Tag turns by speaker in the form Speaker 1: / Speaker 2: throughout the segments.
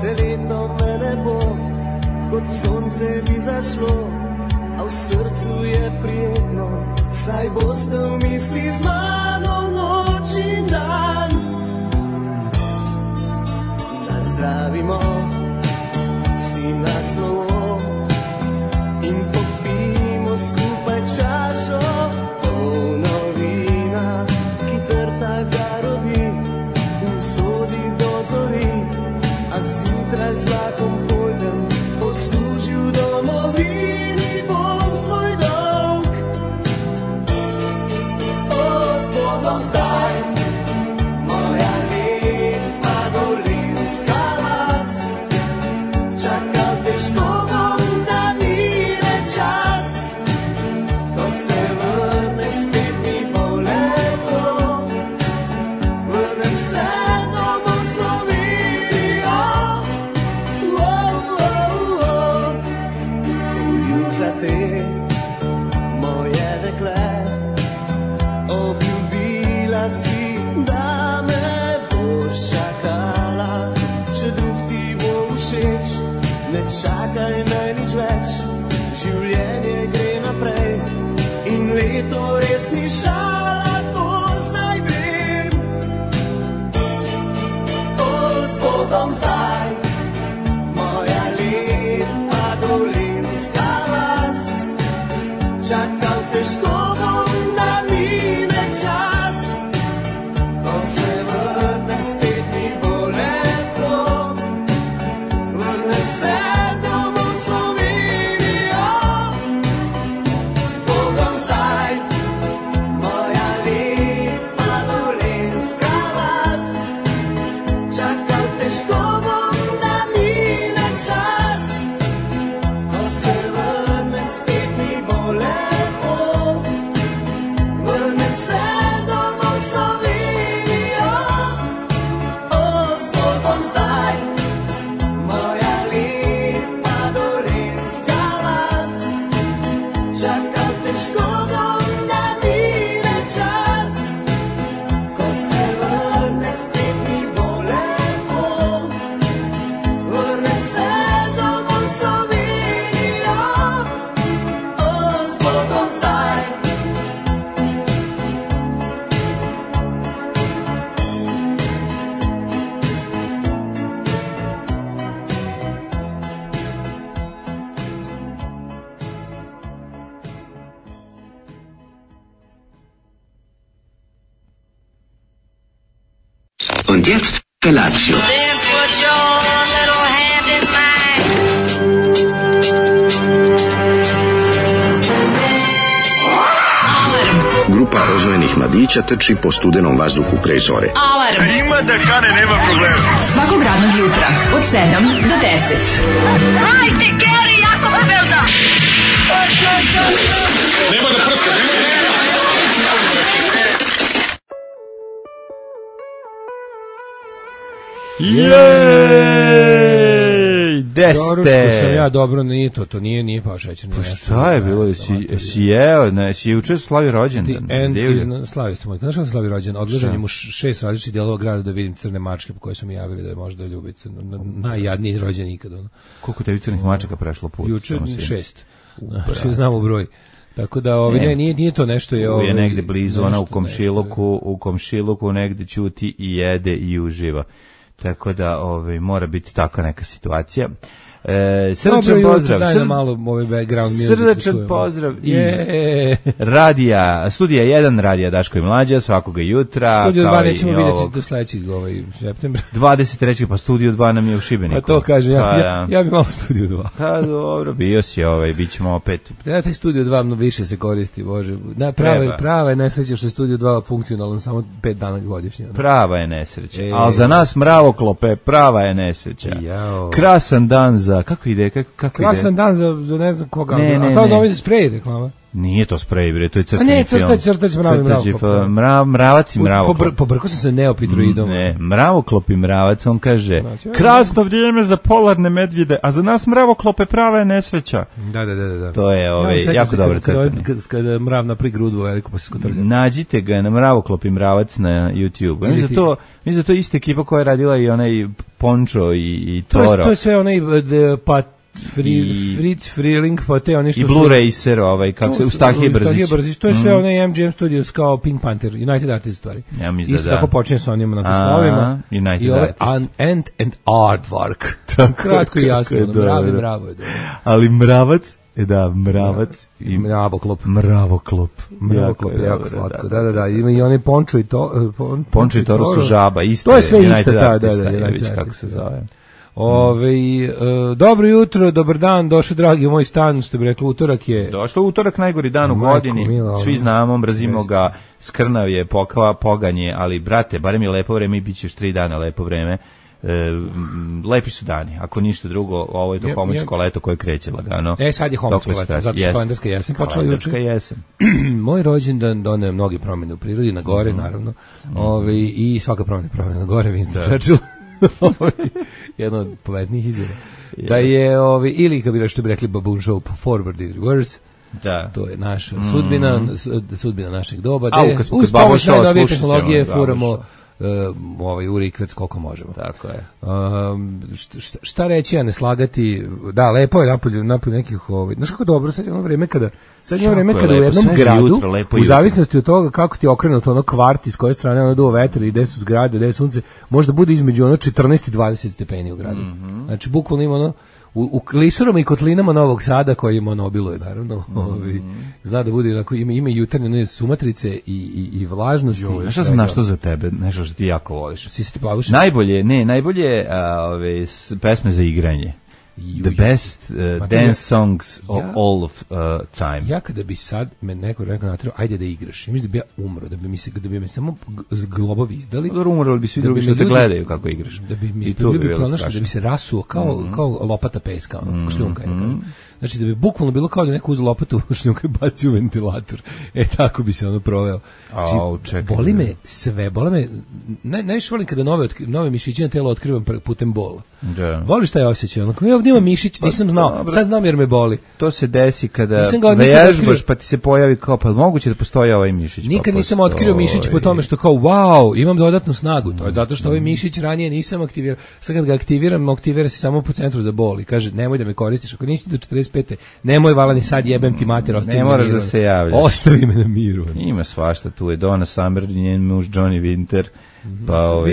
Speaker 1: Vseletno me ne bo, kot sonce bi zašlo, a v srcu je prijetno, saj boste v misli z mano noč in dan. Nazdravimo si na slovo in popijmo skupaj čašo, polno vina, ki trta ga rodi, usodi do zori, a zjutraj z vlakom pojdem, poslužil domovini bom svoj dolg. O, z Bogom zdaj, moja lepa dolinska vas, čakal težko bom, da mine čas, ko se vrnem spet mi bo lepo, vrnem se domov Slovenijo. Poljub za te, moje dekle, obljubila si, da me boš čakala, če drug ti bo všeč, ne čakaj me nič več, življenje gre naprej in leto res ni šala, to zdaj vem. O, z Bogom zdaj, moja lepa dolinska vas, čakal težko bom, da mine čas, ko se vrnem spet mi bo lepo, vrnem se domov Slovenijo. Z Bogom zdaj, moja lepa dolinska vas, čakal težko bom, da mine čas, ko se vrnem spet mi bo lepo, vrnem se domov Slovenijo. O, z Bogom zdaj, moja lepa dolinska vas, čakal težko bom, da mine čas, ko se vrnem spet mi bo lepo, vrnem se domov Slovenijo. O, z Bogom zdaj.
Speaker 2: Und jetzt Felatio.
Speaker 3: Then put your little hand in mine.
Speaker 4: Grupa rozvojenih mladića trči po studenom vazduhu pre zore.
Speaker 5: Alarm. Ima da kane, nema problema. Svakog radnog jutra od 7 do 10.
Speaker 3: Hajde, Geri, jako se velda.
Speaker 6: Nema da prska,
Speaker 7: Jej, gde
Speaker 8: Doručko sam
Speaker 7: ste?
Speaker 8: ja, dobro, nije to nije pao šećer.
Speaker 7: Pa šta je bilo, si jeo, ne, si juče slavi rođendan.
Speaker 8: Slavi sam, znaš kada slavi rođendan? Odložen mu 6 različitih dijelova grada da vidim crne mačke po koje su mi javili da je možda Ljubica najjadniji rođen ikad.
Speaker 7: Koliko tebi crnih mačaka prešlo put?
Speaker 8: Juče 6. Znači, znamo broj. Tako da nije to nešto je
Speaker 7: negde blizu, ona u komšiluku negde ćuti i jede i uživa. Tako da mora biti takva neka situacija. Srdačan pozdrav.
Speaker 8: Daj nam malo background music.
Speaker 7: Srdačan pozdrav iz radija, studija 1, radija Daško i Mlađa, svakoga jutra.
Speaker 8: Studio 2 nećemo vidjeti do sledećeg septembra.
Speaker 7: 23. pa studio 2 nam je u Šibeniku.
Speaker 8: Pa to kažem, ja bi malo studio 2.
Speaker 7: Pa dobro, bio si bit ćemo opet.
Speaker 8: Treba taj studio 2 mnogo više se koristi, Bože. Prava je nesreća što je studio 2 funkcionalan samo 5 dana godišnje.
Speaker 7: Prava je nesreća. Ali za nas mravoklope, prava je nesreća. Krasan dan za... Kako ide?
Speaker 8: Krasan dan za ne znam koga.
Speaker 7: Ne.
Speaker 8: A to zove za sprej reklama.
Speaker 7: Nije to sprej, bre, to je crtani
Speaker 8: film.
Speaker 7: A ne,
Speaker 8: crtać
Speaker 7: mravac i mravoklop.
Speaker 8: Pobrkao sam se neopitroidom.
Speaker 7: Ne, mravoklop i mravac, on kaže, krasno vrijeme za polarne medvjede, a za nas mravoklope prava je nesreća.
Speaker 8: Da.
Speaker 7: To je jako dobro crtani.
Speaker 8: Kada mrav napri grudu veliko pa se skotrlja.
Speaker 7: Nađite ga na mravoklop i mravac na YouTube. Mislim za to ista ekipa koja je radila i onaj Pončo i Toro.
Speaker 8: To je sve onaj Fritz Freeling, pa te oni što
Speaker 7: i Blue Racer, kako se Ustahije Brzić.
Speaker 8: To je sve onaj MGM Studios kao Pink Panther, United Artists stvari.
Speaker 7: Ja mislim
Speaker 8: isto tako počinje sa onim naslovima.
Speaker 7: United Artists.
Speaker 8: And Aardvark. Kratko i jasno, bravo je.
Speaker 7: Ali mravac, mravac
Speaker 8: i mravoklop.
Speaker 7: Mravoklop
Speaker 8: je jako slatko. Da. Ima i onaj Pončo i to.
Speaker 7: Pončo i Toro su žaba, isto.
Speaker 8: To je sve isto, da.
Speaker 7: Kako se zove.
Speaker 8: Dobro jutro, dobar dan, došao dragi u moj stan, što bi rekli, utorak je...
Speaker 7: Došao utorak, najgori dan u godini, svi znamo, mrzimo ga, skrnav je, poganje, ali brate, barem je lepo vreme i bit će još 3 dana lepo vreme. Lepi su dani, ako ništa drugo, ovo je to homoćsko leto koje kreće lagano.
Speaker 8: Sad je homoćsko leto, zato što kalendarska jesen počela juče.
Speaker 7: Kalendarska jesen.
Speaker 8: Moj rođendan doneo mnoge promjene u prirodi, na gore naravno, i svaka promjena na gore, Winston Churchill. Jedno od povednijih izjava. Da je, ili kad bi što bi rekli Baboon Show, forward and reverse, to je naša sudbina našeg doba. Uz pomoć najnovije tehnologije furamo u rikvec koliko možemo.
Speaker 7: Tako je.
Speaker 8: Šta reći, a ne slagati, da, lepo je napolju nekih, znaš kako dobro, sad je ono vreme kada u jednom gradu, u zavisnosti od toga kako ti je okrenuto ono kvart, iz koje strane ono duo vetar i gde su zgrade, gde je sunce, možda bude između ono 14 i 20 stepeni u gradu. Znači, bukvalno ima ono, u klisurama i kotlinama Novog Sada, koji ima obiluje, naravno, zna da bude, ima jutarnje sumatrice i vlažnosti.
Speaker 7: Šta sam našlo za tebe, nešto što ti jako voliš?
Speaker 8: Si se ti plavuš?
Speaker 7: Najbolje pesme za igranje. The best dance songs of all of time.
Speaker 8: Ja kada bi sad me neko natrao, ajde da igraš, mislim da bi ja umro, da bi me samo globovi izdali.
Speaker 7: Umro bi svi drugi što te gledaju kako igraš.
Speaker 8: Da bi mi bilo pronašli, da bi se rasuo kao lopata peska, šljunka. Znači da bi bukvalno bilo kao da neko uz lopatu šljunka baci u ventilator. Tako bi se ono proveo. Znači, boli me sve, najviše volim kada nove mišićine telo otkrivam putem bola. Voliš taj osjećaj? Ovdje ima mišić, nisam znao, sad znam jer me boli.
Speaker 7: To se desi kada vežbaš pa ti se pojavi kao, pa moguće da postoji ovaj mišić.
Speaker 8: Nikad nisam otkrio mišić po tome što kao, wow, imam dodatnu snagu. To je zato što ovaj mišić ranije nisam aktivirao. Sad kad ga aktivira se samo po centru za bol i kaže, nemoj da me koristiš, ako nisi do 45. Nemoj valani sad, jebem ti mater, ostavi me na miru.
Speaker 7: Ne moraš da se javljaš.
Speaker 8: Ostavi me na miru.
Speaker 7: Ima svašta, tu je Donna Summer, njen muž Johnny Winter. Pa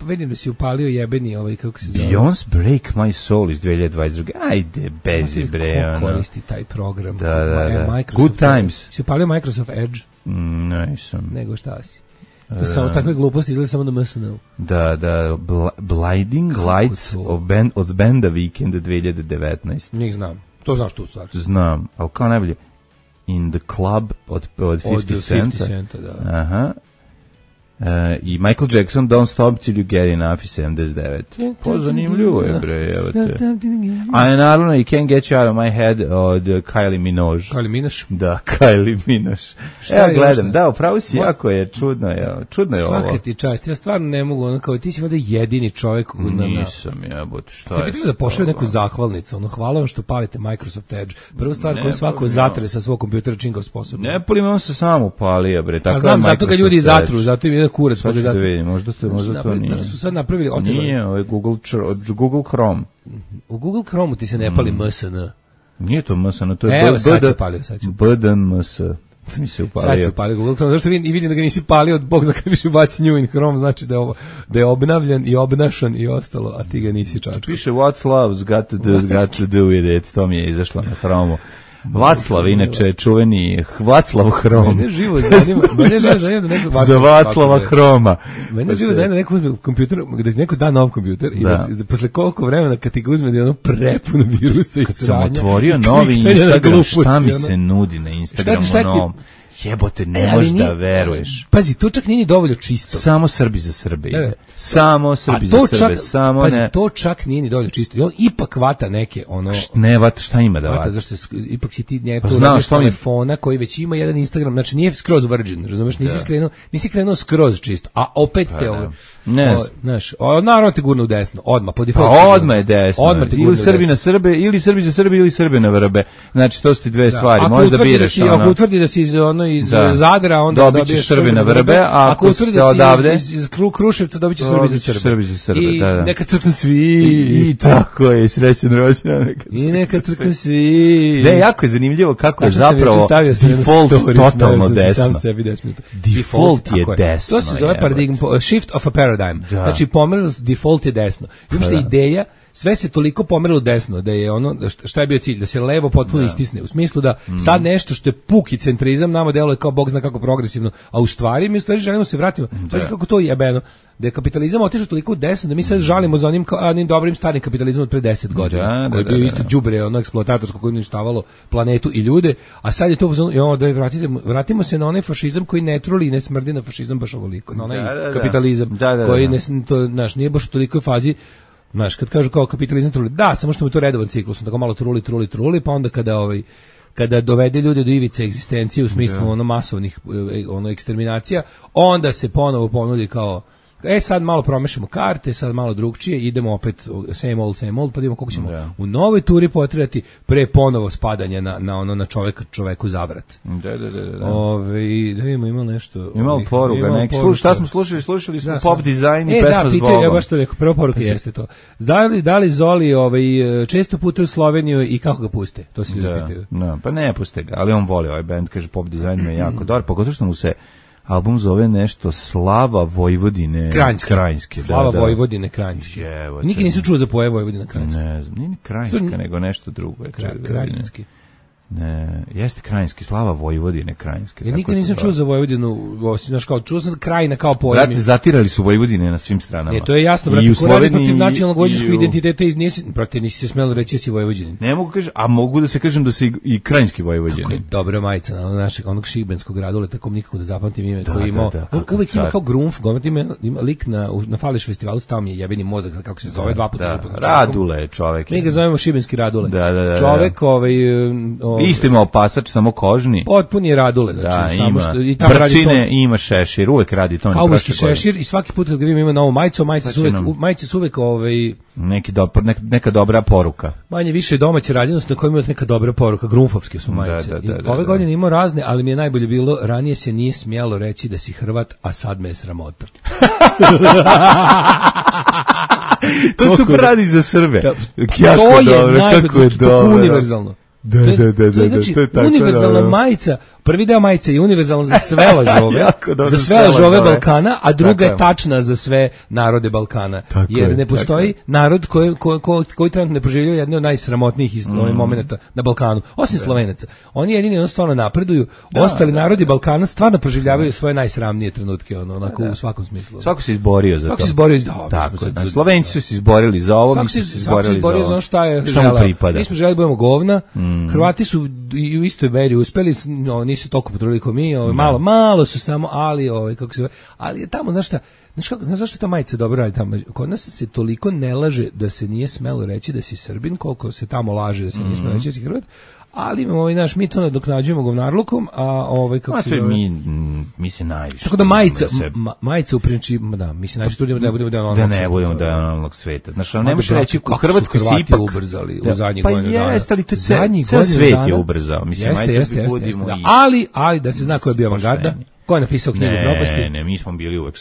Speaker 8: vidim da si upalio jebeni kako se zove.
Speaker 7: Beyoncé Break My Soul iz 2022. Ajde, bezi bre.
Speaker 8: Ko koristi taj program?
Speaker 7: Da. Good Times.
Speaker 8: Si upalio Microsoft Edge?
Speaker 7: Nisam.
Speaker 8: Nego šta si? To je samo takve gluposti, izgleda samo na MSN-u.
Speaker 7: Da. Blinding Lights od benda Weekend 2019.
Speaker 8: Njih znam. To znaš tu stvar.
Speaker 7: Znam, ali kao najbolje In the Club od 50 Centa.
Speaker 8: Da.
Speaker 7: Aha. I Michael Jackson Don't Stop Till You Get Enough iz 79. Zanimljivo je, bre, evo te. A naravno I Can't Get You Out of My Head od Kylie Minogue.
Speaker 8: Kylie Minogue?
Speaker 7: Da, Kylie Minogue. Evo gledam, da, upravo si jako je, čudno je ovo.
Speaker 8: Svaka ti čast, ja stvarno ne mogu, kao ti si vada jedini čovjek.
Speaker 7: Nisam, jebot, šta je?
Speaker 8: Ti da pošao neku zahvalnicu, hvala vam što palite Microsoft Edge. Prvu stvar koju svako zatre sa svog kompjutera čim ga sposobno.
Speaker 7: Ne palim, on se samo upalio, bre, tako je
Speaker 8: Microsoft Edge. Znam, zato ga ljudi zatru, zato im je kurac.
Speaker 7: Pa da vidim, možda to nije.
Speaker 8: Su sad napravili
Speaker 7: Nije, ovo je Google Chrome.
Speaker 8: U Google Chrome ti se ne pali MSN.
Speaker 7: Nije to MSN, to je BDMS. Mi se upalio.
Speaker 8: Sad se upalio Google Chrome. Zašto vidim da ga nisi palio, Bog za kada više baci New in Chrome, znači da je obnavljan i obnašan i ostalo, a ti ga nisi čačkao.
Speaker 7: Piše What's Love's got to do with it, to mi je izašlo na Chrome. Vaclav, inače, čuveni Vaclav Hrom.
Speaker 8: Mene živo zanima da neko...
Speaker 7: Za Vaclava Hroma.
Speaker 8: Mene živo zanima da neko uzme kompjuter, da ti neko da nov kompjuter i da posle koliko vremena kad ti ga uzme da je ono prepuno virusa i sranja.
Speaker 7: Kad sam otvorio novi Instagram, šta mi se nudi na Instagramu novom? Jebote, ne možeš da veruješ.
Speaker 8: Pazi, to čak nije ni dovoljno čisto.
Speaker 7: Samo Srbi za Srbe ide. Samo Srbi za Srbe. Samo
Speaker 8: pazi,
Speaker 7: ne.
Speaker 8: to čak nije ni dovoljno čisto. I on ipak vata neke,
Speaker 7: Ne vata, šta ima da vata?
Speaker 8: Zašto ipak si ti njega tu telefona koji već ima jedan Instagram, znači nije skroz virgin, razumeš, nisi krenuo skroz čisto, a opet te ovo.
Speaker 7: Ne,
Speaker 8: znaš, naravno te gurnu u desno, odmah po defaultu.
Speaker 7: Odmah je desno. Ili Srbi na Srbe, ili Srbi za Srbe, ili Srbe na Vrbe. Znači to su ti dve stvari. Možda biraš.
Speaker 8: Ako utvrdi da si iz Zadra, onda
Speaker 7: dobiješ Srbi na Vrbe, a ako utvrdi da si
Speaker 8: iz Kruševca, dobićeš Srbi za Srbe.
Speaker 7: I
Speaker 8: neka crknu svi.
Speaker 7: I tako je, srećan rođendan.
Speaker 8: I neka crknu svi.
Speaker 7: Ne, jako je zanimljivo kako je zapravo default totalno desno.
Speaker 8: Sam sebi 10 minuta.
Speaker 7: Default je desno.
Speaker 8: To se zove paradigm, shift of a paradigm. Znači pomerilo, default je desno. I uopšte ideja, sve se toliko pomerilo desno da je ono, šta je bio cilj, da se levo potpuno istisne, u smislu da sad nešto što je puki centrizam nama deluje kao bog zna kako progresivno, a u stvari mi želimo se vratimo. Znači kako to jebeno, da je kapitalizam otišao toliko desno da mi sad žalimo za onim dobrim starim kapitalizmom od pre 10 godina, koji je bio isto đubre, ono eksploatatorsko koje je uništavalo planetu i ljude, a sad je to vratimo se na onaj fašizam koji ne truli i ne smrdi na fašizam baš ovoliko, na onaj kapitalizam koji nije baš u tolikoj fazi. Znaš, kad kažu kao kapitalizam truli, da, samo što je to redovan ciklus, tako malo truli, pa onda kada dovede ljude do ivice egzistencije u smislu masovnih eksterminacija, onda se ponovo ponudi kao sad malo promešamo karte, sad malo drugčije, idemo opet same old, pa vidimo koliko ćemo u novoj turi potrebati pre ponovo spadanja na čoveku zavrat.
Speaker 7: Da.
Speaker 8: Da vidimo, ima nešto.
Speaker 7: Imamo poruka, neki. Šta smo slušali smo pop dizajn i pesma s Bogom.
Speaker 8: Ja baš to rekao, prva poruka jeste to. Da li Zoli često putuje u Sloveniju i kako ga puste? To se ljudi pitaju.
Speaker 7: Pa ne puste ga, ali on voli ovaj band, kaže pop dizajn me jako dobar, pogotovo što mu se album zove nešto Slava Vojvodine Krajinske.
Speaker 8: Slava Vojvodine Krajinske. Nikad nisam čuo za poje Vojvodina Krajinske.
Speaker 7: Ne znam, nije Krajinska, nego nešto drugo.
Speaker 8: Krajinski.
Speaker 7: Ne, jeste Krajinski, Slava Vojvodine Krajinske.
Speaker 8: Ja nikad nisam čuo za Vojvodinu, znaš kao, čuo sam Krajina kao pojam.
Speaker 7: Brate, zatirali su Vojvodine na svim stranama.
Speaker 8: Ne, to je jasno, brate, ko radi protiv nacionalnog vojvođanskog identiteta, nisi se smelo reći da si Vojvođanin.
Speaker 7: Ne mogu kažem, a mogu da se kažem da si i Krajinski Vojvođanin.
Speaker 8: Kako je dobra majica na našeg, onog šibenskog Radule, tako nikako da zapamtim ime koji imao. Uvijek ima kao Grunf, ima lik na Fališ festivalu, stao mi je jebeni mozak, kako se zove, 2 puta.
Speaker 7: Radule, čovek.
Speaker 8: Mi ga zovemo šibenski Radule. Čovek,
Speaker 7: isto ima opasač, samo kožni.
Speaker 8: Potpuni je Radule.
Speaker 7: Znači, ima brčine i ima šešir, uvek radi to.
Speaker 8: Kauboški šešir i svaki put kad ga ima novu majicu, majice su uvek
Speaker 7: neka dobra poruka.
Speaker 8: Manje više domaće radinost na kojima je neka dobra poruka, grunfovske su majice. Ove godine imao razne, ali mi je najbolje bilo, ranije se nije smjelo reći da si Hrvat, a sad me je sramota.
Speaker 7: To su radi za Srbe.
Speaker 8: To je najbolje, to je univerzalno.
Speaker 7: Da.
Speaker 8: Znači, univerzalna majica, prvi deo majice je univerzalna za sve lažove, za sve lažove Balkana, a druga je tačna za sve narode Balkana. Jer ne postoji narod koji trenutno ne proživljava jedne od najsramotnijih momenta na Balkanu, osim Slovenaca. Oni jedini stvarno napreduju, ostali narodi Balkana stvarno proživljavaju svoje najsramnije trenutke, onako u svakom smislu.
Speaker 7: Svako se izborio za to.
Speaker 8: Svako se izborio,
Speaker 7: Slovenci su se izborili za ovo, mi su se izborili za ovo.
Speaker 8: Svako se šta je želeo. Mi smo želeli budemo govna, Hrvati su i u istoj meri uspeli, nisu toliko potrudili kao mi, malo su samo, ali ali je tamo, znaš zašto ta majica dobro radi tamo? Kod nas se toliko ne laže da se nije smelo reći da si Srbin, koliko se tamo laže da se nije smelo reći da si Hrvat, ali mi to nadoknađujemo govnarlukom, a kako se zove?
Speaker 7: Mi se najviše.
Speaker 8: Tako da majica u principu, mi se najviše trudimo da budemo
Speaker 7: denomalnog sveta. Znači, ne možeš reći, u Hrvatskoj se ipak
Speaker 8: ubrzali u zadnjih godina dana.
Speaker 7: Pa jeste, ali to ceo svet je ubrzao. Mislim,
Speaker 8: jeste. Ali da se zna ko je bio avangarda, ko je napisao knjigu propasti.
Speaker 7: Ne, mi smo bili uvek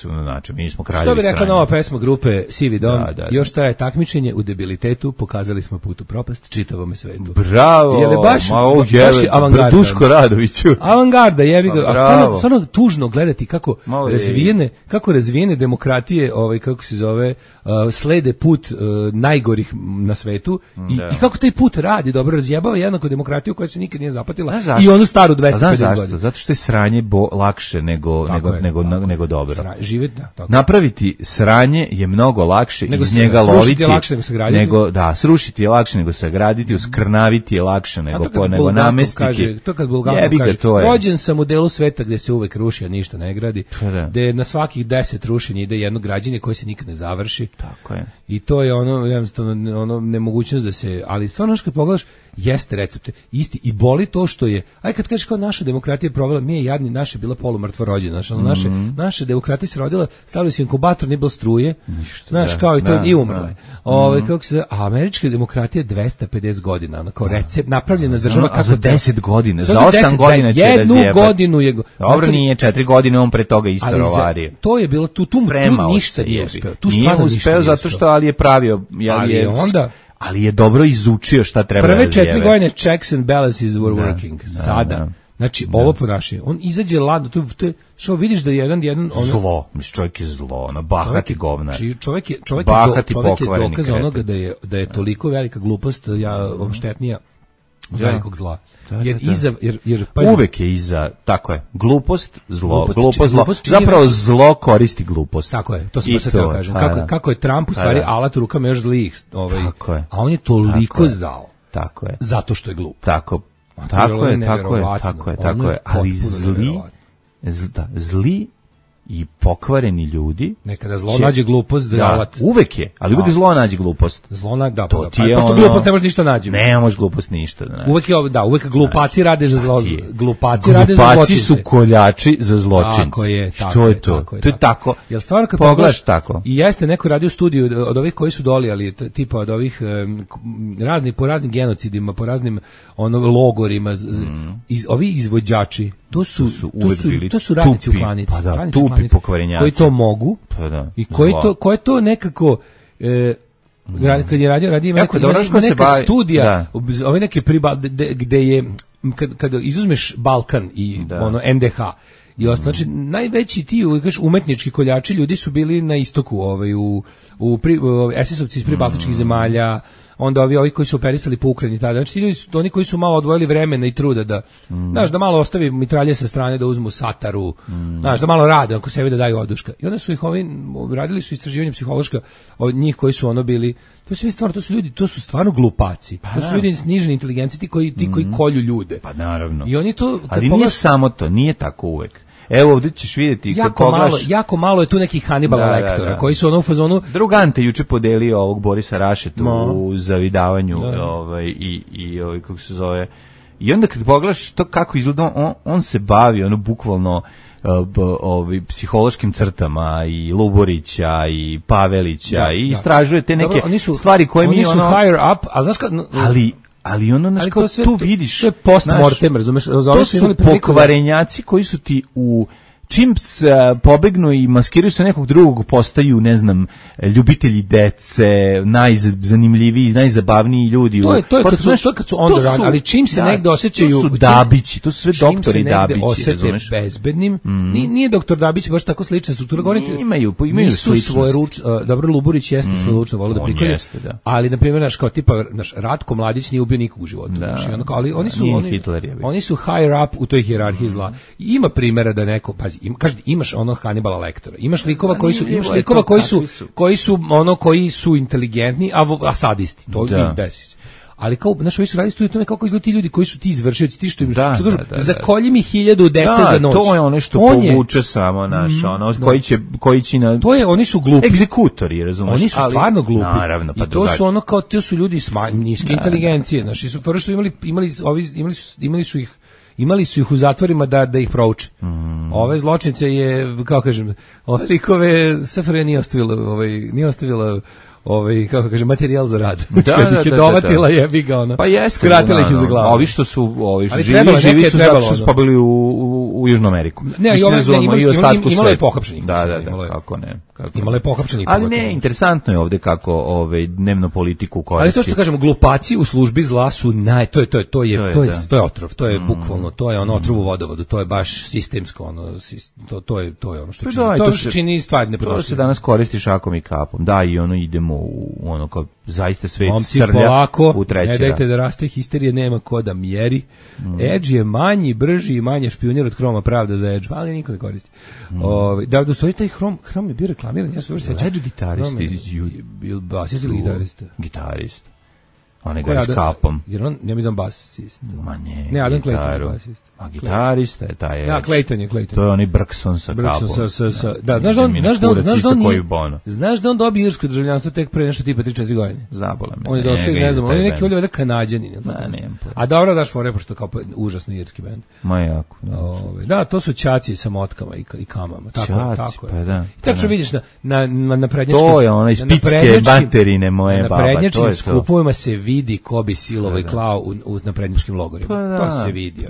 Speaker 7: mi smo kraljevi.
Speaker 8: Što bi rekla nova pesma grupe Sivi Don, još traje takmičenje u debilitetu, pokazali smo put u propast čitavom svetu.
Speaker 7: Bravo,
Speaker 8: je li baš avangarda?
Speaker 7: Duško Radoviću.
Speaker 8: Avangarda, jebi ga, a stvarno tužno gledati kako razvijene demokratije, kako se zove, slede put najgorih na svetu i kako taj put radi, dobro razjebava jednako demokratiju koja se nikad nije zapatila i onu staru 250 godina.
Speaker 7: Zato što je sranje lakše lakše nego dobro.
Speaker 8: Živjeti, da, tako.
Speaker 7: Napraviti sranje je mnogo lakše, iz njega loviti.
Speaker 8: Srušiti je lakše nego sagraditi.
Speaker 7: Srušiti je lakše nego sagraditi, uskrnaviti je lakše nego namestiti.
Speaker 8: To kad Bulgakov kaže, rođen sam u delu sveta gde se uvek ruši, a ništa ne gradi, gde na svakih 10 rušenja ide jedno građenje koje se nikad ne završi.
Speaker 7: Tako je.
Speaker 8: I to je ono nemogućnost da se, ali stvarno kad pogledaš, jeste recept isti i boli to što je, aj kad kažeš kao naša demokratija je provela, mi je jadni, naša je bila polumrtvo rođena, naše demokratija se rodila, stavili su inkubator, nije bilo struje, znaš, kao i to, i umrla. Kako se, a američka demokratija je 250 godina, ono kao recept, napravljena država kako
Speaker 7: za 10 godina, za 8 godina će
Speaker 8: jednu godinu je,
Speaker 7: dobro, nije 4 godine, on pre toga isto rovario.
Speaker 8: To je bilo, tu ništa nije uspeo.
Speaker 7: Nije uspeo zato što, ali je pravio, ali je dobro izučio šta treba da
Speaker 8: razjeve. Prve 4 godine checks and balances were working. Sada. Znači, ovo ponašanje. On izađe ladno, to je, što vidiš da je jedan
Speaker 7: zlo, čovjek je zlo, bahati govnar.
Speaker 8: Čovjek je dokaz onoga da je toliko velika glupost, štetnija velikog zla. Jer
Speaker 7: uvek je iza, tako je, glupost, zlo. Zapravo zlo koristi glupost.
Speaker 8: Tako je, to sam baš sad kažem. Kako je Trump u stvari alat u rukama još zlih, a on je toliko zao.
Speaker 7: Tako je.
Speaker 8: Zato što je glup.
Speaker 7: Tako je. Ali zli i pokvareni ljudi.
Speaker 8: Nekada zlo nađe glupost za alat.
Speaker 7: Uvek je, ali uvek zlo nađe glupost.
Speaker 8: Pošto glupost ne može ništa nađi.
Speaker 7: Ne može glupost ništa.
Speaker 8: Uvek glupaci rade za zlo.
Speaker 7: Glupaci su koljači za zločince.
Speaker 8: Tako je.
Speaker 7: Što je to? To je tako.
Speaker 8: Jel stvarno kad pogledaš tako? I jeste neko radio studiju od ovih koji su dolijali, tipa od ovih po raznim genocidima, po raznim logorima, ovi izvođači, to su radnici u klanici.
Speaker 7: Tupi pokvarenjaci.
Speaker 8: Koji to mogu i koji to nekako kad je radio ima neka studija, ove neke gde je kad izuzmeš Balkan i NDH i znači najveći ti umetnički koljači ljudi su bili na istoku, u SS-ovci iz pribaltičkih zemalja, onda ovi koji su operisali po Ukrajini tada. Znači ti ljudi su oni koji su malo odvojili vremena i truda da znaš, da malo ostavi mitralje sa strane, da uzmu sataru, znaš, da malo rade ako sebi da daju oduška. I onda su ih radili su istraživanje psihološka od njih koji su bili, to su stvarno glupaci. To su ljudi niže inteligencije, ti koji kolju ljude.
Speaker 7: Pa naravno.
Speaker 8: I oni to
Speaker 7: ali nije samo to, nije tako uvek. Evo ovdje ćeš vidjeti
Speaker 8: jako malo je tu nekih Hannibala Lektora koji su u fazonu.
Speaker 7: Drugante juče podelio ovog Borisa Rašetu u zavidavanju i kako se zove. I onda kad pogledaš to kako izgleda, on se bavi bukvalno psihološkim crtama i Luborića i Pavelića i istražuje te neke stvari koje mi
Speaker 8: oni su higher up, a znaš kad
Speaker 7: ali znaš kao tu vidiš,
Speaker 8: to je post-mortem, razumeš?
Speaker 7: To su pokvarenjaci koji su ti čim pobegnu i maskiraju se nekog drugog, postaju, ne znam, ljubitelji dece, najzanimljiviji, najzabavniji ljudi.
Speaker 8: To je kad su on the run, ali čim se negde osjećaju...
Speaker 7: To su Dabići, to su sve doktori Dabići,
Speaker 8: razumeš? Bezbednim, nije doktor Dabić baš tako slična struktura.
Speaker 7: Imaju sličnost.
Speaker 8: Dobro, Luburić jeste svoje lučno volio da prikolje, ali, na primjer, naš kao tipa, Ratko Mladić nije ubio nikog u životu. Ali oni su higher up u toj hijerarhiji zla. Ima primjera da neko, pazi, imaš Hannibala Lektora, imaš likova koji su inteligentni, a sadisti, to im desi se. Ali kao, znaš, ovi su radili studiju tome kako izgleda ti ljudi koji su ti izvršioci, ti što im kažu, zakolji mi 1000 dece za noć.
Speaker 7: To je ono što povuče samo naš, koji će na...
Speaker 8: To je, oni su glupi.
Speaker 7: Egzekutori, razumiješ?
Speaker 8: Oni su stvarno glupi.
Speaker 7: Naravno, pa
Speaker 8: i to su to su ljudi niske inteligencije, znaš, prvo su imali su ih u zatvorima da ih prouče. Ove zločince je, kao kažem, ove likove SFRJ nije ostavila kako kaže, materijal za rad. Kad ih je dovatila, jebi ga ona.
Speaker 7: Pa jeste.
Speaker 8: Skratila ih iza glava.
Speaker 7: Ovi što su živi su zato što su pobili u Južnu Ameriku.
Speaker 8: Ne, imalo je pohapšenih.
Speaker 7: Da, kako ne.
Speaker 8: Imalo je pohapšenih.
Speaker 7: Ali ne, interesantno je ovdje kako dnevnu politiku koristi.
Speaker 8: Ali to što kažemo, glupaci u službi zla su to je otrov, to je bukvalno, to je otrov u vodovodu, to je baš sistemsko, to je ono što čini stvari nepodnošljive.
Speaker 7: To se danas koristi šakom i kapom. Da, i idemo u zaista svet srlja u treći.
Speaker 8: Ne dajte da raste histerije, nema ko da mjeri. Edge je manji, brži i manje špionir od Chroma, pravda za Edge, ali niko ne koristi. Da, u stvari taj Chrome je bio reklamiran, ja se dobro sećam.
Speaker 7: Edge gitarista
Speaker 8: bil basist ili gitarista?
Speaker 7: Gitarist. On ga s kapom.
Speaker 8: Jer on, ja mislim, basist.
Speaker 7: Ma
Speaker 8: ne, Adam Clayton je basist.
Speaker 7: A gitarista je taj.
Speaker 8: Da, Clayton je.
Speaker 7: To je onaj Brkson sa kapom.
Speaker 8: Da, znaš da on dobio irsko državljanstvo tek pre nešto tipa 3-4 godine.
Speaker 7: Zabola me.
Speaker 8: On je došao, ne znam, on je neki ovdje Kanađanin. A dobro daš fore, pošto kao užasno irski bend.
Speaker 7: Ma jako.
Speaker 8: Da, to su ćaci sa motkama i kamama.
Speaker 7: Ćaci, pa da.
Speaker 8: Tačno vidiš na prednjačkim...
Speaker 7: To je onaj spitske baterine moje baba.
Speaker 8: Na prednjačkim skupovima se vidi ko bi silovo i klao na prednjačkim logorima. To se vidi,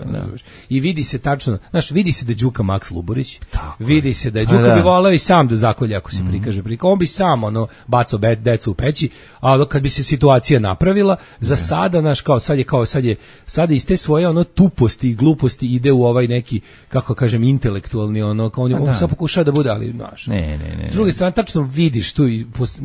Speaker 8: i vidi se tačno, znaš, vidi se da je Đuka Maks Luborić, vidi se da je Đuka bi voleo i sam da zakolje ako se prikaže prika. On bi sam bacao decu u peći, a kad bi se situacija napravila, za sada, znaš, sad iz te svoje tuposti i gluposti ide u ovaj neki, kako kažem, intelektualni, kao on sad pokušava da bude, ali, znaš.
Speaker 7: Ne.
Speaker 8: S druge strane, tačno vidiš tu,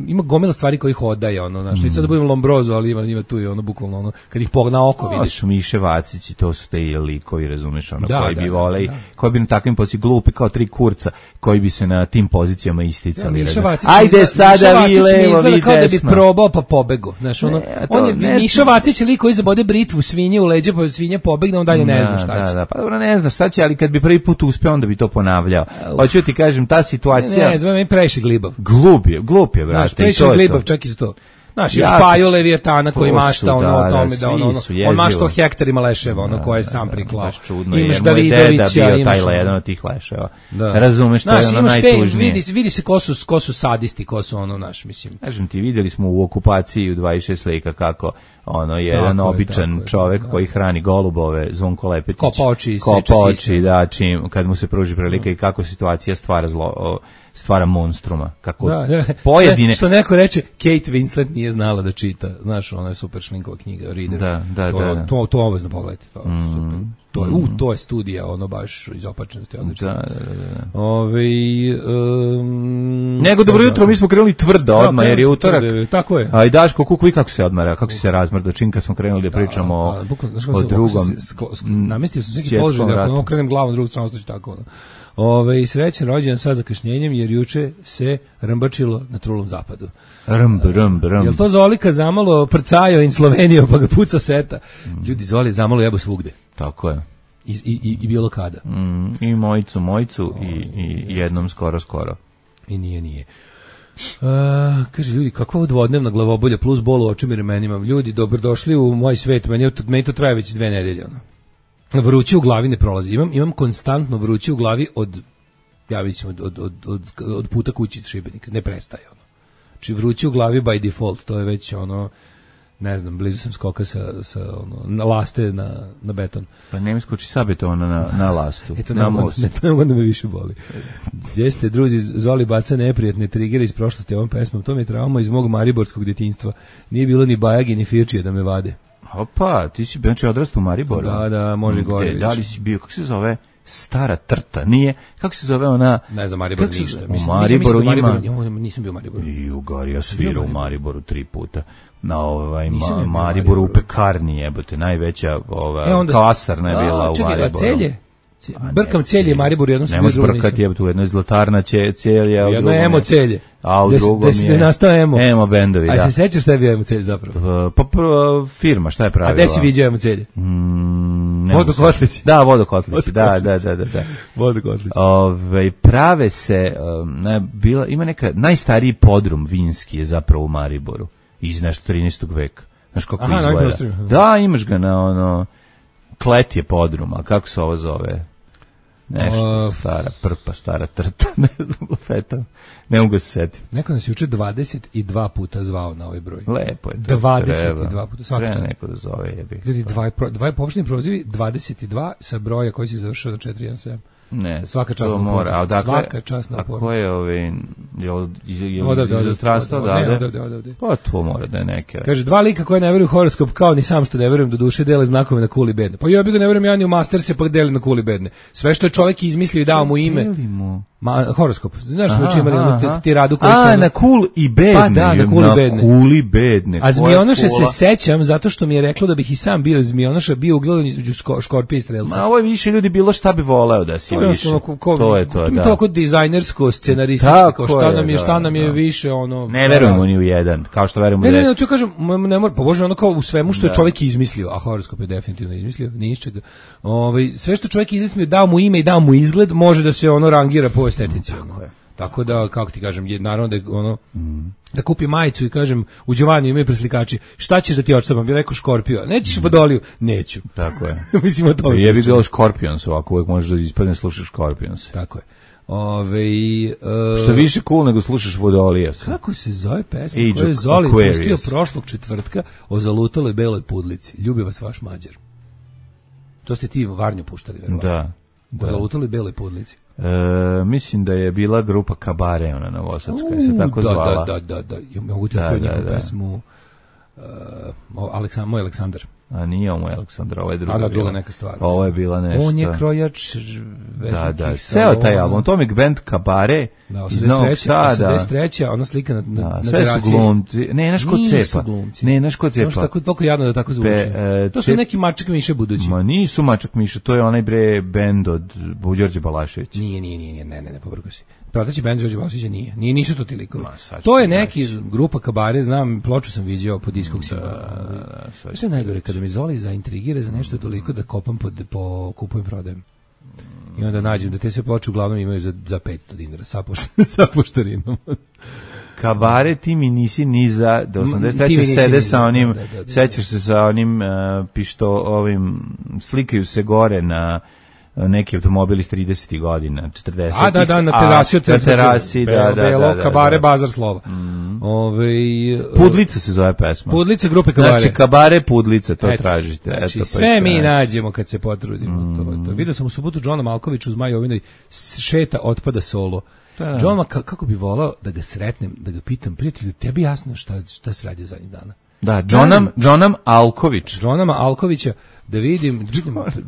Speaker 8: ima gomila stvari koji ih odaje, znaš, i sad da budem Lombrozo, ali ima tu i bukvalno, kad ih pogna oko, vidiš.
Speaker 7: To su Miše Vacić i to su te likovi, razumeš, koji bi voleli, koji bi na takvim pozicijama glupi kao tri kurca, koji bi se na tim pozicijama isticali. Ajde sada vi levo, vi desno.
Speaker 8: Kao da bi probao pa pobego. Znaš, Miša Vacić je lik koji zabode britvu svinje u leđe, pa svinja pobegne, on dalje ne zna šta će.
Speaker 7: Da, pa dobro, ne zna šta će, ali kad bi prvi put uspeo, onda bi to ponavljao. Hoću ti kažem, ta situacija...
Speaker 8: Ne, zove mi previše glibav.
Speaker 7: Glup je, brate.
Speaker 8: Previše glibav, čak i za to. Znaš, još Paju Leviatana koji mašta o tome da on mašta o hektarima leševa, koje je sam priklao.
Speaker 7: Imaš Davidovića, imaš jedan od tih leševa. Razumeš, to je najtužnije.
Speaker 8: Vidi se ko su sadisti, ko su naš, mislim.
Speaker 7: Kažem ti, vidjeli smo u okupaciji u 26 lika kako jedan običan čovek koji hrani golubove, Zvonko Lepetić. Kopa oči, da, kad mu se pruži prilika i kako situacija stvara monstruma. Kako pojedine...
Speaker 8: Što neko reče, Kate Winslet nije znala da čita. Znaš, ona je super Šlinkova knjiga, Reader.
Speaker 7: Da.
Speaker 8: To obavezno pogledajte. To je studija, baš iz opačenosti.
Speaker 7: Da. Nego, dobro jutro, mi smo krenuli tvrdo odmah, jer je utorak.
Speaker 8: Tako je.
Speaker 7: A i Daško, kuku, kad se odmara, kako si se razmrdo, čim kad smo krenuli da pričamo o drugom.
Speaker 8: Namestio sam sveki položaj, da ako krenem glavom drugu stranu, to će tako. Srećan rođendan sa zakašnjenjem, jer juče se rmbačilo na trulom zapadu.
Speaker 7: Rmb.
Speaker 8: Jel to Zolika zamalo prcajo in Sloveniju, pa ga puca seta? Ljudi, Zoli zamalo jebo svugde.
Speaker 7: Tako je.
Speaker 8: I bilo kada.
Speaker 7: I mojicu i jednom skoro.
Speaker 8: I nije. Kaže, ljudi, kakva dvodnevna glavobolja plus bol u očima i ramenima. Ljudi, dobrodošli u moj svet. Meni to traje već 2 nedelje. Vruće u glavi ne prolazi. Imam konstantno vruće u glavi od puta kući iz Šibenika. Ne prestaje Znači vruće u glavi by default, to je već ne znam, blizu sam skoka na laste na beton.
Speaker 7: Pa ne mi skoči sa betona na lastu.
Speaker 8: To ne mogu da me više boli. Jeste, druzi, Zoli baca neprijatne trigere iz prošlosti ovom pesmom. To mi je trauma iz mog mariborskog djetinjstva. Nije bilo ni Bajagi ni Firčije da me vade.
Speaker 7: Opa, ti si znači odrastao u Mariboru.
Speaker 8: Da, može gore.
Speaker 7: Da li si bio, kako se zove, Stara Trta, nije? Kako se zove ona?
Speaker 8: Ne znam, Maribor ništa.
Speaker 7: U Mariboru ima...
Speaker 8: Nisam bio u Mariboru.
Speaker 7: I u Gari, ja svirao u Mariboru 3 puta. Na Mariboru u pekarni jebote, najveća kasarna je bila u Mariboru.
Speaker 8: Čekaj, Celje? Brkam Celje, Maribor, jednom sam bio drugo.
Speaker 7: Ne možeš brkati jebote, u jednoj zlatarna Celje, a u drugom...
Speaker 8: Jedno Emo Celje.
Speaker 7: A u drugom je...
Speaker 8: Da nastao Emo.
Speaker 7: Emo bendovi, da.
Speaker 8: A se sećaš šta je bio Emo Celje zapravo?
Speaker 7: Pa firma, šta je pravila?
Speaker 8: A gde si vidio Emo Celje? Vodokotlici.
Speaker 7: Da, Vodokotlici, da.
Speaker 8: Vodokotlici.
Speaker 7: Prave se, ima neka, najstariji podrum vinski je zapravo u Mariboru, iz nešto 13. veka. Znaš kako izgleda? Da, imaš ga na Klet je podrum, a kako se ovo zove? Nešto, stara trta, ne znam, feta, ne mogu se setiti.
Speaker 8: Neko nas juče 22 puta zvao na ovaj broj.
Speaker 7: Lepo je to.
Speaker 8: 22 puta, svaki čas.
Speaker 7: Neko da zove, jebi.
Speaker 8: Ljudi, dva poopšteni prozivi, 22 sa broja koji si završao na 417.
Speaker 7: Ne,
Speaker 8: svaka čast na
Speaker 7: mora.
Speaker 8: Svaka čast na
Speaker 7: porno. A ko je iz zdravstva odavde? Pa to mora da je neke.
Speaker 8: Kaže, 2 lika koje ne veruju u horoskop, kao ni sam što ne verujem, do duše dele znakove na kuli bedne. Pa ja bih ga ne verujem ja ni u Masterse, pa deli na kuli bedne. Sve što je čovjek izmislio i dao mu ime. Horoskop. Znaš, već imali ti radu koji su...
Speaker 7: na Cool i bedne.
Speaker 8: Pa da, na
Speaker 7: Cool i bedne.
Speaker 8: A Zmionoša se sećam, zato što mi je reklo da bih i sam bio Zmionoša, bio ugledan između Škorpija i Strelca.
Speaker 7: Ma ovo je više ljudi bilo šta bi voleo da si više. To je to, da.
Speaker 8: To kod dizajnersko, scenarističko, šta nam je više, ono...
Speaker 7: Ne verujemo ni u jedan, kao što verujemo u jedan.
Speaker 8: Ne, ću kažem, ne mora, pa Bože, ono kao u svemu što je čovjek izmislio, a horoskop je definitivno izmislio, ni iz čega. Sve što čovjek izmislio, dao mu ime i dao mu izgled, može da se ono rangira po estetici. Tako da, kako ti kažem, naravno da je ono, da kupi majicu i kažem, u Đovaniju imaju preslikači, šta ćeš da ti odštampam? Bi rekao Škorpio, nećeš Vodoliju? Neću.
Speaker 7: Tako je.
Speaker 8: Mislim o tome.
Speaker 7: Jebi ga Scorpions, ovako uvek možeš da ispadne slušaš Scorpions.
Speaker 8: Tako je.
Speaker 7: Što više cool nego slušaš Vodolija.
Speaker 8: Kako se zove pesma koju je Zoli pustio prošlog četvrtka o zalutaloj beloj pudlici? Ljubi vas vaš Mađar. To ste ti Varnju puštali, verovatno. Da. O zalutaloj beloj pudlici.
Speaker 7: Mislim da je bila grupa Kabare, ona novosadska, se tako zvala.
Speaker 8: Da. Ja mogu ti da njegovu pesmu Moj Aleksandar.
Speaker 7: A nije ovo Aleksandar, ovo je
Speaker 8: druga neka stvar.
Speaker 7: Ovo je bila nešto.
Speaker 8: On je krojač
Speaker 7: Da. Seo taj album, Atomic Band Kabare iz Novog Sada.
Speaker 8: 83. ona slika na
Speaker 7: sve su glumci. Ne, naš kod cepa. Ne, naš kod cepa.
Speaker 8: Samo što toliko jadno da tako zvuči. To su neki Mačak Miša budući.
Speaker 7: Ma nisu Mačak Miša, to je onaj bend od Đorđe Balaševića.
Speaker 8: Nije, ne, povrgo si. Prateći bend Đorđe Balaševića nije. Nisu to ti likovi. To je neki grupa Kabare, znam, ploču sam viđao po Discogsu. Sve najgore, kada mi Zoli zaintrigira za nešto toliko da kopam po kupujem prodajem. I onda nađem da te sve ploče uglavnom imaju za $500 sa poštarinom.
Speaker 7: Kabare, ti mi nisi ni za do 83. sede sa onim, sećaš se sa onim ovim, slikaju se gore na neki automobili iz 30. godina, 40.
Speaker 8: Da, na terasi,
Speaker 7: da.
Speaker 8: Kabare, bazar slova.
Speaker 7: Pudlica se zove pesma.
Speaker 8: Pudlica grupe Kabare.
Speaker 7: Znači, Kabare, Pudlica, to tražite.
Speaker 8: Znači, sve mi nađemo kad se potrudimo. Vidio sam u subotu Džona Malkovića u Zmajovinoj šeta otpada solo. Džona, kako bi volao da ga sretnem, da ga pitam, prijatelju, tebi jasno šta se radi zadnjih dana?
Speaker 7: Da, Džonam Alković.
Speaker 8: Džonama Alkovića, da vidim,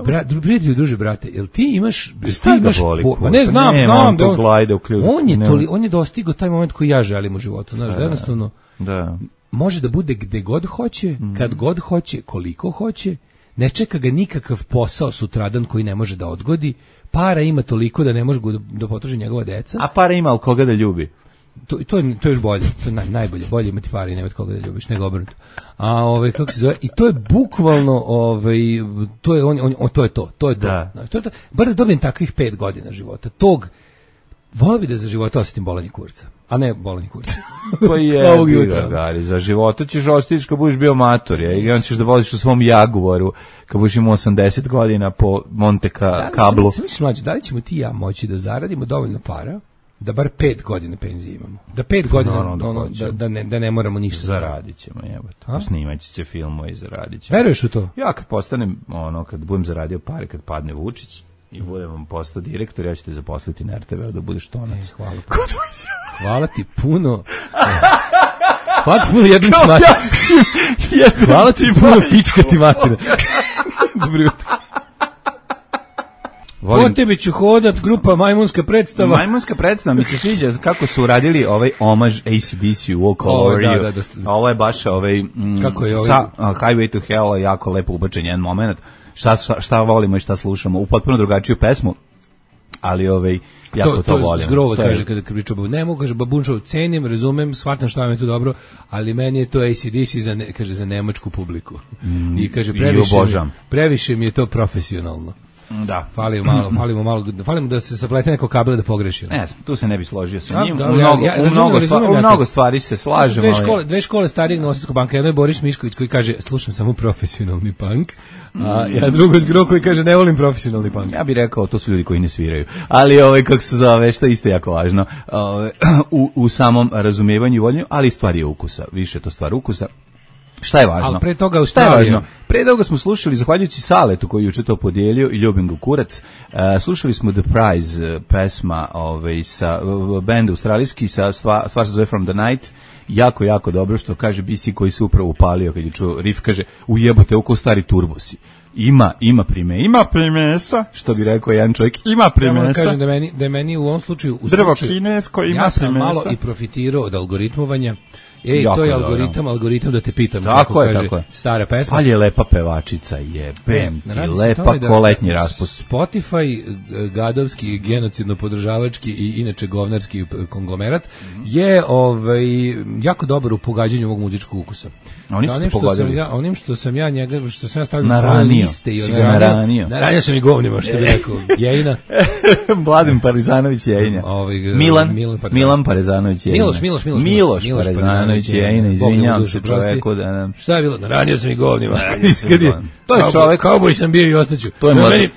Speaker 8: prijatelju, druže, brate, jel ti imaš...
Speaker 7: Šta ga boli?
Speaker 8: Ne, znam
Speaker 7: da
Speaker 8: on je dostigao taj moment koji ja želim u životu, znaš, da jednostavno može da bude gde god hoće, kad god hoće, koliko hoće, ne čeka ga nikakav posao sutradan koji ne može da odgodi, para ima toliko da ne može da potroši njegova deca.
Speaker 7: A para ima, ali koga da ljubi?
Speaker 8: To je još bolje, to je najbolje, bolje imati pare i nemati koga da ljubiš, nego obrnuto. A kako se zove, i to je bukvalno, to je to. Bar da dobijem takvih 5 godina života, volio bi da za života osjetim bolanje kurca, a ne bolanje kurca.
Speaker 7: Koji je, Gari, za života ćeš ostići kad budeš bio mator, i on ćeš da voziš u svom Jaguaru, kad budeš imao 80 godina po Monte Kablu.
Speaker 8: Da li ćemo ti i ja moći da zaradimo dovoljno para, da bar 5 godina penzije imamo. Da 5 godina da ne moramo ništa
Speaker 7: zaradit ćemo, jebote. Snimat će filmove i zaradit ćemo.
Speaker 8: Veruješ u to?
Speaker 7: Ja kad postanem, kad budem zaradio pare, kad padne Vučić i budem vam postao direktor, ja ću te zaposliti na RTV da budeš tonac.
Speaker 8: Hvala ti puno. Hvala ti puno jednim smatim. Hvala ti puno pička ti matina. Dobro jutro. Po tebi ću hodat, grupa Majmunska predstava.
Speaker 7: Majmunska predstava, mi se sviđa kako su uradili ovaj omaž AC/DC u Walk Over You. Ovo je baš sa Highway to Hell, jako lepo ubačen jedan moment. Šta volimo i šta slušamo, u potpuno drugačiju pesmu, ali jako to volim.
Speaker 8: Zgrova kaže kada priča, ne mogu, kaže Babunčov, cenim, razumem, shvatam šta vam je to dobro, ali meni je to AC/DC za nemačku publiku. I kaže, previše mi je to profesionalno.
Speaker 7: Da.
Speaker 8: Falimo da se saplete neko kabel da pogreši.
Speaker 7: Ne, tu se ne bi složio sa njim. U mnogo stvari se slažemo.
Speaker 8: Dve škole starijeg Novosadskog banka, jedno je Boris Mišković koji kaže slušam samo profesionalni punk, a ja drugo Zgro koji kaže ne volim profesionalni punk.
Speaker 7: Ja bih rekao to su ljudi koji ne sviraju. Ali kako se zove, što je isto jako važno u samom razumijevanju i voljenju, ali stvar je ukusa. Više to stvar ukusa. Šta je važno?
Speaker 8: Ali pre toga Australija.
Speaker 7: Pre toga smo slušali, zahvaljujući Saletu koji juče to podijelio i ljubim ga kurac, slušali smo The Prize pesma sa benda australijski, stvar se zove From the Night jako, jako dobro što kaže BC koji se upravo upalio kad je čuo riff, kaže ujebote oko stari turbosi. Ima primesa, što bi rekao jedan čovjek, ima primesa. Ja
Speaker 8: kažem da je meni u ovom slučaju
Speaker 7: drvo kinesko ima
Speaker 8: ja sam
Speaker 7: primesa.
Speaker 8: Malo i profitirao od algoritmovanja. To je algoritam da te pitam.
Speaker 7: Tako je.
Speaker 8: Stara pesma.
Speaker 7: Ali je lepa pevačica, jebem ti, lepa ko letnji raspust.
Speaker 8: Spotify, gadovski, genocidno podržavački i inače govnarski konglomerat, je jako dobar u pogađanju ovog muzičkog ukusa.
Speaker 7: Oni su pogodili.
Speaker 8: Onim što sam ja stavio na svoje liste i naranio sam i govnima, što bi rekao. Jejina.
Speaker 7: Mladen Parezanović Jejina. Milan Parezanović Jejina. Miloš Parezanović Jejina, izvinjavam se čoveku da...
Speaker 8: Šta je bilo? Naranio sam i govnima.
Speaker 7: To je čovek...
Speaker 8: Kauboj sam bio i ostaću.
Speaker 7: To je
Speaker 8: meni,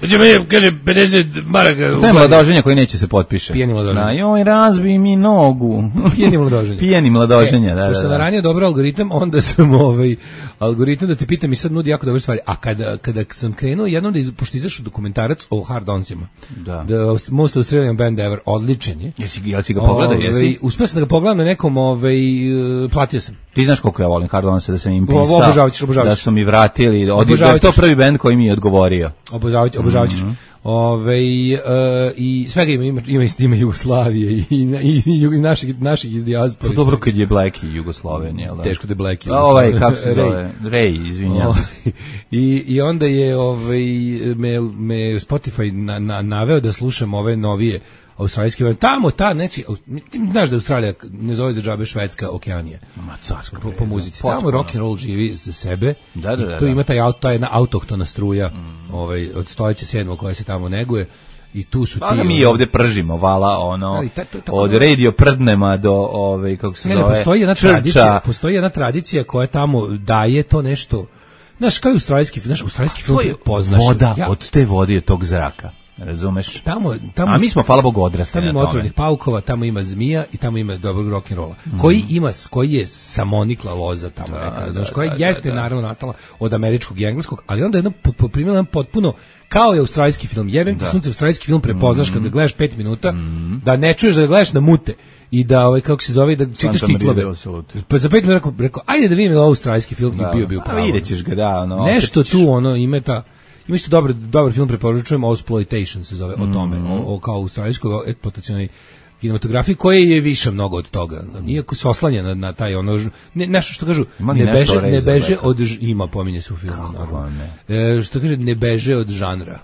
Speaker 8: kaže, 50 maraka.
Speaker 7: To je mladoženja koji neće se potpiše.
Speaker 8: Pijeni mladoženja.
Speaker 7: Joj, razbij mi nogu. Pijeni mladoženja, da.
Speaker 8: Pošto naranio dobro algoritam, onda sam algoritam da te pitam i sad nudi jako dobre stvari. A kada sam krenuo jednom pošto izašao dokumentarac o Hard Onsima, The Most Australian Band Ever, odličan je.
Speaker 7: Jesi ga pogledao, jesi?
Speaker 8: Uspio sam da ga pogledam na nekom, platio sam.
Speaker 7: Ti znaš koliko ja volim Hard Onsa, da sam im pisao, da su mi vratili, da je to prvi band koji mi je odgovorio.
Speaker 8: Obožavaćeš. I svega ima Jugoslavije i naših iz dijaspore.
Speaker 7: To dobro kad je Black i Jugoslovenija.
Speaker 8: Teško da je Black i
Speaker 7: Jugoslovenija. Kako se zove? Ray, izvinjam se.
Speaker 8: I onda je me Spotify naveo da slušam ove novije australijski band. Tamo, znači, znaš da Australija ne zove za džabe Švedska Okeanija. Po muzici. Tamo rock and roll živi za sebe.
Speaker 7: Da.
Speaker 8: Tu ima ta jedna autohtona struja od stoljeća 7. koja se tamo neguje. I tu su ti...
Speaker 7: mi ovdje pržimo, vala, od radio prdnema do, kako se zove,
Speaker 8: postoji jedna tradicija koja tamo daje to nešto... Znaš, kao australijski film poznaš.
Speaker 7: Voda, od te vode je tog zraka. Razumeš?
Speaker 8: Tamo,
Speaker 7: a mi smo, hvala Bogu, odrastali
Speaker 8: na tome. Tamo ima otrovnih paukova, tamo ima zmija i tamo ima dobrog rock'n'rolla. Koji je samonikla loza tamo neka, znaš, koja jeste naravno nastala od američkog i engleskog, ali onda je poprimila jedan potpuno, kao je australijski film. Jebem ti sunce, australijski film prepoznaš kad ga gledaš 5 minuta, da ne čuješ da ga gledaš na mute i da, kako se zove, da čitaš titlove. Pa za 5 minuta rekao, ajde da vidim australijski film i bio pravo.
Speaker 7: Vidjet ćeš ga, da,
Speaker 8: nešto tu, ima ta... Ima isto dobar film, preporučujem, Exploitation se zove, o tome, kao australijskoj eksploatacionoj kinematografiji, koja je više mnogo od toga. Iako se oslanja na taj nešto što kažu, ne beže od ima, pominje se u filmu. Što kaže, ne beže od žanra,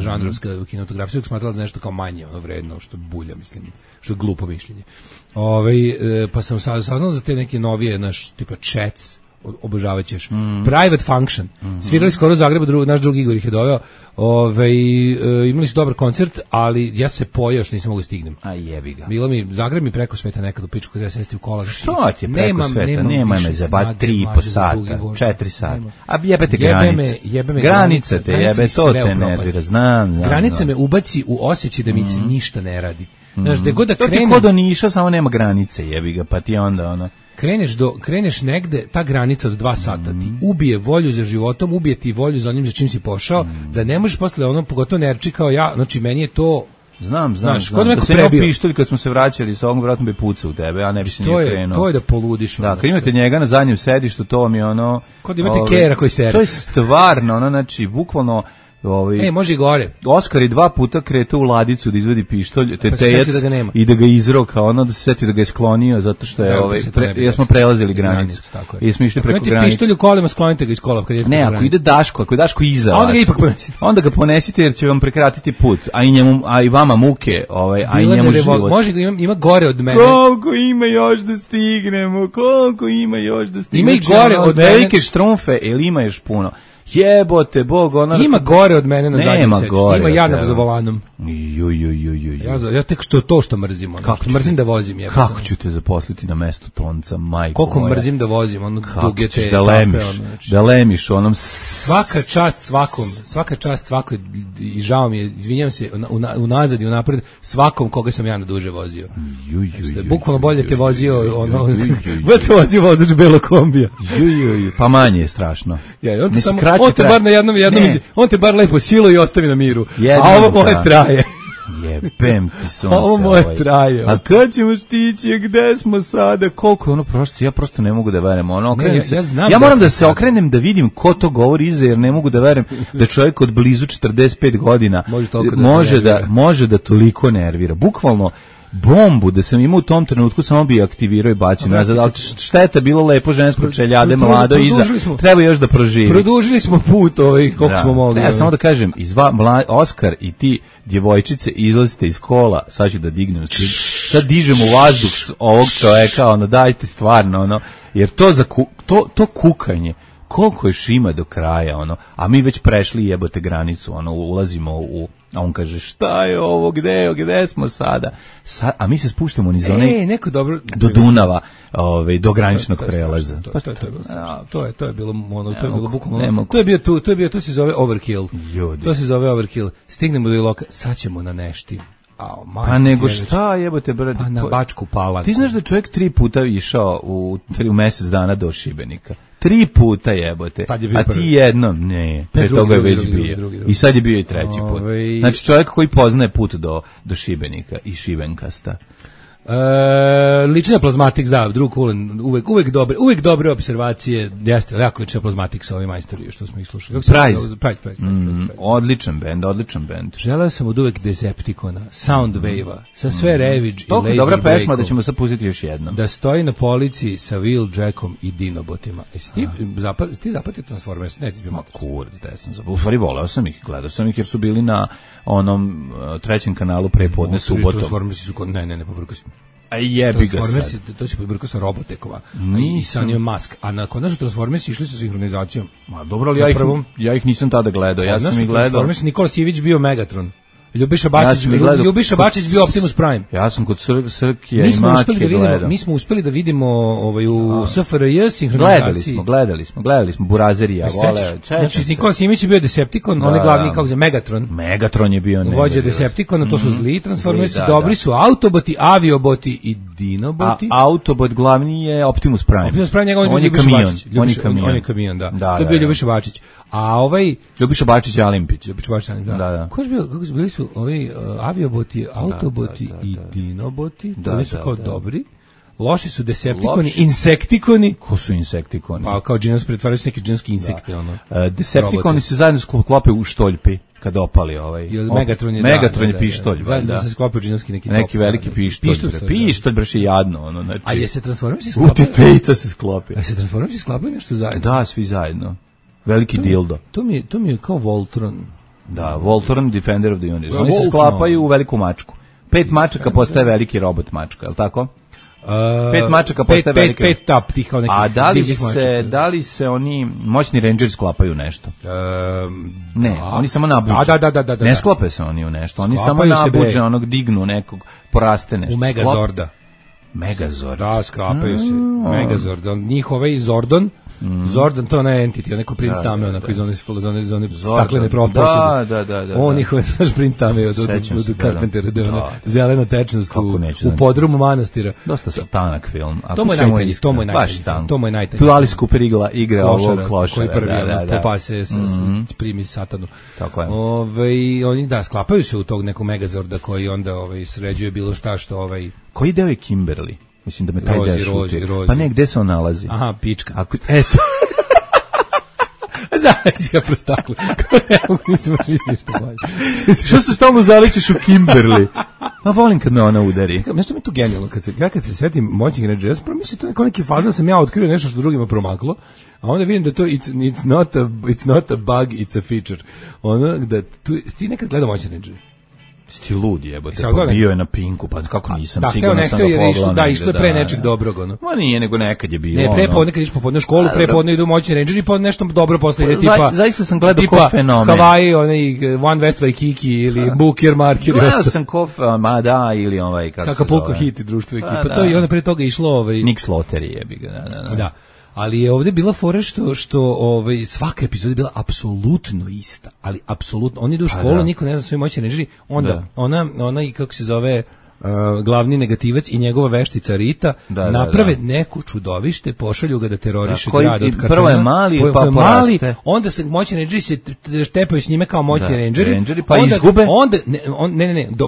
Speaker 8: žanrovska kinematografija uvijek smatrala za nešto kao manje, vredno, što bulja, mislim, što je glupo mišljenje. Pa sam saznao za te neke novije, tipa Chats, obožavat ćeš. Private Function. Svirali skoro u Zagrebu, naš drugi Igor ih je doveo. Imali su dobar koncert, ali ja se pojao što nisam mogu stignem.
Speaker 7: A jebi ga.
Speaker 8: Zagreb mi preko sveta nekad u pičku kada ja sesti u kola.
Speaker 7: Što ti je preko sveta? Nema me za 3,5 sata, 4 sata. A jebete granice. Granice te jebe, to te nervira, znam.
Speaker 8: Granice me ubaci u osjećaj da mi se ništa ne radi. Znaš, da god da krenem...
Speaker 7: To ti kod do Niša, samo nema granice, jebi ga, pa ti onda
Speaker 8: Kreneš negde, ta granica od 2 sata ti ubije volju za životom, ubije ti volju za onim za čim si pošao, da ne možeš posle pogotovo nerči kao ja, znači meni je to...
Speaker 7: Znam. Da se imao pištolj kad smo se vraćali sa ovog, vratno bi pucao u tebe, a ne bi se nije krenuo.
Speaker 8: To je da poludiš.
Speaker 7: Da, kad imate njega na zadnjem sedištu, to mi je
Speaker 8: Kod imate kera koji sere.
Speaker 7: To je stvarno, znači, bukvalno...
Speaker 8: može i gore.
Speaker 7: Oskar je 2 puta kretao u ladicu da izvadi pištolj, tetejac i da ga izroka, da se seti da ga je sklonio zato što je jer smo prelazili granicu. I smo išli preko granice.
Speaker 8: Pištolj u kolima, sklonite ga iz kola.
Speaker 7: Ne, ako ide Daško iza vas, onda ga ponesite jer će vam prekratiti put, a i vama muke, a i njemu život.
Speaker 8: Može ima gore od mene.
Speaker 7: Koliko ima još da stignemo, Ima
Speaker 8: i gore od mene.
Speaker 7: Velike štrumfe, ili ima još puno. Jebote, Bog,
Speaker 8: ima gore od mene na zadnjem seču. Ima ja za volanom. Ja tek što mrzim. Mrzim da vozim.
Speaker 7: Kako ću te zaposliti na mestu tonca, majko
Speaker 8: moja? Koliko mrzim da vozim, duge te...
Speaker 7: Da lemiš onom...
Speaker 8: Svaka čast svakom, i žao mi je, izvinjam se, unazad i unapred, svakom koga sam ja na duže vozio. Bukvalno bolje te vozio, bolje te vozio vozač belog kombija.
Speaker 7: Pa manje je strašno.
Speaker 8: On te bar na jednom on te bar lepo silo i ostavi na miru. A ovo moje traje.
Speaker 7: Jebem ti sunce.
Speaker 8: Ovo moje traje.
Speaker 7: A kad ćemo stići, gde smo sada, koliko je ono prosto, ja prosto ne mogu da verujem. Ono, ja moram da se okrenem da vidim ko to govori iza, jer ne mogu da verujem da čovjek od blizu 45 godina može da toliko nervira. Bukvalno, bombu da sam imao u tom trenutku samo bi aktivirao i bacio nazad, ali šteta, bilo lepo žensko čeljade, mlado iza, treba još da proživi.
Speaker 8: Produžili smo put koliko smo mogli.
Speaker 7: Ja samo da kažem, Oskar i ti djevojčice izlazite iz kola, sad ću da dignem, sad dižem u vazduh ovog čoveka, ono, dajte stvarno, ono, jer to kukanje, koliko još ima do kraja, ono, a mi već prešli jebote granicu, ono, ulazimo a on kaže, šta je ovo, gde smo sada? A mi se spuštamo niz one
Speaker 8: neko dobro
Speaker 7: do Dunava, do graničnog prelaza.
Speaker 8: To je bilo bukvalno. To je bio, to se zove overkill. To se zove overkill. Stignemo do Iloka, sad ćemo na Nešti.
Speaker 7: Pa nego šta jebote brate?
Speaker 8: Pa na Bačku Palanku.
Speaker 7: Ti znaš da čovjek 3 puta išao u mjesec dana do Šibenika? 3 puta jebote, a ti jednom, ne, pre toga je već bio. Drugi. I sad je bio i 3. put. Znači čovjek koji poznaje put do Šibenika i Šibenkasta.
Speaker 8: Lična plazmatik, drug Kulen, uvek dobre observacije, jeste, jako lična plazmatik sa ovim majstoriju što smo ih slušali. Price.
Speaker 7: Odličan bend.
Speaker 8: Želeo sam od uvek Decepticona, Soundwave-a, sa sve Ravage i Lazy Breakom.
Speaker 7: Dobra pesma da ćemo sad pustiti još jednom.
Speaker 8: Da stoji na polici sa Wheeljackom i Dinobotima. Ti zapatio Transformers? Ne, ti bi malo.
Speaker 7: Kurac, u stvari voleo sam ih, gledao sam ih jer su bili na onom 3. kanalu prepodne subotom.
Speaker 8: Transformersi su, ne, pobrko si.
Speaker 7: A jebi ga sad.
Speaker 8: To se pobrko sa Robotekova i sa njom Musk. A na konačnu Transformersi išli sa sinhronizacijom.
Speaker 7: Ma dobro, ali ja ih nisam tada gledao. Ja sam ih gledao.
Speaker 8: Transformersi, Nikola Sivić bio Megatron. Ljubiša Bačić bio Optimus Prime.
Speaker 7: Ja sam kod Srkija i Maki gledao.
Speaker 8: Mi smo uspeli da vidimo u SFRJ sinhronizaciji.
Speaker 7: Gledali smo Burazerija.
Speaker 8: Znači, Nikola Simić je bio Decepticon, on je glavni, kako se Megatron.
Speaker 7: Megatron je bio
Speaker 8: vođa Decepticona, to su zli Transformersi, dobri su Autoboti, Avioboti i Dinoboti.
Speaker 7: A Autobot glavni je Optimus Prime.
Speaker 8: Optimus Prime, njegov je Ljubiša On je kamion, da. To je bio Ljubiša Bačić. A
Speaker 7: Ljubiša Bačić je Alimpić.
Speaker 8: Da. Ko je bio, kako su bili su ovi Avioboti, Autoboti i Dinoboti, oni su kao dobri. Loši su Decepticoni, Insektikoni.
Speaker 7: Ko su Insektikoni?
Speaker 8: Pa kao džinos, pretvaraju se neke džinske insekte.
Speaker 7: Decepticoni se zajedno sklope u štoljpi kad opali Megatron je pištolj.
Speaker 8: Zajedno se sklope u džinski
Speaker 7: neki veliki pištolj. Pištolj breš je jadno.
Speaker 8: A je se Transformersi sklopaju?
Speaker 7: Utitejca se sklopi.
Speaker 8: A se Transformersi sklopaju nešto zajedno?
Speaker 7: Da, svi zajedno. Veliki dildo.
Speaker 8: To mi je kao Voltron.
Speaker 7: Da, Voltron, Defender of the Universe. Oni se sklapaju u veliku mačku. 5 mačaka postaje veliki robot mačka, je li tako? 5 mačaka postaje veliki.
Speaker 8: 5 tap tih kao nekih.
Speaker 7: A da li se oni moćni Rangers sklapaju nešto? Ne, oni samo nabuđe.
Speaker 8: Da.
Speaker 7: Ne sklope se oni u nešto. Oni samo nabuđe, onog dignu nekog, poraste nešto.
Speaker 8: U Megazorda.
Speaker 7: Megazorda.
Speaker 8: Da, sklapaju se. Megazorda. Njih Zordon. Zordan, to je entity, onako princ tame, onako iz one staklene proposude.
Speaker 7: Da.
Speaker 8: On ih, znaš, princ tame od Carpentera, da je ona zelena tečnost u podrumu manastira.
Speaker 7: Dosta satanak film.
Speaker 8: To mu je najtanji.
Speaker 7: Tu Alice Cooper igra ovog klošara.
Speaker 8: Koji prvi popase, primi satanu.
Speaker 7: Tako je.
Speaker 8: Oni, sklapaju se u tog nekog Megazorda koji onda sređuje bilo šta što
Speaker 7: Koji deo je Kimberly? Mislim da me taj deo šuti. Pa ne, gde se on nalazi?
Speaker 8: Aha, pička.
Speaker 7: Eto.
Speaker 8: Zavis ga prostakle. Nisam smislio što bolje.
Speaker 7: Što se stalno zaličiš u Kimberly? Ma volim kad me ona udari.
Speaker 8: Nešto mi je tu genijalno. Kad se svetim moćnih Rangers, ja sam mislim to je neki fazan, sam ja otkrio nešto što drugima promaklo, a onda vidim da to it's not a bug, it's a feature. Ono da ti nekad gledao moćne Rangers.
Speaker 7: Ti ludi jebote, pa bio je na Pinku, pa kako nisam siguran sam ga pogledao.
Speaker 8: Da, išlo je pre nečeg dobrog, ono.
Speaker 7: Ma nije, nego nekad je bilo.
Speaker 8: Ne, prepodne kad išao popodne u školu, prepodne idu moćni Rangeri, pa nešto dobro posle ide tipa.
Speaker 7: Zaista sam gledao ko fenomen.
Speaker 8: Hawaii, onaj One West Waikiki ili Booker Marker.
Speaker 7: Gledao sam ko, ili
Speaker 8: Acapulco Hit i društvo ekipa. To je onda pre toga išlo
Speaker 7: Nick Slaughter jebi ga,
Speaker 8: da. Ali je ovdje bila fora što svaka epizoda je bila apsolutno ista, ali apsolutno. Oni idu u školu, niko ne zna svoje moćne Rangeri, onda ona i kako se zove glavni negativac i njegova veštica Rita naprave neku čudovište, pošalju ga da teroriše grad od kartona.
Speaker 7: Prvo je mali, pa poraste.
Speaker 8: Onda se moćni rangeri se štepaju s njime kao moćni rangeri,
Speaker 7: pa izgube.
Speaker 8: Onda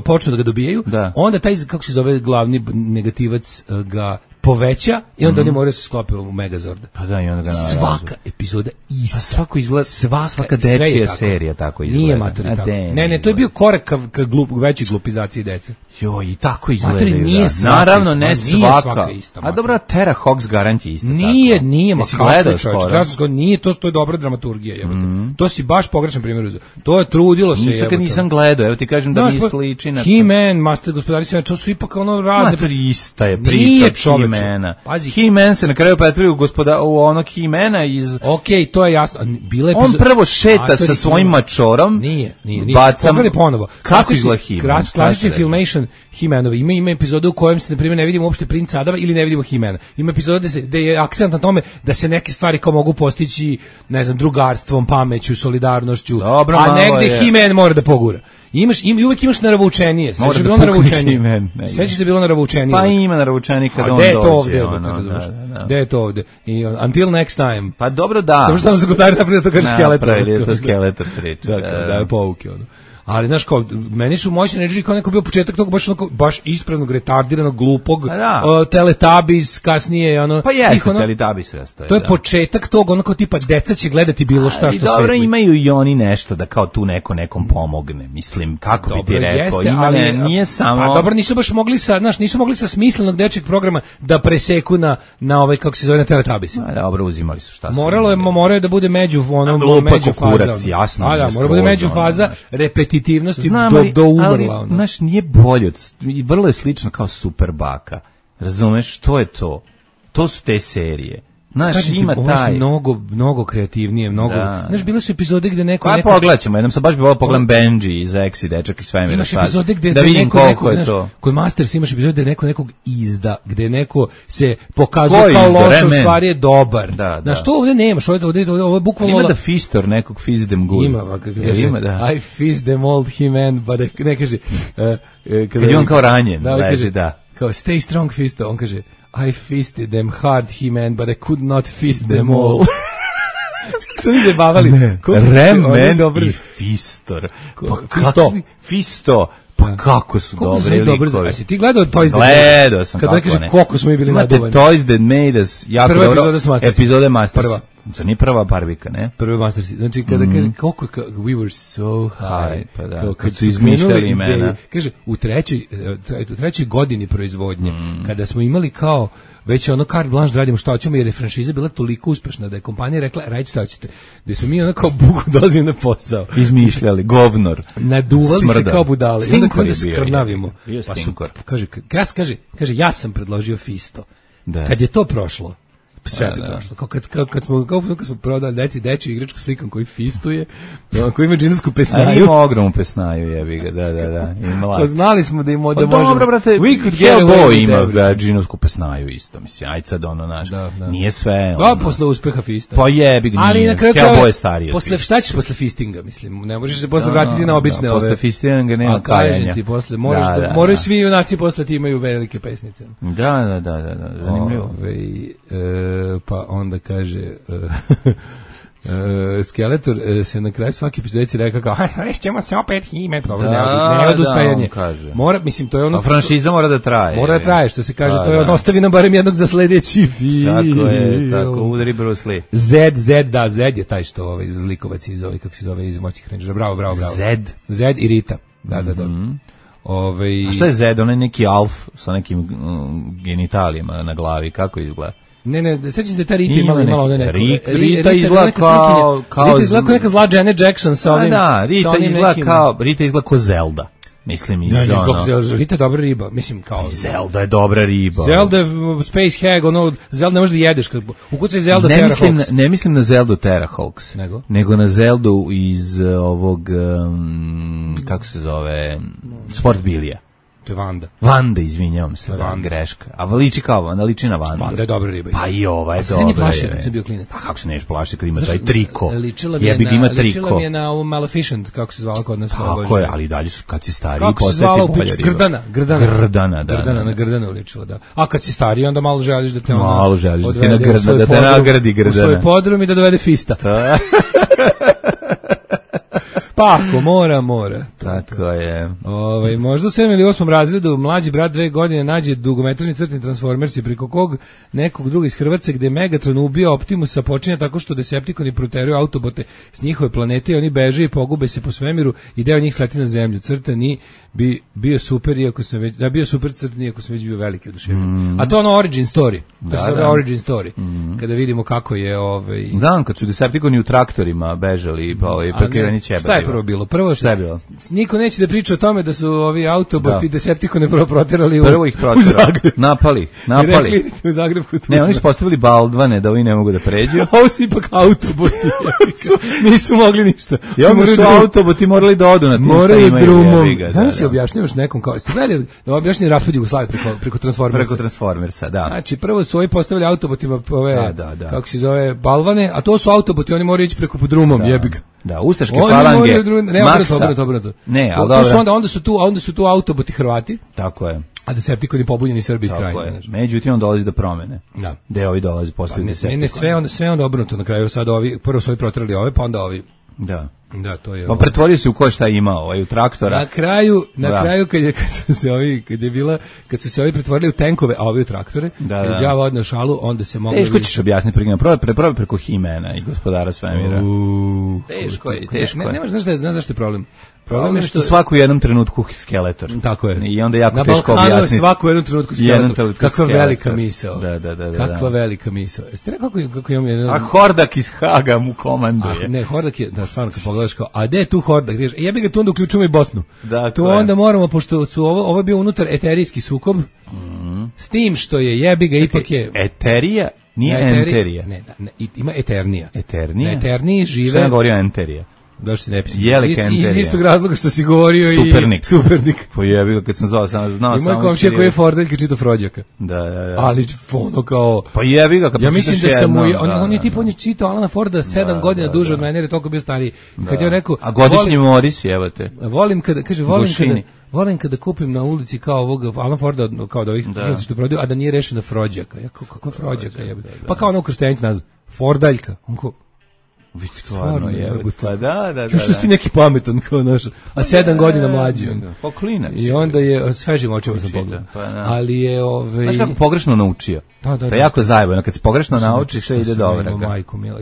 Speaker 8: počnu da ga dobijaju. Onda taj, kako se zove, glavni negativac ga poveća i onda oni moraju se sklopiti u Megazorda.
Speaker 7: Pa da, i onda ga narazu.
Speaker 8: Svaka epizoda ista.
Speaker 7: Pa svako izgleda, svaka dečija serija tako izgleda.
Speaker 8: Nije matori tako. Ne, to je bio korak ka veći glupizaciji dece.
Speaker 7: Joj, i tako izgleda.
Speaker 8: Nije svaka.
Speaker 7: Naravno, ne svaka. A dobro, Terra Hox garant je isto tako.
Speaker 8: Nije, ma
Speaker 7: gledao skoro.
Speaker 8: Nije, to je dobra dramaturgija. To si baš pogrešan primjer uzeo. To je trudilo se.
Speaker 7: Nikad nisam gledao, evo ti kažem da mi sliči na to.
Speaker 8: He-Man, Master gospodari svemira, to su ipak ono razne.
Speaker 7: Matori, ista je priča He-Mana. He-Man se na kraju pretvori u onog He-Mana iz...
Speaker 8: Okej, to je jasno.
Speaker 7: On prvo šeta sa svojim mačorom.
Speaker 8: Nije. Pogledaj ponovo.
Speaker 7: Kako izgleda He-Man?
Speaker 8: Klasični Filmation He-Manovi. Ima epizode u kojem se, na primjer, ne vidimo uopšte princa Adama ili ne vidimo He-Mana. Ima epizode gde je akcent na tome da se neke stvari kao mogu postići, ne znam, drugarstvom, pameću, solidarnošću, a negde He-Man mora da pogura. Uvijek imaš naravučenije. Sveći bilo naravučenije. Sveći da bilo naravučenije.
Speaker 7: Pa ima naravučenije kada on dođe.
Speaker 8: Gde je to ovde? Until next time.
Speaker 7: Pa dobro da.
Speaker 8: Samo što nam se gotari napravili da to kaže Skeletor.
Speaker 7: Napravili to Skeletor priča.
Speaker 8: Da je pouke ono. Ali znaš kao, meni su moćni rangeri kao neko bio početak tog baš ispraznog, retardiranog, glupog, Teletubbies, kasnije ono.
Speaker 7: Pa jeste Teletubbies
Speaker 8: to je početak tog, ono kao tipa deca će gledati bilo šta što
Speaker 7: dobro, imaju i oni nešto da kao tu nekom pomogne, mislim, kako bi ti rekao, nije samo...
Speaker 8: Pa dobro, nisu baš mogli nisu mogli sa smislenog dečjeg programa da preseku na ovaj, kako se zove, na Teletubbies.
Speaker 7: Dobro, uzimali su šta su.
Speaker 8: Moralo da bude među
Speaker 7: faza. Jasno.
Speaker 8: Mora da bude među faza, repetitivnosti do umrla.
Speaker 7: Ali, znaš, nije bolje, vrlo je slično kao Super Baka. Razumeš, što je to? To su te serije. Znaš, ima taj...
Speaker 8: Mnogo kreativnije, Znaš, bile su epizode gde neko...
Speaker 7: Pa pogledat ćemo, jednom sam baš bi volao pogledam Benji iz Exi, dečak iz svemira.
Speaker 8: Imaš epizode gde
Speaker 7: da vidim koliko je to.
Speaker 8: Kod Masters imaš epizode gde neko nekog izda, gde neko se pokazuje kao loš, u stvari je dobar. Znaš, to ovdje nemaš, ovo je bukvalno...
Speaker 7: Ima da Fistor nekog fizz them good.
Speaker 8: Ima, da. I fizz them old He-Man, but ne kaže...
Speaker 7: Kad je on kao ranjen, leži, da.
Speaker 8: Kao stay strong Fisto, on kaže... I fisted them hard, He-Man, but I could not fist them all. Kako su mi zabavali?
Speaker 7: Remen i Fistor. Fisto. Pa kako su dobri likovi.
Speaker 8: Jesi ti gledao Toys That
Speaker 7: Made Us? Gledao sam,
Speaker 8: kako ne. Kada kaže koliko smo mi bili naduvani.
Speaker 7: Toys That Made Us, jako
Speaker 8: prva
Speaker 7: dobro. Epizode Masters.
Speaker 8: Prva.
Speaker 7: To nije prva Barbika, ne?
Speaker 8: Prvi Masters. Znači, kada kaže, koliko, we were so high.
Speaker 7: Pa da, kad su izmišljali imena.
Speaker 8: Kaže, u trećoj godini proizvodnje, kada smo imali kao, već ono carte blanche radimo šta hoćemo, jer je franšiza bila toliko uspešna da je kompanija rekla, radite šta hoćete. Da smo mi ono kao buku dolazili na posao.
Speaker 7: Izmišljali, govnor.
Speaker 8: Naduvali se kao budale.
Speaker 7: Stinkor
Speaker 8: je bio. Skrnavimo.
Speaker 7: Bio stinkor.
Speaker 8: Kaže, ja sam predložio Fisto. Kad je to prošlo, sve bi prošlo. Kad smo prodali dečju igračku slikom koji fistuje, koji ima džinovsku pesnaju.
Speaker 7: Ima ogromnu pesnaju, jebi ga, da.
Speaker 8: Pa znali smo da ima da
Speaker 7: možemo. Dobro, brate, Hellboy ima džinovsku pesnaju isto, mislim, aj sad ono naš. Nije sve.
Speaker 8: Da, posle uspeha Fista.
Speaker 7: Pa jebi ga, Hellboy je stariji.
Speaker 8: Posle šta ćeš posle Fistinga, mislim, ne možeš se posle vratiti na obične ove.
Speaker 7: Posle Fistinga nema kajanja.
Speaker 8: Ti posle moraju svi junaci posle ti imaju velike pesnice.
Speaker 7: Da, zanimljivo.
Speaker 8: Pa onda kaže Skeletor se na kraju svaki epizodici rekao kao ćemo se opet He-Man, dobro, ne odustajanje. Mora, mislim, to je ono...
Speaker 7: A franšiza mora da traje.
Speaker 8: Mora da traje, što se kaže, to je ono, ostavi nam barem jednog za sledeći film.
Speaker 7: Tako, udari Bruce Lee.
Speaker 8: Zed je taj što zlikovac iz kako se zove, iz Moćnih Rangera. Bravo. Zed i Rita. Da.
Speaker 7: A šta je Zed? On je neki alf sa nekim genitalijama na glavi, kako izgleda?
Speaker 8: Ne, sećam se da ta Rita imala ovdje neko.
Speaker 7: Rita izgleda kao...
Speaker 8: Rita izgleda kao neka zla Janet Jackson sa ovim...
Speaker 7: Rita izgleda kao Zelda. Mislim,
Speaker 8: Rita je dobra riba, mislim, kao...
Speaker 7: Zelda je dobra riba.
Speaker 8: Zelda je Space Hag, Zelda ne možeš da jedeš, ukucaj Zelda Terra Hawks.
Speaker 7: Ne mislim na Zeldu Terra Hawks, nego na Zeldu iz ovog, kako se zove, Sport Bilija.
Speaker 8: To je Vanda.
Speaker 7: Vanda, izvinjavam se, da, greška. A liči kao Vanda, liči na Vandu.
Speaker 8: Vanda je dobra riba.
Speaker 7: Pa i ova je dobra.
Speaker 8: A se ne plašio kad sam bio klinac.
Speaker 7: Pa kako se neš plašio kad ima taj triko?
Speaker 8: Ličila mi je na Maleficent, kako se zvala kod nas.
Speaker 7: Tako je, ali dalje su kad si stariji.
Speaker 8: Kako se zvala u piču? Grdana,
Speaker 7: da.
Speaker 8: Na Grdana ličila, da. A kad si stariji, onda malo želiš da te ona...
Speaker 7: Malo želiš da te nagradi Grdana.
Speaker 8: U svoj podrum i da dovede fista. Pa ako mora.
Speaker 7: Tako je.
Speaker 8: Možda u 7. ili 8. razredu mlađi brat 2 godine nađe dugometražni crtni Transformersi preko kog nekog druga iz Hrvatske gde Megatron ubija Optimusa počinje tako što Decepticoni proteruju autobote s njihove planete i oni beže i pogube se po svemiru i deo njih sleti na zemlju. Crtani bi bio super iako sam već bio super crtani iako sam već bio veliki oduševljen. A to ono origin story. To se zove origin story. Kada vidimo kako je
Speaker 7: znam kad su Decepticoni u traktorima bežali pa prekriveni ćebe.
Speaker 8: Šta je prvo bilo? Prvo
Speaker 7: šta je bilo?
Speaker 8: Niko neće da priča o tome da su ovi autoboti Decepticone proterali
Speaker 7: prvo ih proterali. Napali.
Speaker 8: Rekli u Zagrebu.
Speaker 7: Ne, oni su postavili baldvane da ovi ne mogu da pređu.
Speaker 8: Ovo su ipak autoboti. Nisu mogli ništa.
Speaker 7: I onda su autoboti morali da odu na tim
Speaker 8: moraju drumom. Znam si objašnjavaš nekom kao ste gledali da objašnjeni raspad Jugoslavije preko Transformersa.
Speaker 7: Preko Transformersa, da.
Speaker 8: Znači prvo su ovi postavili autobotima ove kako se zove balvane, a to su autoboti, oni moraju ići preko drumom, jebi ga.
Speaker 7: Da, ustaške falange.
Speaker 8: Obrnuto.
Speaker 7: Ne, ali dobro.
Speaker 8: Onda su tu autoboti Hrvati.
Speaker 7: Tako je.
Speaker 8: A Decepticoni pobunjeni Srbi iz Krajine.
Speaker 7: Međutim, on dolazi do promene.
Speaker 8: Da.
Speaker 7: Gde ovi dolazi posle Decepticoni.
Speaker 8: Ne, sve onda obrnuto na kraju. Sad ovi, prvo su ovi protrali ove, pa onda ovi. Da, to je.
Speaker 7: Pa pretvorio se u ko šta imao, u traktora.
Speaker 8: Na kraju kad su se ovi pretvorili u tenkove, a ovi u traktore, kad je đavo odneo šalu, onda se moglo
Speaker 7: teško ćeš objasniti probaj preko Himena i Gospodara svemira. Teško je.
Speaker 8: Nemaš, znaš zašto je problem?
Speaker 7: Problem je što svaku u jednom trenutku Skeletor.
Speaker 8: Tako je.
Speaker 7: I onda jako teško objasniti.
Speaker 8: Na svaku u jednom trenutku Skeletor. Kakva velika misao.
Speaker 7: Da.
Speaker 8: Kakva velika misao. Jeste rekao kako imam jedan...
Speaker 7: A Hordak iz Haga mu komanduje.
Speaker 8: Ne, Hordak je, da stvarno kad pogledaš kao, a gde je tu Hordak? Jebi ga tu onda uključujemo i Bosnu.
Speaker 7: Tu
Speaker 8: onda moramo, pošto su ovo je bio unutar eterijski sukob, s tim što je jebi ga ipak je...
Speaker 7: Eterija? Nije Enterija.
Speaker 8: Ne, ima Eternija.
Speaker 7: Eternija?
Speaker 8: Na Eterniji žive...
Speaker 7: Šta je govorio Enterija?
Speaker 8: Da se ne pisi.
Speaker 7: Iz
Speaker 8: istog razloga što si govorio Supernik.
Speaker 7: Pa jebi ga kad sam znao samo.
Speaker 8: Ima komšija koji je Fordeljka čita Frođaka.
Speaker 7: Da.
Speaker 8: Ali ono kao.
Speaker 7: Pa jebi ga kad
Speaker 8: ja mislim da sam on je tipa on je čitao Alana Forda 7 godina duže od mene jer je toliko bio stariji. Kad je rekao
Speaker 7: a godišnji Moris evo te.
Speaker 8: Volim kada kupim na ulici kao ovog Alan Forda kao da ovih što prodaju a da nije rešena Frođaka. Ja kakva Frođaka je. Pa kao ono krštenjak nazva Fordaljka. Onko
Speaker 7: stvarno je. Da.
Speaker 8: Što si ti neki pametan kao naš, a 7 godina mlađi.
Speaker 7: Pa klinac.
Speaker 8: I onda je svežim očima sam pogledao. Ali je
Speaker 7: znaš kako pogrešno naučio. To je jako zajebano. Kad se pogrešno nauči, sve ide dobro.
Speaker 8: Majko mila.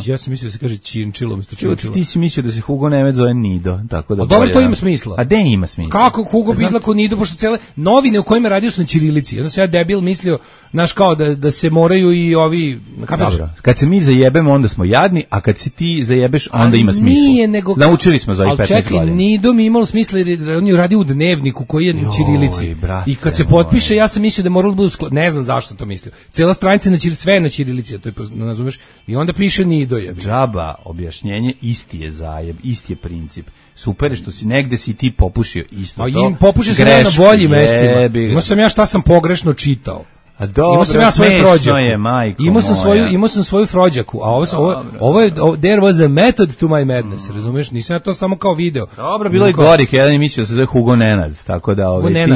Speaker 8: Ja sam mislio da se kaže činčilo umjesto činčilo.
Speaker 7: Ti si mislio da se Hugo Nemec zove Nido. Tako da
Speaker 8: dobro, to ima smisla.
Speaker 7: A gde ima smisla?
Speaker 8: Kako Hugo bi izlako Nido, pošto cele novine u kojima radio su na ćirilici. Onda se ja debil mislio, znaš kao da se moraju i ovi...
Speaker 7: Dobro. Kad se mi zajebemo, onda smo jadni, a kad si ti zajebeš, onda ima smisla.
Speaker 8: Nije, nego...
Speaker 7: Naučili smo za i 15 godina.
Speaker 8: Ali čekaj, Nido mi imalo smisla jer on je radio u dnevniku koji je na ćirilici. I kad se potpiše, ja sam mislio da moralo da budu ne znam zašto to mislio. Cela stranica sve na ćirilici, to je, razumeš? I onda piše Nido je.
Speaker 7: Džaba, objašnjenje, isti je zajeb, isti je princip. Super je što si negde si ti popušio isto to.
Speaker 8: Popušio sam ja na boljim mestima. Imao sam ja šta sam pogrešno čitao.
Speaker 7: A dobro, smešno je, majko moja.
Speaker 8: Imao sam svoju Frođaku, a ovo je there was a method to my madness, razumeš? Nisam ja to samo kao video.
Speaker 7: Dobro, bilo je gorih, jedan je mislio da se zove Hugo Nenad, tako da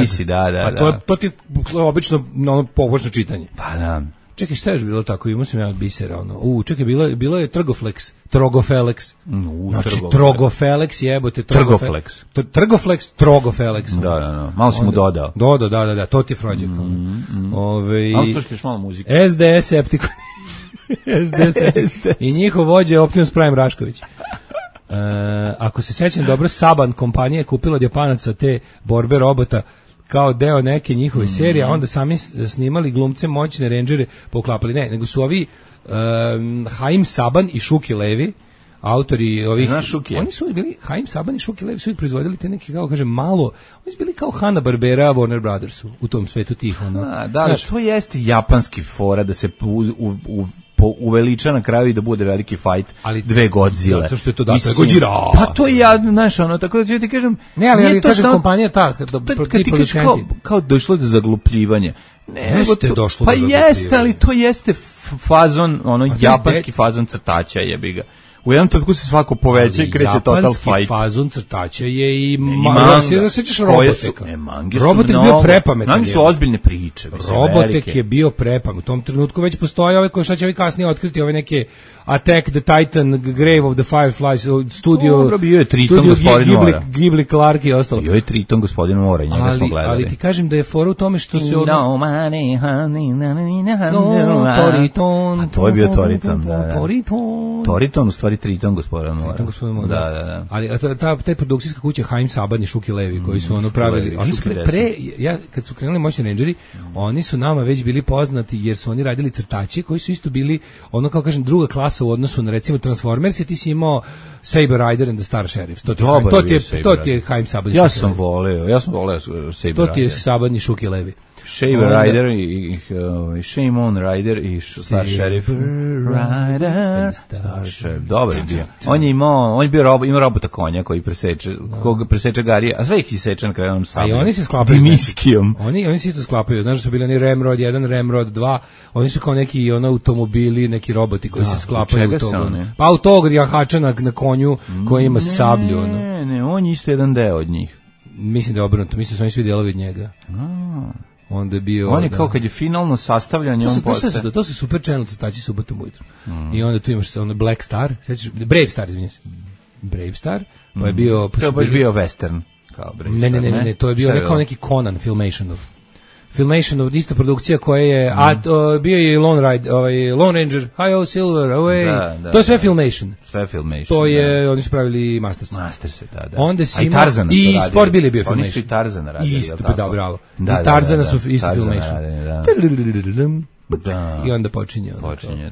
Speaker 7: ti si, da.
Speaker 8: To ti obično pogrešno čitanje.
Speaker 7: Pa da.
Speaker 8: Čekaj, šta je bilo tako? Imao sam ja od bisera, čekaj, bilo je Trgoflex, Trogofelex. Znači, Trogofelex, jebote.
Speaker 7: Trgoflex.
Speaker 8: Trogofelex.
Speaker 7: Da. Malo si mu dodao.
Speaker 8: Da, to ti je Frođak.
Speaker 7: Ali slušaš malo muzike.
Speaker 8: SDS Septikon. I njihov vođa je Optimus Prime Rašković. Ako se sećam dobro, Saban kompanija je kupila od Japanaca te borbe robota kao deo neke njihove serije, a onda sami snimali glumce moćne rendžere poklapali. Ne, nego su ovi Haim Saban i Šuki Levi, autori ovih... Oni su bili, Haim Saban i Šuki Levi su ih proizvodili te neke, kao kažem, malo... Oni su bili kao Hanna-Barbera, Warner Brothersu u tom svetu tih.
Speaker 7: Da, to jeste japanski fora da se uveliča na kraju i da bude veliki fight dve Godzilla.
Speaker 8: Zato što je to dato Godzilla.
Speaker 7: Pa to je ja, znaš, ono, tako da ti kažem...
Speaker 8: Ne, ali kažem, kompanija ta,
Speaker 7: kad ti kažeš kao došlo do zaglupljivanja.
Speaker 8: Jeste došlo
Speaker 7: do zaglupljivanja. Pa jeste, ali to jeste fazon, ono, japanski fazon crtača, jebi ga. U jednom trenutku se svako poveća i kreće total fight.
Speaker 8: Japanski fazon crtača je i manga. Da sećaš Roboteka? Robotek bio prepametan.
Speaker 7: Mangi su ozbiljne priče.
Speaker 8: Robotek je bio prepametan. U tom trenutku već postoje ove koje šta će ovi kasnije otkriti, ove neke Attack the Titan, Grave of the Fireflies, studio
Speaker 7: bio je Triton gospodin Mora.
Speaker 8: Ghibli Clark i ostalo.
Speaker 7: Bio je Triton gospodin Mora, njega smo gledali.
Speaker 8: Ali ti kažem da je fora u tome što se
Speaker 7: No money, honey,
Speaker 8: Toriton.
Speaker 7: A to je bio Toriton, da. Toriton, u stvari Triton gospodin Mora.
Speaker 8: Triton gospodin Mora.
Speaker 7: Da.
Speaker 8: Ali ta produkcijska kuća Haim Saban i Šuki Levi koji su ono pravili. Oni su kad su krenuli Moćni Rangeri, oni su nama već bili poznati jer su oni radili crtače koji su isto bili ono kao kažem druga klasa u odnosu na recimo Transformers, ti si imao Saber Rider and the Star Sheriff. To ti je Haim Saban.
Speaker 7: Ja sam voleo Saber Rider.
Speaker 8: To ti je Saban i Šuki Levi.
Speaker 7: Saber Rider i Shame on Rider i Star Sheriff. Rider, Star Sheriff. Dobar je bio. On je bio robota konja koji koga preseče Garija, a sve ih iseče na kraju sam.
Speaker 8: A oni se sklapaju
Speaker 7: dimiskijom.
Speaker 8: Oni se isto sklapaju. Znaš da su bili oni Ramrod 1, Ramrod 2. Oni su kao neki automobili, neki roboti koji se sklapaju u toga. Pa u tog jahača na konju koji ima sablju.
Speaker 7: Ne, on je isto jedan deo od njih.
Speaker 8: Mislim da je obrnuto. Mislim da su oni svi delovi od njega. Onda je bio
Speaker 7: on je kao kad je finalno sastavljanje on postaje.
Speaker 8: To su super channel crtači subotom ujutro. I onda tu imaš ono Black Star, sećaš Brave Star, izvinjavam se. Brave Star, pa je bio
Speaker 7: to je baš bio western kao Brave Star.
Speaker 8: Ne, to je bio kao neki Conan Filmationov ista produkcija koja je bio je Lone Ranger, Hi-Ho Silver, Away. To je sve Filmation. To je oni su pravili Masters,
Speaker 7: da.
Speaker 8: Onda si i Sport Billy bio Filmation.
Speaker 7: Oni su i Tarzana radili.
Speaker 8: Isto, da, bravo. I Tarzana su isto Filmation. I onda počinje,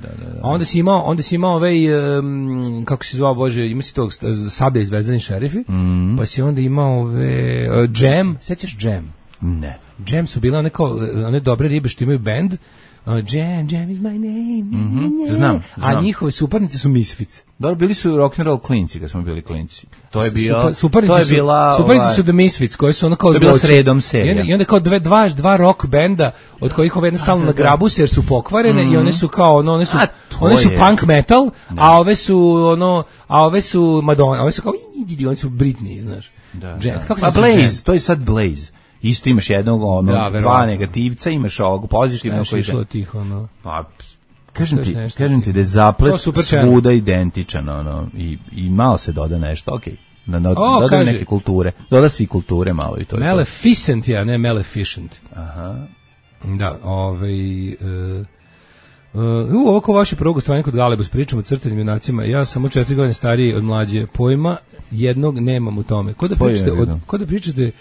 Speaker 8: da. Onda si imao kako se zvao, Bože, ima si tog Sablja i Zvezdani šerifi, pa si onda imao Jam, sećaš Jam?
Speaker 7: Ne.
Speaker 8: Jam su bile one dobre ribe što imaju band. Jam is my name.
Speaker 7: Znam.
Speaker 8: A njihove suparnice su Misfits.
Speaker 7: Dobro, bili su rock'n'roll klinci kad smo bili klinci. To je bila
Speaker 8: suparnice su The Misfits koji su ono kao
Speaker 7: zločin. To je bila sredom serija.
Speaker 8: I onda kao dva rock benda od kojih ove jednostavno na grabu se jer su pokvarene i one su kao one su punk metal, a ove su Madonna, ove su kao oni su Britney, znaš.
Speaker 7: A Blaze, to je sad Blaze. Isto imaš jednog, dva negativca, imaš ovog pozitivnog koji je... Pa, kažem ti da je zaplet svuda identičan, i malo se doda nešto, okej. Doda neke kulture. Doda se i kulture malo i to je.
Speaker 8: Maleficent je, a ne Maleficent.
Speaker 7: Aha.
Speaker 8: Da, ovo ko vaše prvog gostovanja kod Galebus, pričamo o crtanim junacima, ja samo 4 godine stariji od mlađe, pojma jednog nemam u tome. Ko da pričate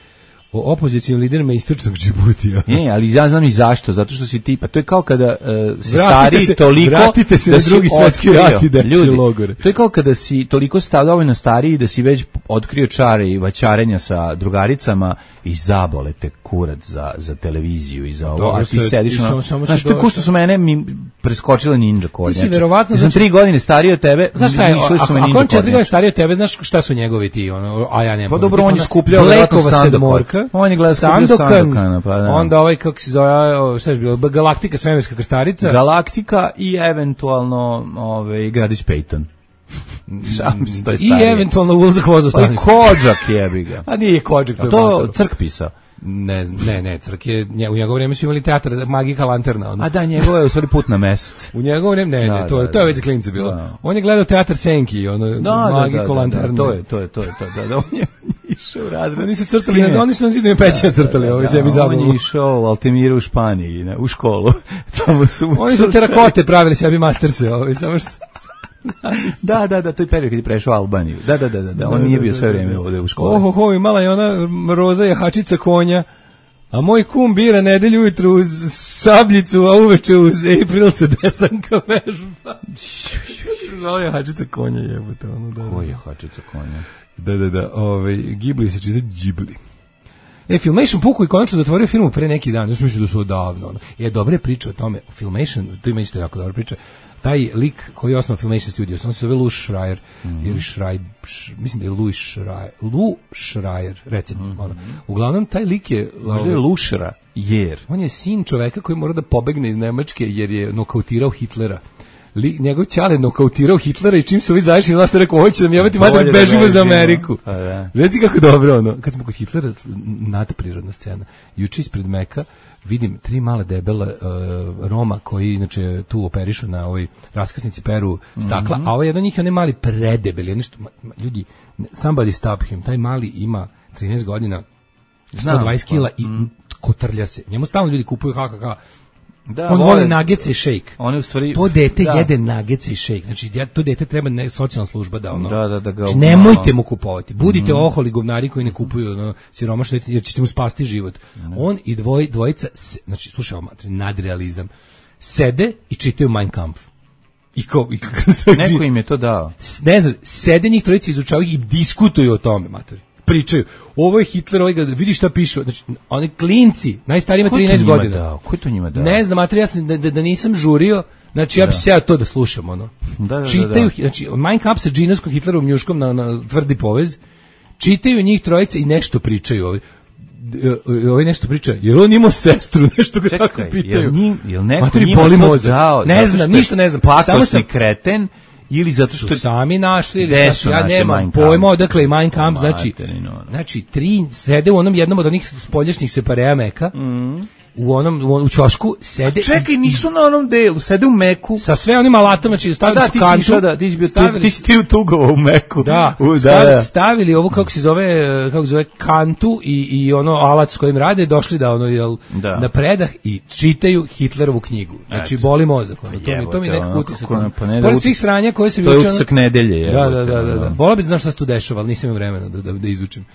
Speaker 8: o opozicijnim liderima istočnog Džibutija.
Speaker 7: Ne, ali ja znam i zašto, zato što si tipa, to je kao kada si stariji toliko
Speaker 8: vratite se na drugi svetski rat i
Speaker 7: ljudi, logore. To je kao kada si toliko dovoljno stariji da si već otkrio čare i vaćarenja sa drugaricama i zabole te kurac za televiziju i za ovo, a ti sediš znaš, to ko što su mene preskočile ninja konja.
Speaker 8: Ti si verovatno...
Speaker 7: Ja sam 3 godine stariji od tebe,
Speaker 8: znaš šta je, ako on 4 godine stariji od tebe, znaš šta su njegovi ti, a ja nemam.
Speaker 7: Pa dobro, on je skupljao verovatno Sandokan. On je gledao Sandokana, pa da.
Speaker 8: Onda kako se zove, šta je bilo, Galaktika, svemirska krstarica.
Speaker 7: Galaktika i eventualno Gradić Peyton.
Speaker 8: I eventualno ulazak voza stanicu.
Speaker 7: Kodžak jebi ga.
Speaker 8: A nije Kodžak.
Speaker 7: To Crk pisao.
Speaker 8: Ne, Crk je, u njegovo vrijeme su imali teatr Magika lanterna.
Speaker 7: A da, njegovo je u stvari Put na mesec.
Speaker 8: U njegovo vrijeme, to je već za klince bilo. On je gledao teatr Senki, Magiku lanterna.
Speaker 7: To je, da, on je išao u razred.
Speaker 8: Oni su crtali, oni su na zidove pećine crtali, ovo je sebi zabavno.
Speaker 7: On je išao u Altimiru u Španiji, u školu.
Speaker 8: Oni su terakote pravili sebi masterse, samo što...
Speaker 7: Da, to je period kad je prešao Albaniju. Da, on nije bio sve vrijeme ovdje u školi.
Speaker 8: Imala je ona Roza jahačica konja, a moj kum bira nedelju ujutru uz sabljicu, a uveče uz April se desanka vežba. Zvala jahačica konja, jebote.
Speaker 7: Ko je jahačica konja?
Speaker 8: Da, Ghibli se čita Ghibli. Filmation puku i konačno zatvorio filmu pre neki dan, ja sam mislio da su odavno. Dobre priče o tome. Filmation, to ima isto jako dobra priča. taj lik koji je osnovao Filmation Studios, on se zove Lou Schreier, ili Schreier, mislim da je Lou Schreier, recimo. Uglavnom, taj lik je...
Speaker 7: Možda je Lou Schreier.
Speaker 8: On je sin čoveka koji mora da pobegne iz Nemačke jer je nokautirao Hitlera. Njegov ćale nokautirao Hitlera i čim su ovi zašli na nas rekao, ovo će nam jebati mater, bežimo za Ameriku. Reci kako dobro ono. Kad smo kod Hitlera, nadprirodna scena. Juče ispred Meka vidim 3 mala debela Roma koji inače tu operišu na ovoj raskrsnici peru stakla, a ovaj jedan njih je onaj mali predebeli. Nešto, ljudi, somebody stop him. Taj mali ima 13 godina, 120 kila i kotrlja se. Njemu stalno ljudi kupuju on voli nagece i šejk. To dete jede nagece i šejk. Znači, to dete treba socijalna služba da ono...
Speaker 7: Da ga...
Speaker 8: Znači, nemojte mu kupovati. Budite oholi govnari koji ne kupuju siromašno, jer ćete mu spasti život. On i dvojica, znači, slušaj ovo, nadrealizam, sede i čitaju Mein Kampf.
Speaker 7: Neko im je to dao.
Speaker 8: Ne znam, sede njih trojica, izučavaju i diskutuju o tome, matori. Pričaju, ovo je Hitler, vidi šta piše, znači, oni klinci, najstariji ima 13 godina.
Speaker 7: Ko je to njima dao?
Speaker 8: Ne znam, mater, ja sam da nisam žurio, znači ja bi se to da slušam, ono. Čitaju, znači, Mein Kampf sa džinovskom Hitlerovom njuškom na tvrdi povez, čitaju njih trojice i nešto pričaju. Ovaj nešto priča, jer on imao sestru, nešto ga tako pitaju.
Speaker 7: Jel neko njima to dao?
Speaker 8: Ne znam, ništa ne znam.
Speaker 7: Pakosni kreten, ili zato što
Speaker 8: sami našli, ili šta, ja nemam pojma odakle i Mein Kampf, znači 3 sede u onom jednom od onih spoljašnjih separeja Meka, u ćošku sede.
Speaker 7: Čekaj, nisu na onom delu, sede u Meku.
Speaker 8: Sa sve onim alatom, znači stavili su kantu.
Speaker 7: Ti si ti utugovao u Meku.
Speaker 8: Stavili ovo, kako se zove, kantu i ono alat s kojim rade, došli da ono, na predah i čitaju Hitlerovu knjigu. Znači, boli mozak. To mi nekako utisak. Pored svih sranja koje se...
Speaker 7: To je utisak nedelje.
Speaker 8: Da. Volao bi da znam šta se tu dešava, ali nisam imao vremena da izvučem.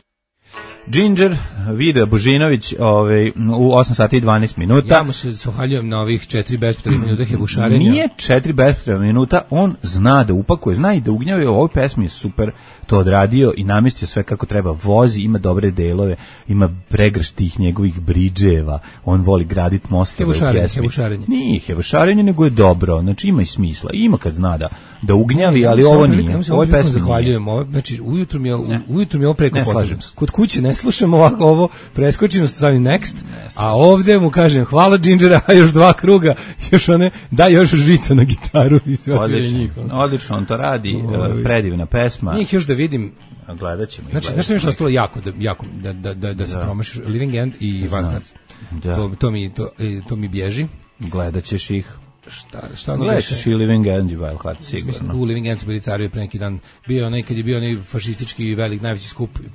Speaker 7: Ginger, Vida Božinović, u 8 sati i 12 minuta.
Speaker 8: Ja mu se zahvaljujem na ovih 4 bespotrebnih minuta hebušarenja.
Speaker 7: Nije 4 bespotrebnih minuta, on zna da upakuje, zna i da ugnjava. Ovoj pesmi je super to odradio i namestio sve kako treba. Vozi, ima dobre delove, ima pregrš tih njegovih bridževa, on voli graditi mostove u pjesmi.
Speaker 8: Hebušarenje.
Speaker 7: Nije hebušarenje, nego je dobro, znači ima i smisla, ima kad zna da ugnjavi, ali ovo nije. Ovoj pesmi
Speaker 8: zahvaljujem. Znači, ujutru mi je ovo preko potrebno. Kod kuće ne slušam ovako, ovo preskočim, stavim next, a ovdje mu kažem hvala Gingera, a još 2 kruga, još još žica na gitaru i sve
Speaker 7: odlično, on to radi, predivna pesma.
Speaker 8: Njih još da vidim,
Speaker 7: gledat ćemo.
Speaker 8: Znači, nešto mi je što ostalo jako da se promašiš, Living End i Van Hertz. To mi bježi.
Speaker 7: Gledat ćeš ih.
Speaker 8: Šta
Speaker 7: gledaš i Living End i Wild Heart, sigurno.
Speaker 8: Mislim, u Living End su bili carevi pre neki dan. Bio kad je bio onaj fašistički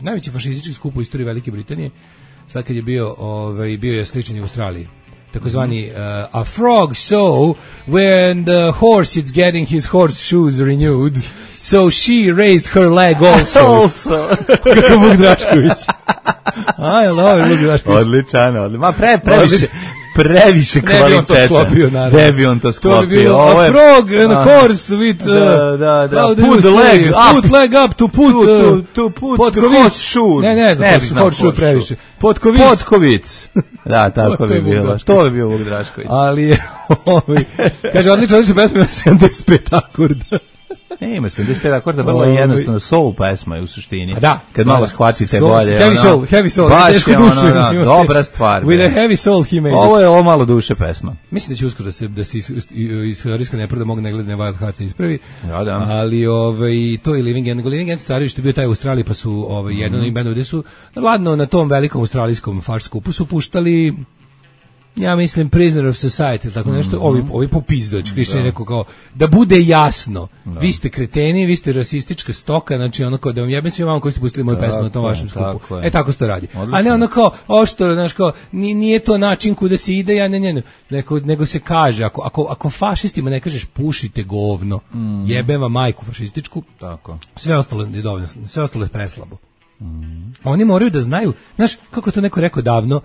Speaker 8: najveći fašistički skup u istoriji Velike Britanije. Sad kad je bio je sličan i u Australiji. Takozvani a frog so when the horse is getting his horse shoes renewed, so she raised her leg also. Kako Vuk Drašković. I love Vuk Drašković.
Speaker 7: Odličan. Ma previše kvaliteta.
Speaker 8: Ne bi on to sklopio. To bi bilo a frog and a horse with put leg up to put the horse shoe. Ne znam, horse shoe previše.
Speaker 7: Potkovic. Da, tako bi bilo. To bi bio Vuk Drašković.
Speaker 8: Ali kaže, odlično pesma, 75 akorda.
Speaker 7: Ne, ima 75 akorda, vrlo jednostavno, soul pesma je u suštini.
Speaker 8: Da.
Speaker 7: Kad malo shvatite bolje.
Speaker 8: Heavy soul.
Speaker 7: Baš je dobra stvar.
Speaker 8: With a heavy soul he made
Speaker 7: Ovo je malo duše pesma.
Speaker 8: Mislim da će uskoro da se iz Hrvatska nepravda mogu negledne Wild Hearts ispravi.
Speaker 7: Da.
Speaker 8: Ali to je Living End. Living End stari što je bio taj u Australiji, pa su jedan od bendova gde su ladno na tom velikom australijskom farš skupu su puštali, ja mislim, Prisoner of Society, tako nešto, ovi popizdoć, Krišćan je rekao kao, da bude jasno, vi ste kreteni, vi ste rasistička stoka, znači ono kao, da vam jebem svima koji ste pustili moju pesmu na tom vašem skupu. Tako se to radi. Odlično. A ne ono kao, ošto, znaš kao, nije to način kuda se ide, nego se kaže, ako fašistima ne kažeš pušite govno, jebem vam majku fašističku,
Speaker 7: tako.
Speaker 8: Sve ostalo je dovoljno, sve ostalo je preslabo. Oni moraju da znaju, znaš, kako to neko rekao davno,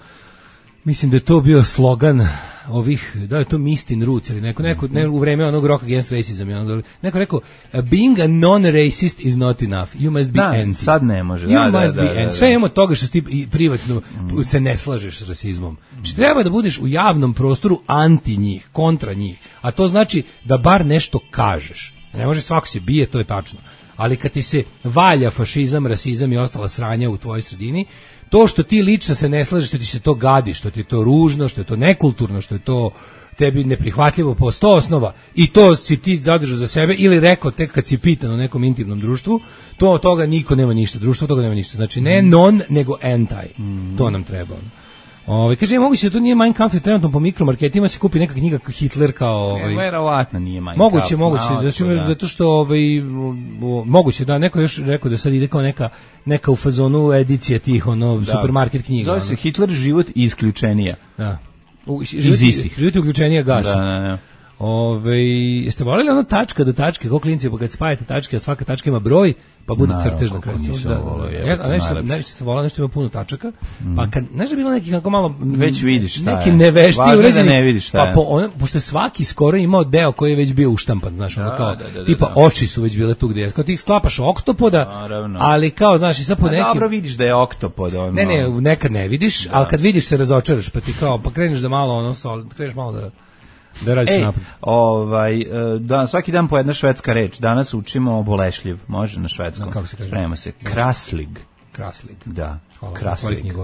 Speaker 8: Mislim da je to bio slogan ovih, da je to Mistin Roots ili neko u vreme onog Rock Against Racism, neko rekao, being a non-racist is not enough, you must be anti.
Speaker 7: Sad ne može.
Speaker 8: You must be anti. Sve imamo toga što ti privatno se ne slažeš s rasizmom. Znači treba da budeš u javnom prostoru anti njih, kontra njih, a to znači da bar nešto kažeš. Ne može svako se bije, to je tačno. Ali kad ti se valja fašizam, rasizam i ostala sranja u tvojoj sredini, to što ti lično se ne slažeš, što ti se to gadi, što ti je to ružno, što je to nekulturno, što je to tebi neprihvatljivo po 100 osnova i to si ti zadržao za sebe ili rekao tek kad si pitan u nekom intimnom društvu, to od toga niko nema ništa, društvo od toga nema ništa. Znači ne non, nego anti. To nam treba. Kaže, moguće da to nije Mein Kampf, trenutno po mikromarketima se kupi neka knjiga Hitler kao...
Speaker 7: Verovatno nije Mein Kampf.
Speaker 8: Moguće, zato što moguće, da, neko još rekao da sad ide kao neka u fazonu edicija tih, supermarket knjiga.
Speaker 7: Zove se Hitler, život i isključenija.
Speaker 8: Da.
Speaker 7: Iz istih.
Speaker 8: Život i uključenija gasa.
Speaker 7: Da.
Speaker 8: Jeste voljeli ono tačka do tačke, kao klinci, pa kad spajate tačke, a svaka tačka ima broj, pa bude crtež na kraju. Najviše se volao nešto ima puno tačaka, pa kad, znaš da bilo neki kako malo...
Speaker 7: Već vidiš šta je.
Speaker 8: Neki nevešti uređeni.
Speaker 7: Ne vidiš šta je.
Speaker 8: Pa pošto je svaki skoro imao deo koji je već bio uštampan, znaš, kao, tipa oči su već bile tu gdje je. Kao ti sklapaš oktopoda, ali kao, znaš, i sad po nekim...
Speaker 7: Dobro vidiš da je oktopod.
Speaker 8: Ne, nekad ne vidiš, ali kad vidiš se razočaraš, pa ti kao, pa kreneš da malo, kreneš malo da radiš napred.
Speaker 7: Svaki dan po jedna švedska reč. Danas učimo bolešljiv. Može na švedskom.
Speaker 8: Kako se kaže?
Speaker 7: Spremamo se. Kraslig. Da.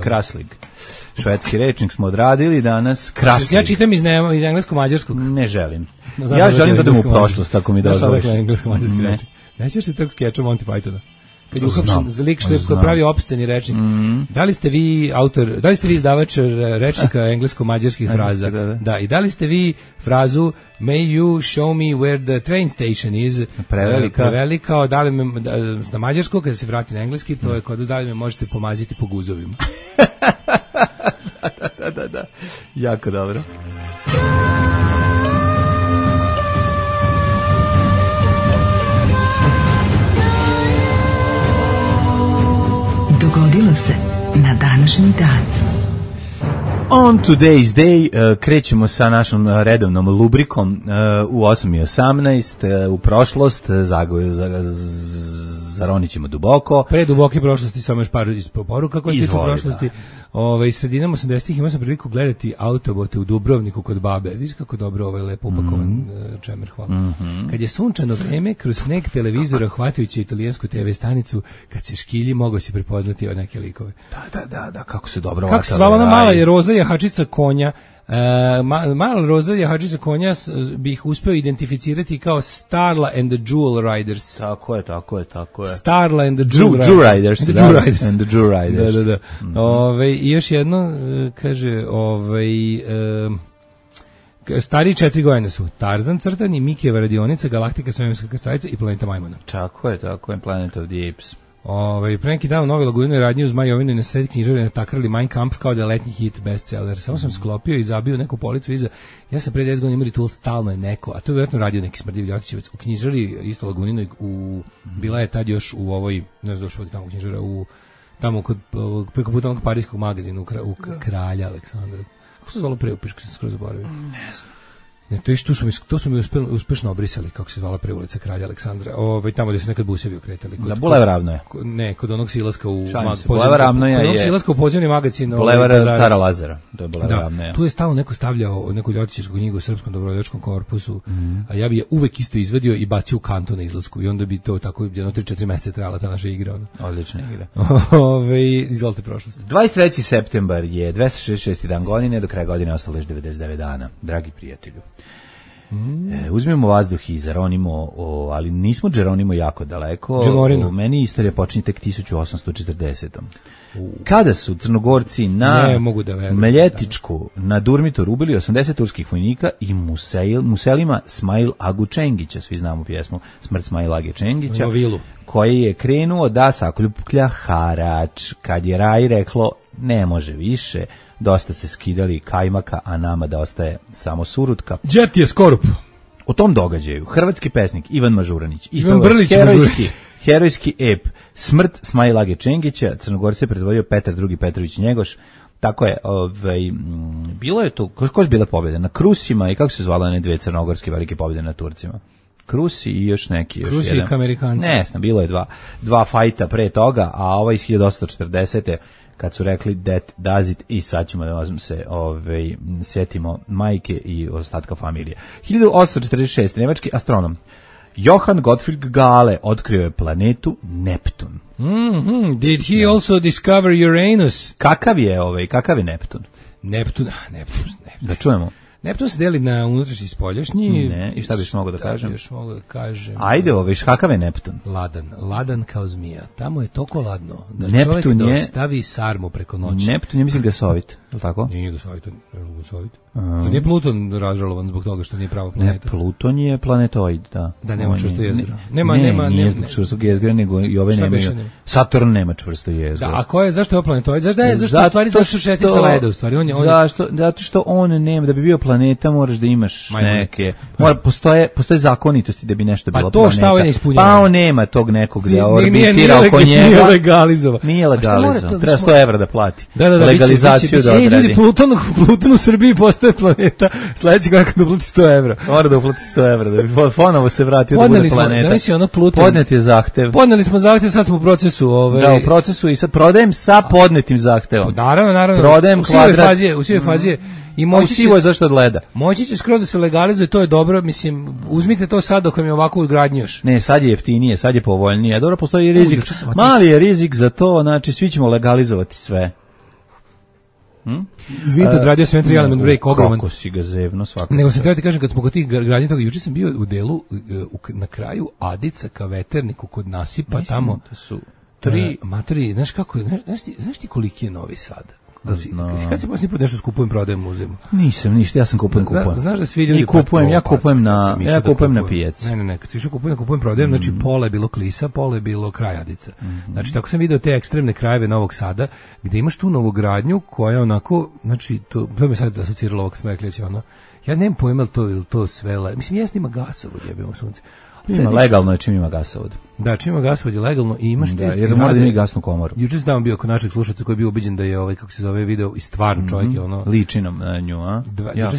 Speaker 7: Kraslig. Švedski rečnik smo odradili danas. Kraslig.
Speaker 8: Ja čitam iz englesko-mađarskog.
Speaker 7: Ne želim. Ja želim da idem u prošlost, ako mi dozvoliš.
Speaker 8: Englesko-mađarski rečnik. Nećeš se tog skeča Monty Pythona? Kad je uhapšen za lik što je pravi opšteni rečnik. Da li ste vi izdavač rečnika englesko-mađarskih fraza? Da, i da li ste vi frazu May you show me where the train station is? Prevelika, da li me, na mađarsko, kada se vrati na engleski, to je kod da li me možete pomaziti po guzovima.
Speaker 7: Da. Jako dobro.
Speaker 5: Dogodilo se na današnji dan.
Speaker 7: On today's day krećemo sa našom redovnom lubrikom u 8:18 u prošlost, zaronit ćemo duboko.
Speaker 8: Pre duboke prošlosti samo još par poruka koje tiču prošlosti. Sredinom 80-ih imao sam priliku gledati Autobote u Dubrovniku kod babe. Vidiš kako dobro lepo upakovan čemer, hvala. Kad je sunčano vreme, kroz sneg televizora hvatajući italijansku TV stanicu, kad se škilji, mogao si prepoznati od neke likove.
Speaker 7: Da, kako se dobro
Speaker 8: kako se zvala ona mala je roza jahačica konja. Mala roza jahačica konja bih uspeo identificirati kao Starla and the Jewel Riders.
Speaker 7: Tako je.
Speaker 8: Starla and the
Speaker 7: Jewel Riders. And the Jewel Riders.
Speaker 8: Da. I još jedno, kaže, stariji 4 godine su Tarzan crtani, Mikijeva radionica, Galaktika svemirska krstarica i Planeta Majmuna.
Speaker 7: Tako je, Planet of the Apes.
Speaker 8: Pre neki dan u Novoj Laguni radnji uz Majovinu i na sred knjižare natakrali Mein Kampf kao da je letnji hit bestseller. Samo sam sklopio i zabio neku policu iza. Ja sam pre 10 godina imao Ritual, stalno je neko, a to je vjerojatno radio neki smrdiv Ljotićevac u knjižari isto Lagunino, bila je tad još u ovoj, ne znam došao tamo knjižara, tamo preko puta onog parijskog magazina u Kralja Aleksandra. Kako se zvalo pre, upiška sam skoro zaboravio?
Speaker 7: Ne znam.
Speaker 8: Ne, to su mi uspešno obrisali, kako se zvala pre ulica Kralja Aleksandra. Tamo gde su nekad busevi okretali.
Speaker 7: Da, Bulevar Ravno je.
Speaker 8: Ne, kod onog silaska u pozivni magazin.
Speaker 7: Bulevar Cara Lazara. To je Bulevar Ravno je.
Speaker 8: Tu je stalno neko stavljao neku ljotićevsku knjigu u Srpskom dobrovoljačkom korpusu, a ja bi je uvek isto izvadio i bacio u kantu na izlasku i onda bi to tako jedno 3-4 meseca trajala ta naša igra.
Speaker 7: Odlična igra.
Speaker 8: Izvolite prošlost.
Speaker 7: 23. septembar je 266. dan godine, do kraja godine ostalo još 99 dana. Dragi prijatelju. Uzmemo vazduh i zaronimo, ali nismo Geronimo jako daleko. Meni istorija počinje tek 1840. Kada su Crnogorci na Meljetičku na Durmitor ubili 80 turskih vojnika i Muselima Smail Agu Čengića, svi znamo pjesmu Smrt Smail Age Čengića, koji je krenuo da sakuplja harač. Kad je Raj reklo ne može više, dosta se skidali kajmaka, a nama da ostaje samo surutka.
Speaker 8: Đet je skorup.
Speaker 7: U tom događaju hrvatski pesnik Ivan Mažuranić
Speaker 8: Ivan Brlić
Speaker 7: herojski ep Smrt Smail Age Čengića. Crnogorce predvodio Petar II Petrović Njegoš. Tako je, bilo je tu, ko je bila pobjeda? Na Krusima i kako se zvala one dve crnogorske velike pobjede na Turcima? Krusi i još neki.
Speaker 8: Krusi i Amerikanci.
Speaker 7: Ne znam, bilo je dva fajta pre toga, a ova iz 1840. kad su rekli that does it i sad ćemo da se sjetimo majke i ostatka familije. 1846. nemački astronom Johann Gottfried Galle otkrio je planetu Neptun.
Speaker 8: Did he also discover Uranus?
Speaker 7: Kakav je Neptun?
Speaker 8: Neptun.
Speaker 7: Da čujemo.
Speaker 8: Neptun se deli na unutrašnji i spoljašnji.
Speaker 7: Ne, i šta biš mogao da kažem?
Speaker 8: Još mogu da kažem.
Speaker 7: Ajde, kakav je Neptun?
Speaker 8: Ladan kao zmija. Tamo je toliko ladno da
Speaker 7: Neptun
Speaker 8: čovjek dostavi sarmu preko noći.
Speaker 7: Neptun je, mislim, gasovit, je li tako?
Speaker 8: Nije gasovit. To nije Pluton razžalovan zbog toga što nije prava planeta.
Speaker 7: Ne, Pluton je planetoid, da.
Speaker 8: Da, nema čvrsto jezgro.
Speaker 7: Nije zbog čvrstog jezgra, nego i ove nemaju. Saturn nema čvrsto jezgro.
Speaker 8: Da, a zašto je ovo planetoid? Zašto su šestica leda, u stvari?
Speaker 7: Zato što on nema, da bi bio planeta moraš da imaš neke, postoje zakonitosti da bi nešto bilo planeta.
Speaker 8: Pa to šta ovaj ne ispunjava?
Speaker 7: Pa on nema tog nekog da orbitira oko njega.
Speaker 8: Nije legalizovan.
Speaker 7: Nije legalizovan. Treba 100 evra da plati. Legalizaciju da odradi.
Speaker 8: Ljudi, Pluton u Srbiji postoje planeta, sledeći kako da uplati 100 evra.
Speaker 7: Mora da uplati 100 evra, da bi ponovo se vratio da bude planeta.
Speaker 8: Zamisli ono Pluton.
Speaker 7: Podnet je zahtev.
Speaker 8: Podneli smo zahtev, sad smo u procesu.
Speaker 7: Da, u procesu i sad prodajem sa podnetim zahtevom.
Speaker 8: Naravno.
Speaker 7: Prodajem kvadrat.
Speaker 8: U svoj fazi i
Speaker 7: moći će zašto od leda.
Speaker 8: Moći će skroz da se legalizuje, to je dobro, mislim, uzmite to sad dok vam je ovako u gradnji još.
Speaker 7: Ne, sad je jeftinije, sad je povoljnije. Dobro, postoji i rizik. Mali je rizik za to, znači svi ćemo legalizovati sve.
Speaker 8: Izvinite, odradio sam entry element break, ogroman.
Speaker 7: Kako si ga zevno svakako.
Speaker 8: Nego sam treba ti kažem, kad smo kod tih gradnji toga, juče sam bio u delu, na kraju Adica ka veterniku kod nasipa, mislim, tamo.
Speaker 7: Da su 3
Speaker 8: matori, znaš kako je, znaš ti koliki je Novi Sad? Kad si posljednji put nešto skupujem, prodajem muzeum?
Speaker 7: Nisam, ništa, ja sam kupujem.
Speaker 8: Znaš da svi ljudi...
Speaker 7: Ja kupujem na pijaci.
Speaker 8: Ne, kad si išao kupujem, prodajem, znači pola je bilo Klisa, pola je bilo kraj Adica. Znači, tako sam vidio te ekstremne krajeve Novog Sada, gde imaš tu novogradnju koja onako, znači, to me sad asociralo ovog Smreklića, ono, ja nemam pojma ili to sve, mislim, jesno ima gasovod, jebimo sunce.
Speaker 7: Ima legalno je čim ima gasovod.
Speaker 8: Da, čim ima gasovod je legalno i imaš te...
Speaker 7: jer mora da ima gasnu komoru.
Speaker 8: Juče sam bio kod našeg slušaca koji je bio ubeđen da je kako se zove video i stvarno čovjek je ono...
Speaker 7: Ličinom na nju, a?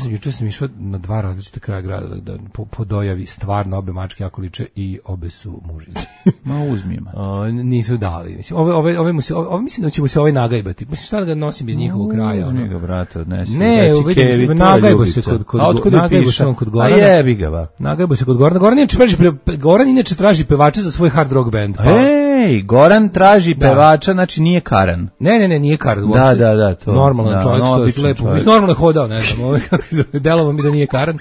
Speaker 8: Juče sam išao na 2 različite kraja grada da po dojavi stvarno obe mačke jako liče i obe su mužice.
Speaker 7: Ma uzmijema.
Speaker 8: Nisu dali. Mislim, ove mislim da ćemo se nagajbati. Mislim, šta da ga nosim iz njihovog kraja?
Speaker 7: Uzmi ga, brate, odnesi.
Speaker 8: Ne, nagajbo se kod Gorana.
Speaker 7: A jebi ga, ba.
Speaker 8: Nagajbo se kod Gorana. Goran inače traži pevača za svoj hard rock band.
Speaker 7: Ej, Goran traži pevača, znači nije Karan.
Speaker 8: Ne, nije Karan.
Speaker 7: Da, to.
Speaker 8: Normalan čovjek, to je lepo. Mislim, normalno je hodao, ne znam, kako se zove, delovo mi da nije Karan.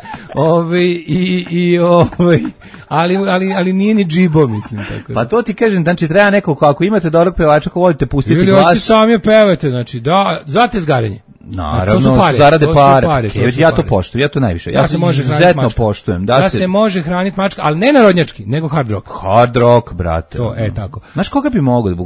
Speaker 8: Ali nije ni džibo, mislim. Tako.
Speaker 7: Pa to ti kažem, znači treba neko, ako imate dobrog pevača, ko volite pustiti
Speaker 8: glas. Ili hoćete sami pevate, znači, da, za tezgarenje.
Speaker 7: Naravno, zarade pare. Ja to poštujem, ja to najviše. Ja se izuzetno poštujem.
Speaker 8: Da se može hraniti mačka, ali ne narodnjački, nego hard rock.
Speaker 7: Hard rock, brate.
Speaker 8: To, tako.
Speaker 7: Znaš koga bi mogao,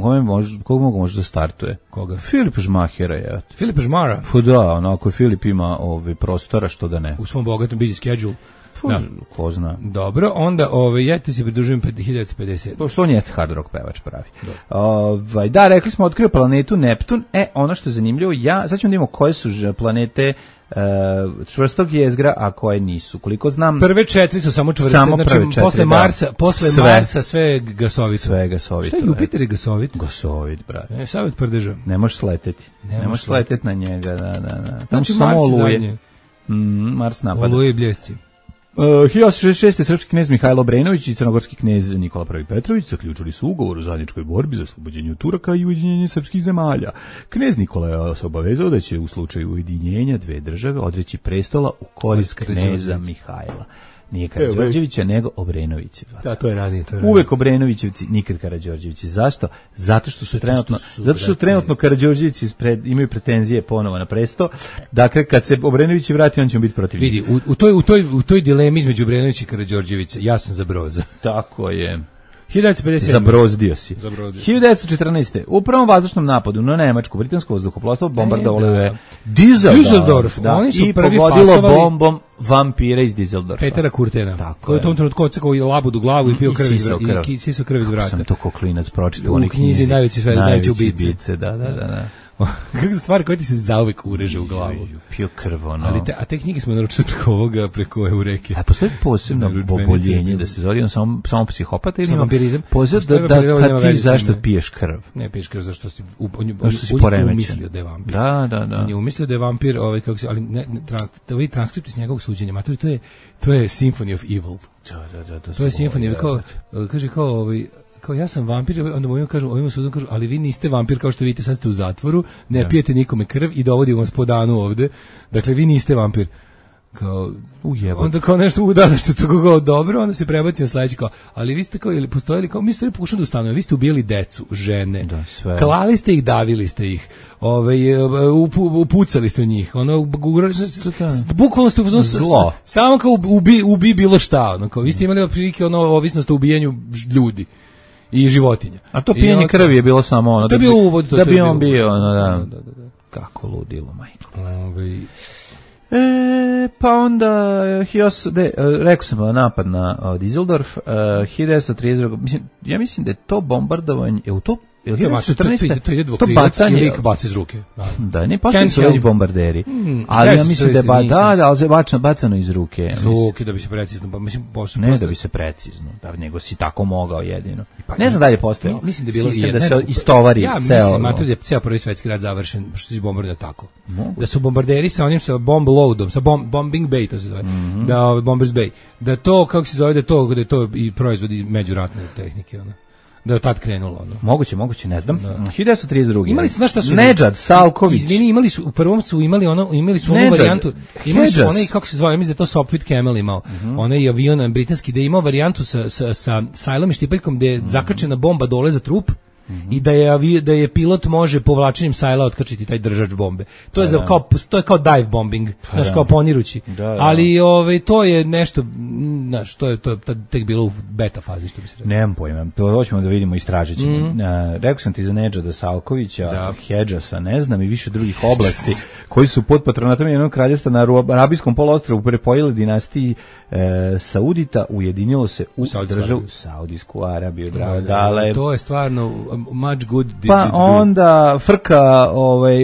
Speaker 7: koga mogu da startuje?
Speaker 8: Koga?
Speaker 7: Filip Žmahera je.
Speaker 8: Filip Žmara?
Speaker 7: Pa da, onako Filip ima prostora, što da ne.
Speaker 8: U svom bogatom busy schedule.
Speaker 7: Da. Ko zna.
Speaker 8: Dobro, onda ja ti se pridružujem 1950.
Speaker 7: To što on jeste hard rock pevač pravi. Da, rekli smo otkrio planetu Neptun. Ono što je zanimljivo, sad ćemo da imamo koje su planete čvrstog jezgra, a koje nisu. Koliko znam...
Speaker 8: Prve 4 su samo čvrste. Samo prve 4, posle Marsa sve je gasovito.
Speaker 7: Sve je gasovito.
Speaker 8: Šta je Jupiter je gasovit?
Speaker 7: Gasovit, brate.
Speaker 8: Savjet prdeža.
Speaker 7: Ne možeš sleteti. Ne možeš sleteti na njega, da.
Speaker 8: Znači Mars zadnje.
Speaker 7: Mars napada.
Speaker 8: Oluje i bljesci.
Speaker 7: 1866. srpski knez Mihajlo Obrenović i crnogorski knez Nikola I. Petrović zaključili su ugovor o zajedničkoj borbi za oslobođenje od Turaka i ujedinjenje srpskih zemalja. Knez Nikola je se obavezao da će u slučaju ujedinjenja dve države odreći prestola u korist kneza Mihajla. Nije Karađorđevića, nego Obrenovića.
Speaker 8: Da, to je ranije.
Speaker 7: Uvek Obrenovićevci, nikad Karađorđevići. Zašto? Zato što su trenutno Karađorđevići imaju pretenzije ponovo na presto. Dakle, kad se Obrenović vrati, on će biti protiv njih.
Speaker 8: Vidi, u toj dilemi između Obrenovića i Karađorđevića, ja sam za Broza.
Speaker 7: Tako je.
Speaker 8: 1957.
Speaker 7: Zabrozdio si. 1914. U prvom vazdušnom napadu na Nemačku britansko vazduhoplovstvo bombardovalo je Düsseldorf, i pogodilo bombom vampira iz Düsseldorfa.
Speaker 8: Petera Kurtena, koji je u tom trenutku odsekao i labudu glavu i pio krv iz vrata.
Speaker 7: Sam to ko klinac pročitao
Speaker 8: u knjizi najveće ubice.
Speaker 7: Da.
Speaker 8: Kako stvari koje ti se zauvek ureže u glavu.
Speaker 7: Pio krv, ono.
Speaker 8: Ali te knjige smo naručili preko ovoga, preko Eureke.
Speaker 7: A postoji posebno oboljenje da se zove samo psihopata ili
Speaker 8: vampirizam?
Speaker 7: Postoji da ti zašto piješ krv?
Speaker 8: Ne piješ krv zašto si umislio da je vampir.
Speaker 7: Da.
Speaker 8: On je umislio da je vampir, kako se, ali da vidi transkripti s njegovog suđenja. Matori, to je Symphony of Evil.
Speaker 7: Da.
Speaker 8: To je Symphony, kao ja sam vampir, onda ovim sudom kažu, ali vi niste vampir kao što vidite, sad ste u zatvoru, ne pijete nikome krv i dovodimo vas po danu ovde, dakle vi niste vampir. Kao, onda kao nešto što to kako dobro, onda se prebaci na sledeći kao, ali vi ste kao, ili postojali kao, mi ste pokušali da ustanove, vi ste ubijali decu, žene, klali ste ih, davili ste ih, upucali ste u njih, bukvalno ste zlo. Samo kao ubi bilo šta, kao, vi ste imali prilike ovisnost o ubijanju ljudi i životinja.
Speaker 7: A to pijenje krvi je bilo samo ono.
Speaker 8: To je bio uvod.
Speaker 7: Da bi on bio ono, da. Kako ludilo, majko. Pa onda, rekao sam napad na Düsseldorf, 1932. Ja mislim da je to bombardovanje,
Speaker 8: to je dvokrilac i lik baci iz ruke.
Speaker 7: Da, ne postoji su već bombarderi. Ali ja mislim da bacano iz ruke.
Speaker 8: Da bi se precizno,
Speaker 7: ne da bi se precizno, nego si tako mogao jedino. Ne znam da li postoji.
Speaker 8: Mislim da je bilo
Speaker 7: sistem da se istovari ceo.
Speaker 8: Ja mislim da je ceo prvi svetski rat završen što se bombardira tako. Da su bombarderi sa onim sa bomb loadom, sa bombing bay to se zove. Da bombers bay. Da to kako se zove da je to i proizvodi međuratne tehnike ona. Da je tad krenulo ono.
Speaker 7: Moguće, ne znam. 1932.
Speaker 8: Imali su, znaš šta su?
Speaker 7: Nedžad Salković.
Speaker 8: Izvini, u prvom su imali onu varijantu. Imali su onaj, kako se zove, ja mislim da je to Sopwith Camel imao. Onaj avion britanski da je imao varijantu sa sajlom i štipeljkom gde je zakačena bomba dole za trup. I da je pilot može povlačenjem sajla otkačiti taj držač bombe. To je to je kao dive bombing, znači kao ponirući. Ali to je nešto, znači to je tek bilo u beta fazi što bi se rekao.
Speaker 7: Nemam pojma, to hoćemo da vidimo, istražit ćemo. Rekao sam ti za Nedžada Salkovića, Hedžasa, ne znam, i više drugih oblasti koji su pod patronatom jednog kraljevstva na Arabijskom poluostrvu pripojili dinastiji Saudita, ujedinilo se u državu Saudijsku Arabiju.
Speaker 8: To je stvarno much good.
Speaker 7: Pa onda frka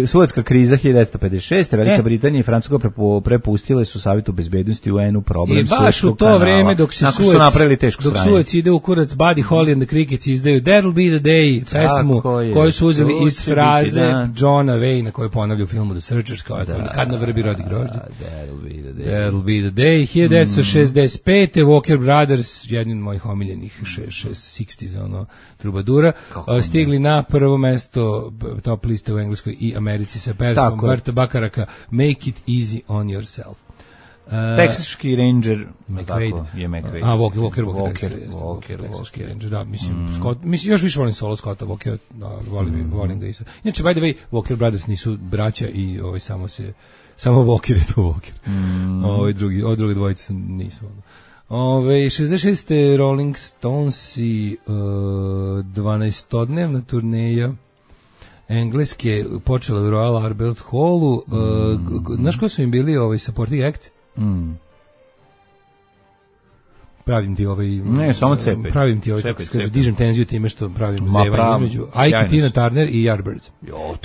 Speaker 7: Suetska kriza 1956. Velika Britanija i Francuska prepustile su Savetu bezbednosti UN-u problem Suetskog kanala.
Speaker 8: I baš u to vreme dok Suec ide u kurac, Buddy Holly and the Crickets izdaju That'll be the day pesmu koju su uzeli iz fraze Johna Wayne koju ponavlja u filmu The Searchers kao kad na vrbi rodi grožđe. That'll be the day. 1965. Walker Brothers, jedan od mojih omiljenih 60s trubadura, stigli na prvo mesto top liste u Engleskoj i Americi sa pesmom Barta Bakaraka Make it easy on yourself.
Speaker 7: Texaški Ranger
Speaker 8: je McQuaid. Texaški Ranger, da, mislim, još više volim solo Scotta Walkera, volim ga isto. Inače, by the way, Walker Brothers nisu braća i samo Walker je to Walker. Drugi dvojice nisu. 66. Rolling Stonesi 12-dnevna turneja Engleske počela u Royal Albert Hallu. Znaš ko su im bili supporting act? Pravim ti
Speaker 7: ne, samo cepaj.
Speaker 8: Pravim ti dižem tenziju time što pravim zevanje između Ike, Tina Turner i Yardbirds.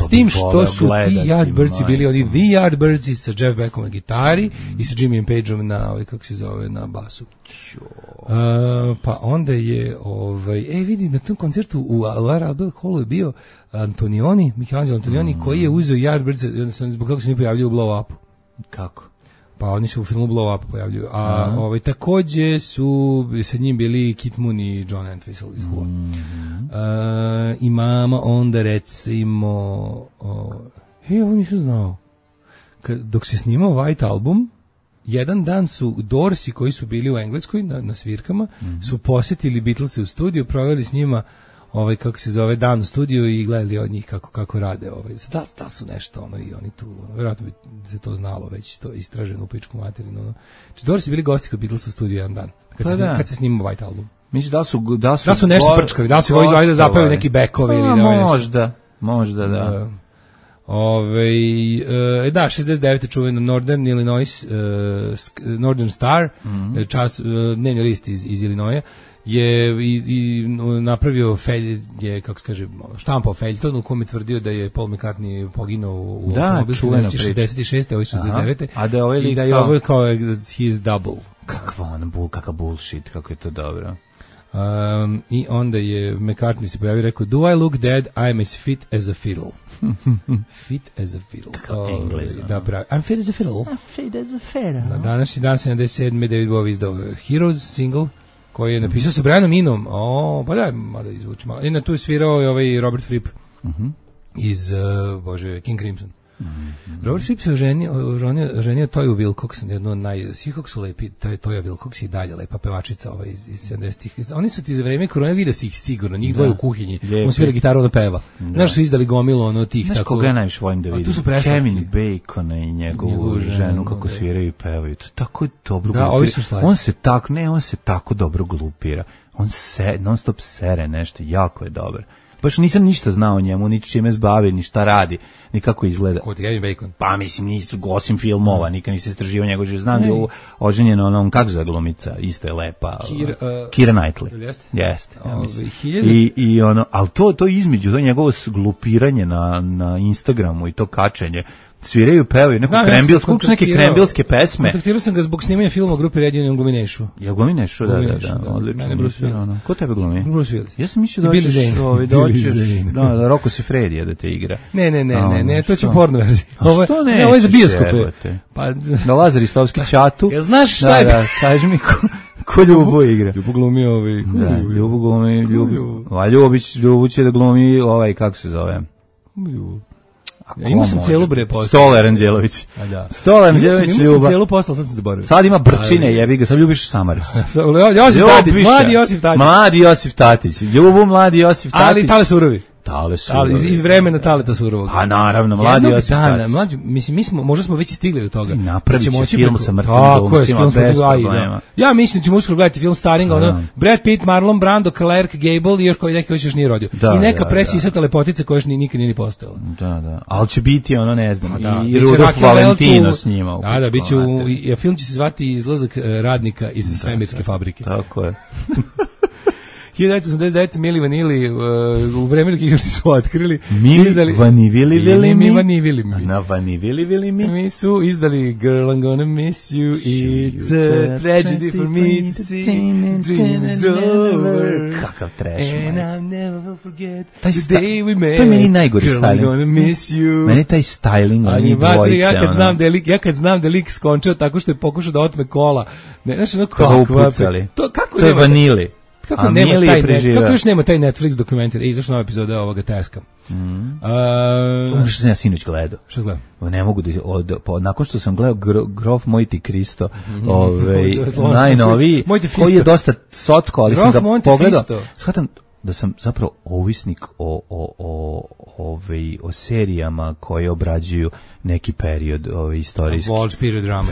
Speaker 8: S tim što su ti Yardbirdsi bili oni The Yardbirdsi sa Jeff Beckom na gitari i sa Jimmy Pageom na kako se zove na basu. Pa onda je vidi na tom koncertu u Albert Hallu je bio Michelangelo Antonioni koji je uzeo Yardbirds zbog kako se mi pojavljaju u Blow Upu.
Speaker 7: Kako?
Speaker 8: Pa oni se u filmu Blow Up pojavljuju. A takođe su sa njim bili Kit Moon i John Entwistle iz Who. Imamo onda recimo ovo nisam znao. Dok se snimao White Album, jedan dan su Doorsi koji su bili u Engleskoj na svirkama su posjetili Beatlese u studiju, proveli s njima kako se zove dan u studiju i gledali od njih kako rade da su nešto i oni tu vjerojatno bi se to znalo već to istraženo u pičku materinu Doorsi bili gosti kod Beatlesa u studiju jedan dan kad se snimao White Album.
Speaker 7: Misliš da
Speaker 8: su nešto prčkavi, da su da zapevaju neki bekovi ili
Speaker 7: možda da.
Speaker 8: Da, 69. čuveno Northern Illinois Northern Star, dnevni list iz Illinoisa. je i napravio kako se kaže, štampao feljton u kome tvrdio da je Paul McCartney poginuo u automobilu 66. Ovo 69.
Speaker 7: A da ovaj
Speaker 8: i da je ovo kao his double.
Speaker 7: Kakav bullshit, kako je to dobro.
Speaker 8: I onda je McCartney se pojavio i rekao, do I look dead, I'm as fit as a fiddle. Fit as a fiddle.
Speaker 7: Kakav Englez.
Speaker 8: Da, pravi. I'm fit as a fiddle.
Speaker 7: I'm fit as a fiddle.
Speaker 8: Na današnji dan 77. David Bowie izdao Heroes single, koji je napisao sa Brianom Inom. Pa da, malo izvuči malo. I na tu je svirao i ovaj Robert Fripp iz, King Crimson. Robert Fripp se oženio Toju Wilcox, jedno od svi kako su lepi, Toja Wilcox i dalje lepa pevačica iz 70-ih. Oni su ti za vreme korone vidio si ih sigurno, njih dvoje u kuhinji. On svira gitaru da peva. Znaš su izdali gomilu tih
Speaker 7: tako. Koga ja najviše volim da vidim? Kevin Bacon i njegovu ženu kako sviraju i pevaju. To tako je dobro glupira. On se tako dobro glupira. On non stop sere nešto, jako je dobar. Baš nisam ništa znao o njemu, ni čime se bavi, ni šta radi, ni kako izgleda.
Speaker 8: Kod Kevin Bacon?
Speaker 7: Pa mislim, nisu osim filmova, nikad nisam istraživao njegov život. Znam da je oženjena onom, kako za glumica, isto je lepa. Kira Knightley. Jeste. Ja mislim. I ono, ali to između, to njegovo glupiranje na Instagramu i to kačenje, sviraju, pevaju neke krembilske pesme.
Speaker 8: Kontaktirao sam ga zbog snimanja filma u grupi Ready on Gluminešu.
Speaker 7: Jel Gluminešu? Da, odlično. Ko tebe glumi?
Speaker 8: Bruce Willis.
Speaker 7: Ja sam mislio da hoćeš Rocco Siffredi da te igra.
Speaker 8: Ne, to će u porno verziji.
Speaker 7: Što ne?
Speaker 8: Ovo je za bioskope.
Speaker 7: Da Lazar Istovski Čatu.
Speaker 8: Ja znaš šta je?
Speaker 7: Da, kaži mi ko Ljubo igra.
Speaker 8: Ljubo glumi
Speaker 7: Ljubo glumi, Ljubo će da glumi kako se zove?
Speaker 8: Ja imao sam cijelu postao.
Speaker 7: Stolar Anđelović. Stolar Anđelović
Speaker 8: Imao sam cijelu postao, sad sam zaboravio.
Speaker 7: Sad ima Brčine, jebi ga, sad ljubiš Samaris.
Speaker 8: Mladi Josif Tatić.
Speaker 7: Ljubu mladi Josif Tatić.
Speaker 8: Ali Tale Surovi.
Speaker 7: Ali
Speaker 8: iz vremena Taleta Surovog.
Speaker 7: A naravno, mladi Josip Tatić.
Speaker 8: Mislim, možda smo već stigli do toga.
Speaker 7: Napravit će film sa mrtvim glumcima bez problema.
Speaker 8: Ja mislim da ćemo uskoro gledati film Staringa, Brad Pitt, Marlon Brando, Clark Gable i još koji neki još nije rodio. I neka presisata lepotica koja još nikad nije ni postojala.
Speaker 7: Da. Ali će biti ne znam, i Rudolf Valentino s njima.
Speaker 8: Da, biće film će se zvati Izlazak radnika iz svemirske fabrike.
Speaker 7: Tako je.
Speaker 8: 1989. Mili Vanili u vreme dok ih još nisu otkrili.
Speaker 7: Mili Vanivili
Speaker 8: mi su izdali Girl I'm Gonna Miss You, It's a Tragedy for Me to See, Dream is Over,
Speaker 7: kakav trash,
Speaker 8: and I never will forget the day we met.
Speaker 7: To je meni najgori styling.
Speaker 8: Girl I'm Gonna Miss You.
Speaker 7: Meni taj styling, oni dvojice.
Speaker 8: Ja kad znam da lik skončao tako što je pokušao da otme kola. Znaš ono
Speaker 7: kako je Vanili.
Speaker 8: Kako još nema taj Netflix dokumentar? Izašla nova epizoda ovoga Teska.
Speaker 7: Što sam ja sinoć gledao.
Speaker 8: Što gledam?
Speaker 7: Ne mogu da nakon što sam gledao Grof Mojti Kristo, najnoviji, koji je dosta socko, ali sam ga pogledao. Shvatam da sam zapravo ovisnik o serijama koje obrađuju neki period istorijski.
Speaker 8: Period drama.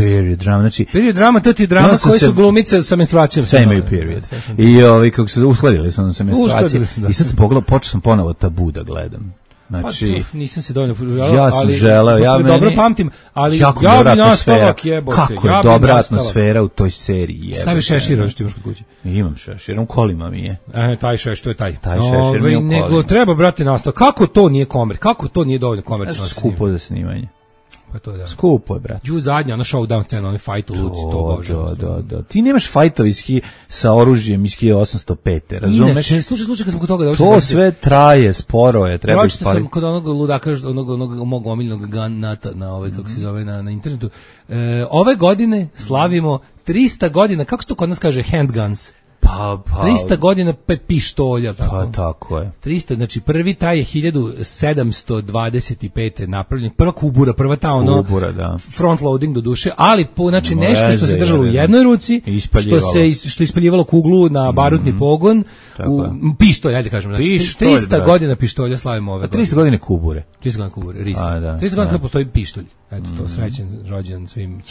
Speaker 7: Znači,
Speaker 8: period drama, to ti je drama koje su glumice sa menstruacijom.
Speaker 7: Sve imaju period. I kako se uskladili su sa menstruacijom. I sad sam počeo sam ponovo Tabu da gledam. Znači,
Speaker 8: nisam se dovoljno
Speaker 7: ja sam želeo,
Speaker 8: dobro pamtim, ali
Speaker 7: jako je dobra atmosfera u toj seriji.
Speaker 8: Staviš šešira što imaš kod kuće?
Speaker 7: Imam šešir, u kolima mi je.
Speaker 8: Taj šešir, to je taj.
Speaker 7: Taj šešir mi je u kolima.
Speaker 8: Nego treba, brate, nastaviti. Kako to nije kako to nije dovoljno komercijalno?
Speaker 7: Skupo za snimanje.
Speaker 8: Pa to je da.
Speaker 7: Skupo je, brate.
Speaker 8: Zadnja, ona showdown scena, onaj fight u Luci, to bože.
Speaker 7: Da. Ti nemaš fajtova sa oružjem iz 1805. Razumeš?
Speaker 8: Inače, slušaj, kad sam kod toga da
Speaker 7: to sve traje, sporo je, treba
Speaker 8: ispariti. Pročite sam kod onog ludaka, onog mog omiljenog ganata na kako se zove na internetu. Ove godine slavimo 300 godina, kako se to kod nas kaže, handguns. 300 godina pištolja, tako.
Speaker 7: Pa tako je.
Speaker 8: 300, znači prvi taj je 1725. napravljen, prva kubura, prva ta front loading do duše, ali znači nešto što se držalo u jednoj ruci, što ispaljivalo kuglu na barutni pogon, pištolj, ajde kažemo, znači 300 godina pištolja slavimo ove godine.
Speaker 7: 300 godine kubure.
Speaker 8: 300 godina kubure, risno. 300 godina postoji pištolj. Eto to, srećen rođendan svim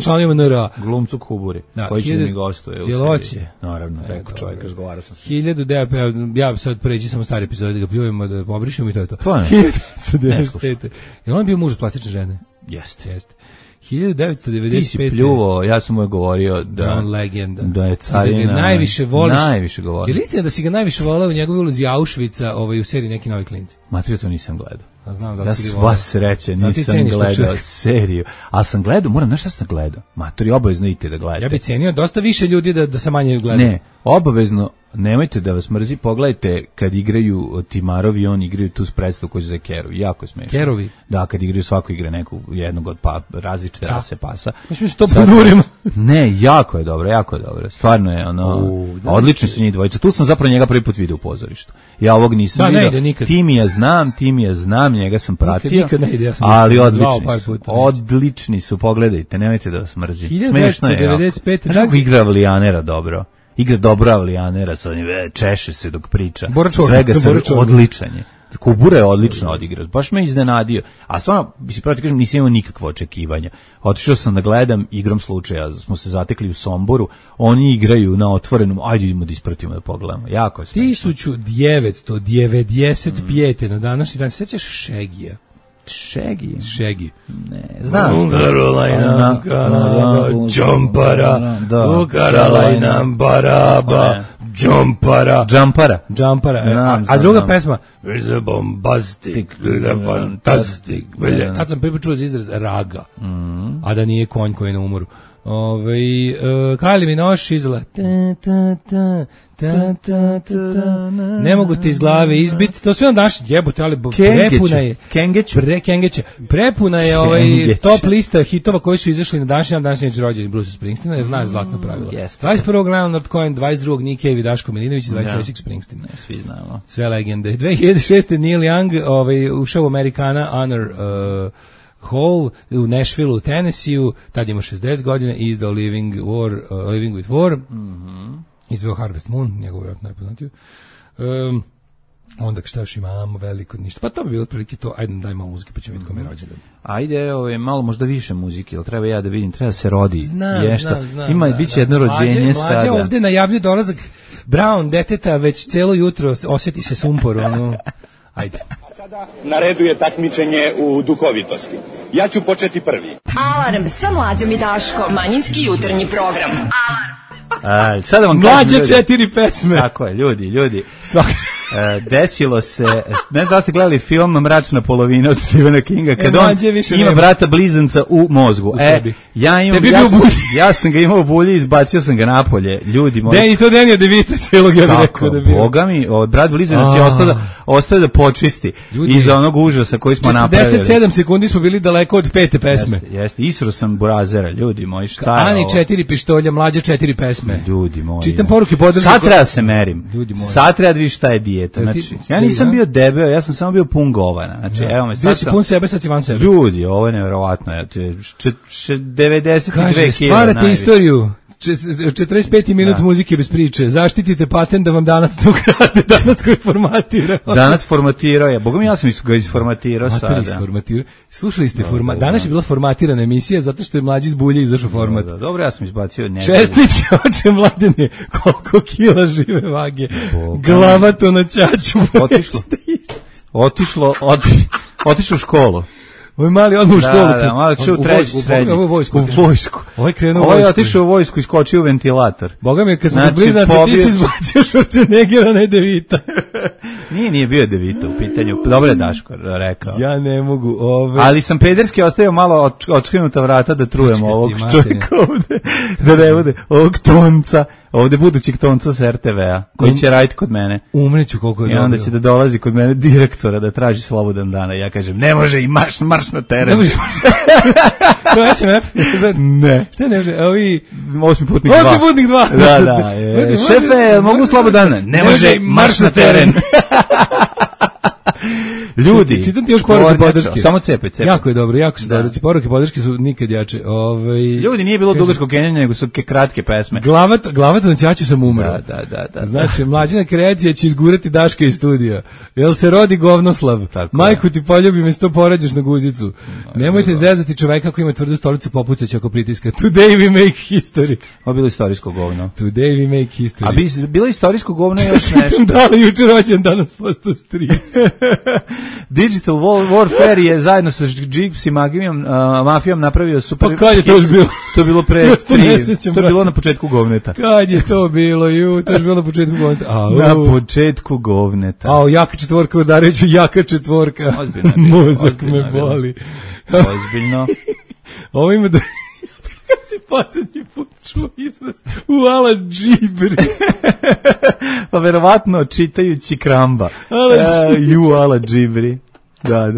Speaker 8: članovima NRA.
Speaker 7: Glumcu kubure, koji će mi gostuje u seriji. Naravno, rekao čovjek, razgovara sam se.
Speaker 8: 1000, ja sad pređi samo stari epizode da ga pljujemo, da pobrišemo i to je to.
Speaker 7: To ne.
Speaker 8: 1995. Je on bio muž od plastične žene?
Speaker 7: Jeste.
Speaker 8: 1995.
Speaker 7: Ti si pljuvo, ja sam mu govorio da je carina.
Speaker 8: Da najviše voliš.
Speaker 7: Najviše govorio.
Speaker 8: Je li istina da si ga najviše volao u njegovoj ulozi Auschwitza u seriji Neki novi klinci?
Speaker 7: Matrio, to nisam gledao.
Speaker 8: Znam,
Speaker 7: sva sreće, nisam gledao seriju. Ali sam gledao, moram, znaš šta sam gledao? Maturi, obavezno idite da gledate.
Speaker 8: Ja bih cenio dosta više ljudi da se manje gledaju.
Speaker 7: Ne, obavezno, nemojte da vas mrzi, pogledajte kad igraju Timarov i on igraju tu predstavu koju se za Keru, jako je smešno.
Speaker 8: Kerovi?
Speaker 7: Da, kad igraju svako igra jednog od različite rase pasa.
Speaker 8: Mislim što ponurimo.
Speaker 7: Ne, jako je dobro. Stvarno je odlični su njih dvojica. Tu sam zapravo njega prvi put vidio u pozorištu. Ja ovog nisam vidio. Timija znam, njega sam pratio. Ali odlični su, pogledajte, nemojte da vas mrzi. Smešno je. 1995. Znaš kako igra Avlijanera dobro? Igra dobro Avlijanera, češe se dok priča. Svega se odličan je. Kubura je odlično odigrao, baš me iznenadio. A stvarno, pravo ti kažem, nisam imao nikakve očekivanja. Otišao sam da gledam, igrom slučaja, smo se zatekli u Somboru, oni igraju na otvorenom, ajde idemo da ispratimo da pogledamo. Jako je smešno.
Speaker 8: 1995. Na današnji dan, sećaš Šegija? Šegi.
Speaker 7: Ne, znam.
Speaker 8: U Karolajnam Kanaba, Džompara, u Karolajnam Baraba, Džompara. A druga pesma, is a bombastic, fantastic. Tad sam prvi čuo izraz raga, a da nije konj koji je na umoru. Kali mi noš izla. Ne mogu te iz glave izbiti. To sve on daš jebote, ali prepuna je Kengeće. Prepuna je top lista hitova koji su izašli na današnji rođendan Bruce Springsteena. Znaš zlatno pravilo. 21. Leonard Cohen, 22. Nick Cave i Daško Milinović, 23. Springsteen.
Speaker 7: Svi znamo.
Speaker 8: Sve legende. 2006. Neil Young ušao u Americana Honor Hall u Nashville, u Tennessee-u, tad ima 60 godina i izdao Living with War. Izveo Harvest Moon, njegov vjerojatno najpoznatiju. Onda šta još imamo veliko ništa. Pa to bi bilo otprilike to. Ajde daj malo muzike pa ćemo vidjeti kome je rođendan.
Speaker 7: Ajde, malo možda više muzike, jel treba ja da vidim, treba se rodi.
Speaker 8: Znam.
Speaker 7: Ima biće jedno rođenje sada.
Speaker 8: Mlađa ovde najavljuje dolazak Brown deteta već celo jutro, osjeti se sumpor, Ajde.
Speaker 6: Sada na redu je takmičenje u duhovitosti. Ja ću početi prvi.
Speaker 5: Alarm sa Mlađom i Daškom. Manjinski jutarnji program. Alarm.
Speaker 7: Sada vam
Speaker 8: Mlađe 4 pesme.
Speaker 7: Tako je, ljudi. Desilo se, ne znam da ste gledali film Mračna polovina od Stephena Kinga, kad on ima brata blizanca u mozgu. Ja sam ga imao u bulji, izbacio sam ga napolje. Ljudi moji.
Speaker 8: To Denija DeVita celog, ja bih rekao da bi.
Speaker 7: Boga mi, brat blizanac je ostao da počisti iz onog užasa koji smo napravili.
Speaker 8: 47 sekundi smo bili daleko od 5. pesme.
Speaker 7: Jeste, isro sam burazera, ljudi moji, šta je
Speaker 8: Ani 4 pištolja, Mlađe 4 pesme.
Speaker 7: Ljudi moji.
Speaker 8: Čitam poruke podržke.
Speaker 7: Sad treba se merim. Sad treba da vidiš šta je dijeta. Znači, ja nisam bio debeo, ja sam samo bio pun govana. Znači, evo me, sad
Speaker 8: sam pun sebe, sad si van sebe.
Speaker 7: Ljudi, ovo je nevjerovatno. 92 kg.
Speaker 8: Stvarate istoriju. 45 minut muzike bez priče. Zaštitite patent da vam Danac to ukrade. Danac koji formatira.
Speaker 7: Danac formatirao je. Boga mi, ja sam ga isformatirao sada.
Speaker 8: Slušali ste danas je bila formatirana emisija zato što je Mlađi iz bulje izašao format.
Speaker 7: Dobro, ja sam izbacio.
Speaker 8: Čestitke, oče Mladene, koliko kila žive vage. Glava to na ćaću.
Speaker 7: Otišlo u školu.
Speaker 8: Ovo je mali odmah u školu.
Speaker 7: Da, malo će u treći srednji.
Speaker 8: Ovo je vojsku.
Speaker 7: Ovo je otišao u vojsku, iskočio u ventilator.
Speaker 8: Boga mi, kad smo bliznaci, ti si izbacio Schwarzeneggera, ne DeVita.
Speaker 7: Nije bio DeVita u pitanju. Dobro je Daško rekao.
Speaker 8: Ja ne mogu.
Speaker 7: Ali sam pederski ostavio malo očkrinuta vrata da trujemo ovog čovjeka ovde. Da ne bude ovog tonca. Ovde budućeg tonca s RTV-a, koji će raditi kod mene.
Speaker 8: Umreću koliko je
Speaker 7: dobro. I onda će da dolazi kod mene direktora da traži slobodan dana. Ja kažem, ne može i marš na teren.
Speaker 8: Ne može. To je SMF?
Speaker 7: Ne.
Speaker 8: Šta ne može?
Speaker 7: Osmi putnik 2.
Speaker 8: Osmi putnik 2.
Speaker 7: Da. Šefe, mogu slobodan dana? Ne može i marš na teren. Ljudi,
Speaker 8: čitam ti još poruke podrške.
Speaker 7: Samo cepaj.
Speaker 8: Jako je dobro, jako su dobro. Poruke podrške su nikad jače.
Speaker 7: Ljudi, nije bilo dugačkog kenjanja, nego su kratke pesme.
Speaker 8: Glavac na ćaću sam umro.
Speaker 7: Da.
Speaker 8: Znači, Mlađina kreacija će izgurati Daška iz studija. Jel se rodi govnoslav? Majku ti poljubi me sto porađaš na guzicu. Nemojte zezati čoveka koji ima tvrdu stolicu, popucać ako pritiska. Today we make history.
Speaker 7: Ovo bilo istorijsko govno.
Speaker 8: Today we make history.
Speaker 7: A bilo istorijsko govno još nešto.
Speaker 8: Da li juče rođen, danas postao stric.
Speaker 7: Digital Warfare je zajedno sa Gypsy mafijom napravio super.
Speaker 8: Pa kad je to još bilo?
Speaker 7: To je bilo pre 3. To je bilo na početku govneta.
Speaker 8: Kad je to bilo? To je bilo na početku govneta.
Speaker 7: Na početku govneta.
Speaker 8: Jaka četvorka udareću, jaka četvorka.
Speaker 7: Ozbiljno.
Speaker 8: Mozak me boli.
Speaker 7: Ozbiljno.
Speaker 8: Ovo ima da... Kad si posljednji put čuo izraz Uala džibri.
Speaker 7: Pa verovatno čitajući Kramba. Uala džibri. Da.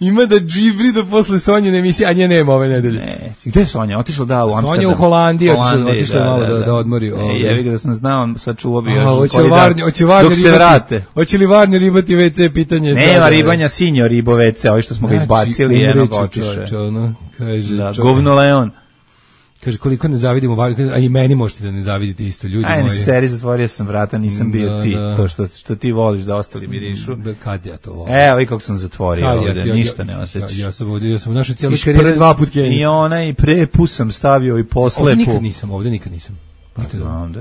Speaker 8: Ima da džibri do posle Sonjine emisije, a nje nema ove nedelje.
Speaker 7: Ne, gde je Sonja? Otišla u Amsterdam.
Speaker 8: Sonja u Holandiji, otišla malo da odmori.
Speaker 7: Jevi ga da sam znao, sad čuo bi još
Speaker 8: dok
Speaker 7: se vrate.
Speaker 8: Hoće li Varnje ribati WC, pitanje?
Speaker 7: Nema ribanja, sinjo ribo WC, ovi što smo ga izbacili, jednog otiše. Govno Leon.
Speaker 8: Kaže, koliko ne zavidimo Varnju, a i meni možete da ne zavidite isto, ljudi moji.
Speaker 7: Ajde, seri, zatvorio sam vrata, nisam bio ti. To što ti voliš da ostali mirišu.
Speaker 8: Kad ja to volim?
Speaker 7: Evo i kako sam zatvorio ovde, ništa ne osjećaš.
Speaker 8: Ja sam u našoj cijeloj karijeri 2 put Keniju.
Speaker 7: I onaj prepus sam stavio i poslepu.
Speaker 8: Ovde nikad nisam.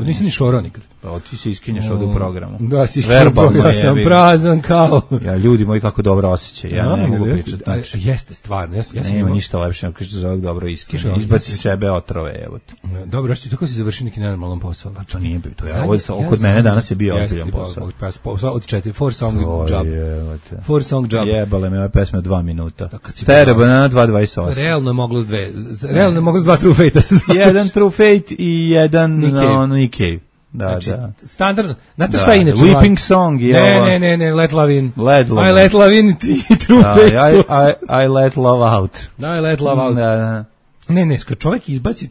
Speaker 8: Nisam ni šorao nikad.
Speaker 7: Pa ti se iskinješ ovde u programu.
Speaker 8: Da, si iskinješ, ja sam prazan kao...
Speaker 7: Ja, ljudi moji, kako dobro osjećaj, ja ne mogu pričati.
Speaker 8: Jeste, stvarno.
Speaker 7: Nema ništa lepše, nego kažeš da zove dobro iskinje. Izbaci sebe otrove, evo te.
Speaker 8: Dobro, što tako si završio neki nenormalan posao?
Speaker 7: Pa to nije bilo, kod mene danas je bio ozbiljan posao.
Speaker 8: Od 4, 4 song job.
Speaker 7: Jebale me ove pesme 2 minuta. Stare banana 2.28.
Speaker 8: Realno je moglo s 2. Realno je moglo s 2 True Fate.
Speaker 7: Jedan True Fate i jedan Nick Cave. Da.
Speaker 8: Standardno. Znate šta je inače?
Speaker 7: Weeping Song je ovo.
Speaker 8: Ne, Let Love In.
Speaker 7: I
Speaker 8: Let Love In i True Fate.
Speaker 7: I Let Love Out.
Speaker 8: Da, I Let Love Out.
Speaker 7: Da.
Speaker 8: Ne, kad čovjek izbaci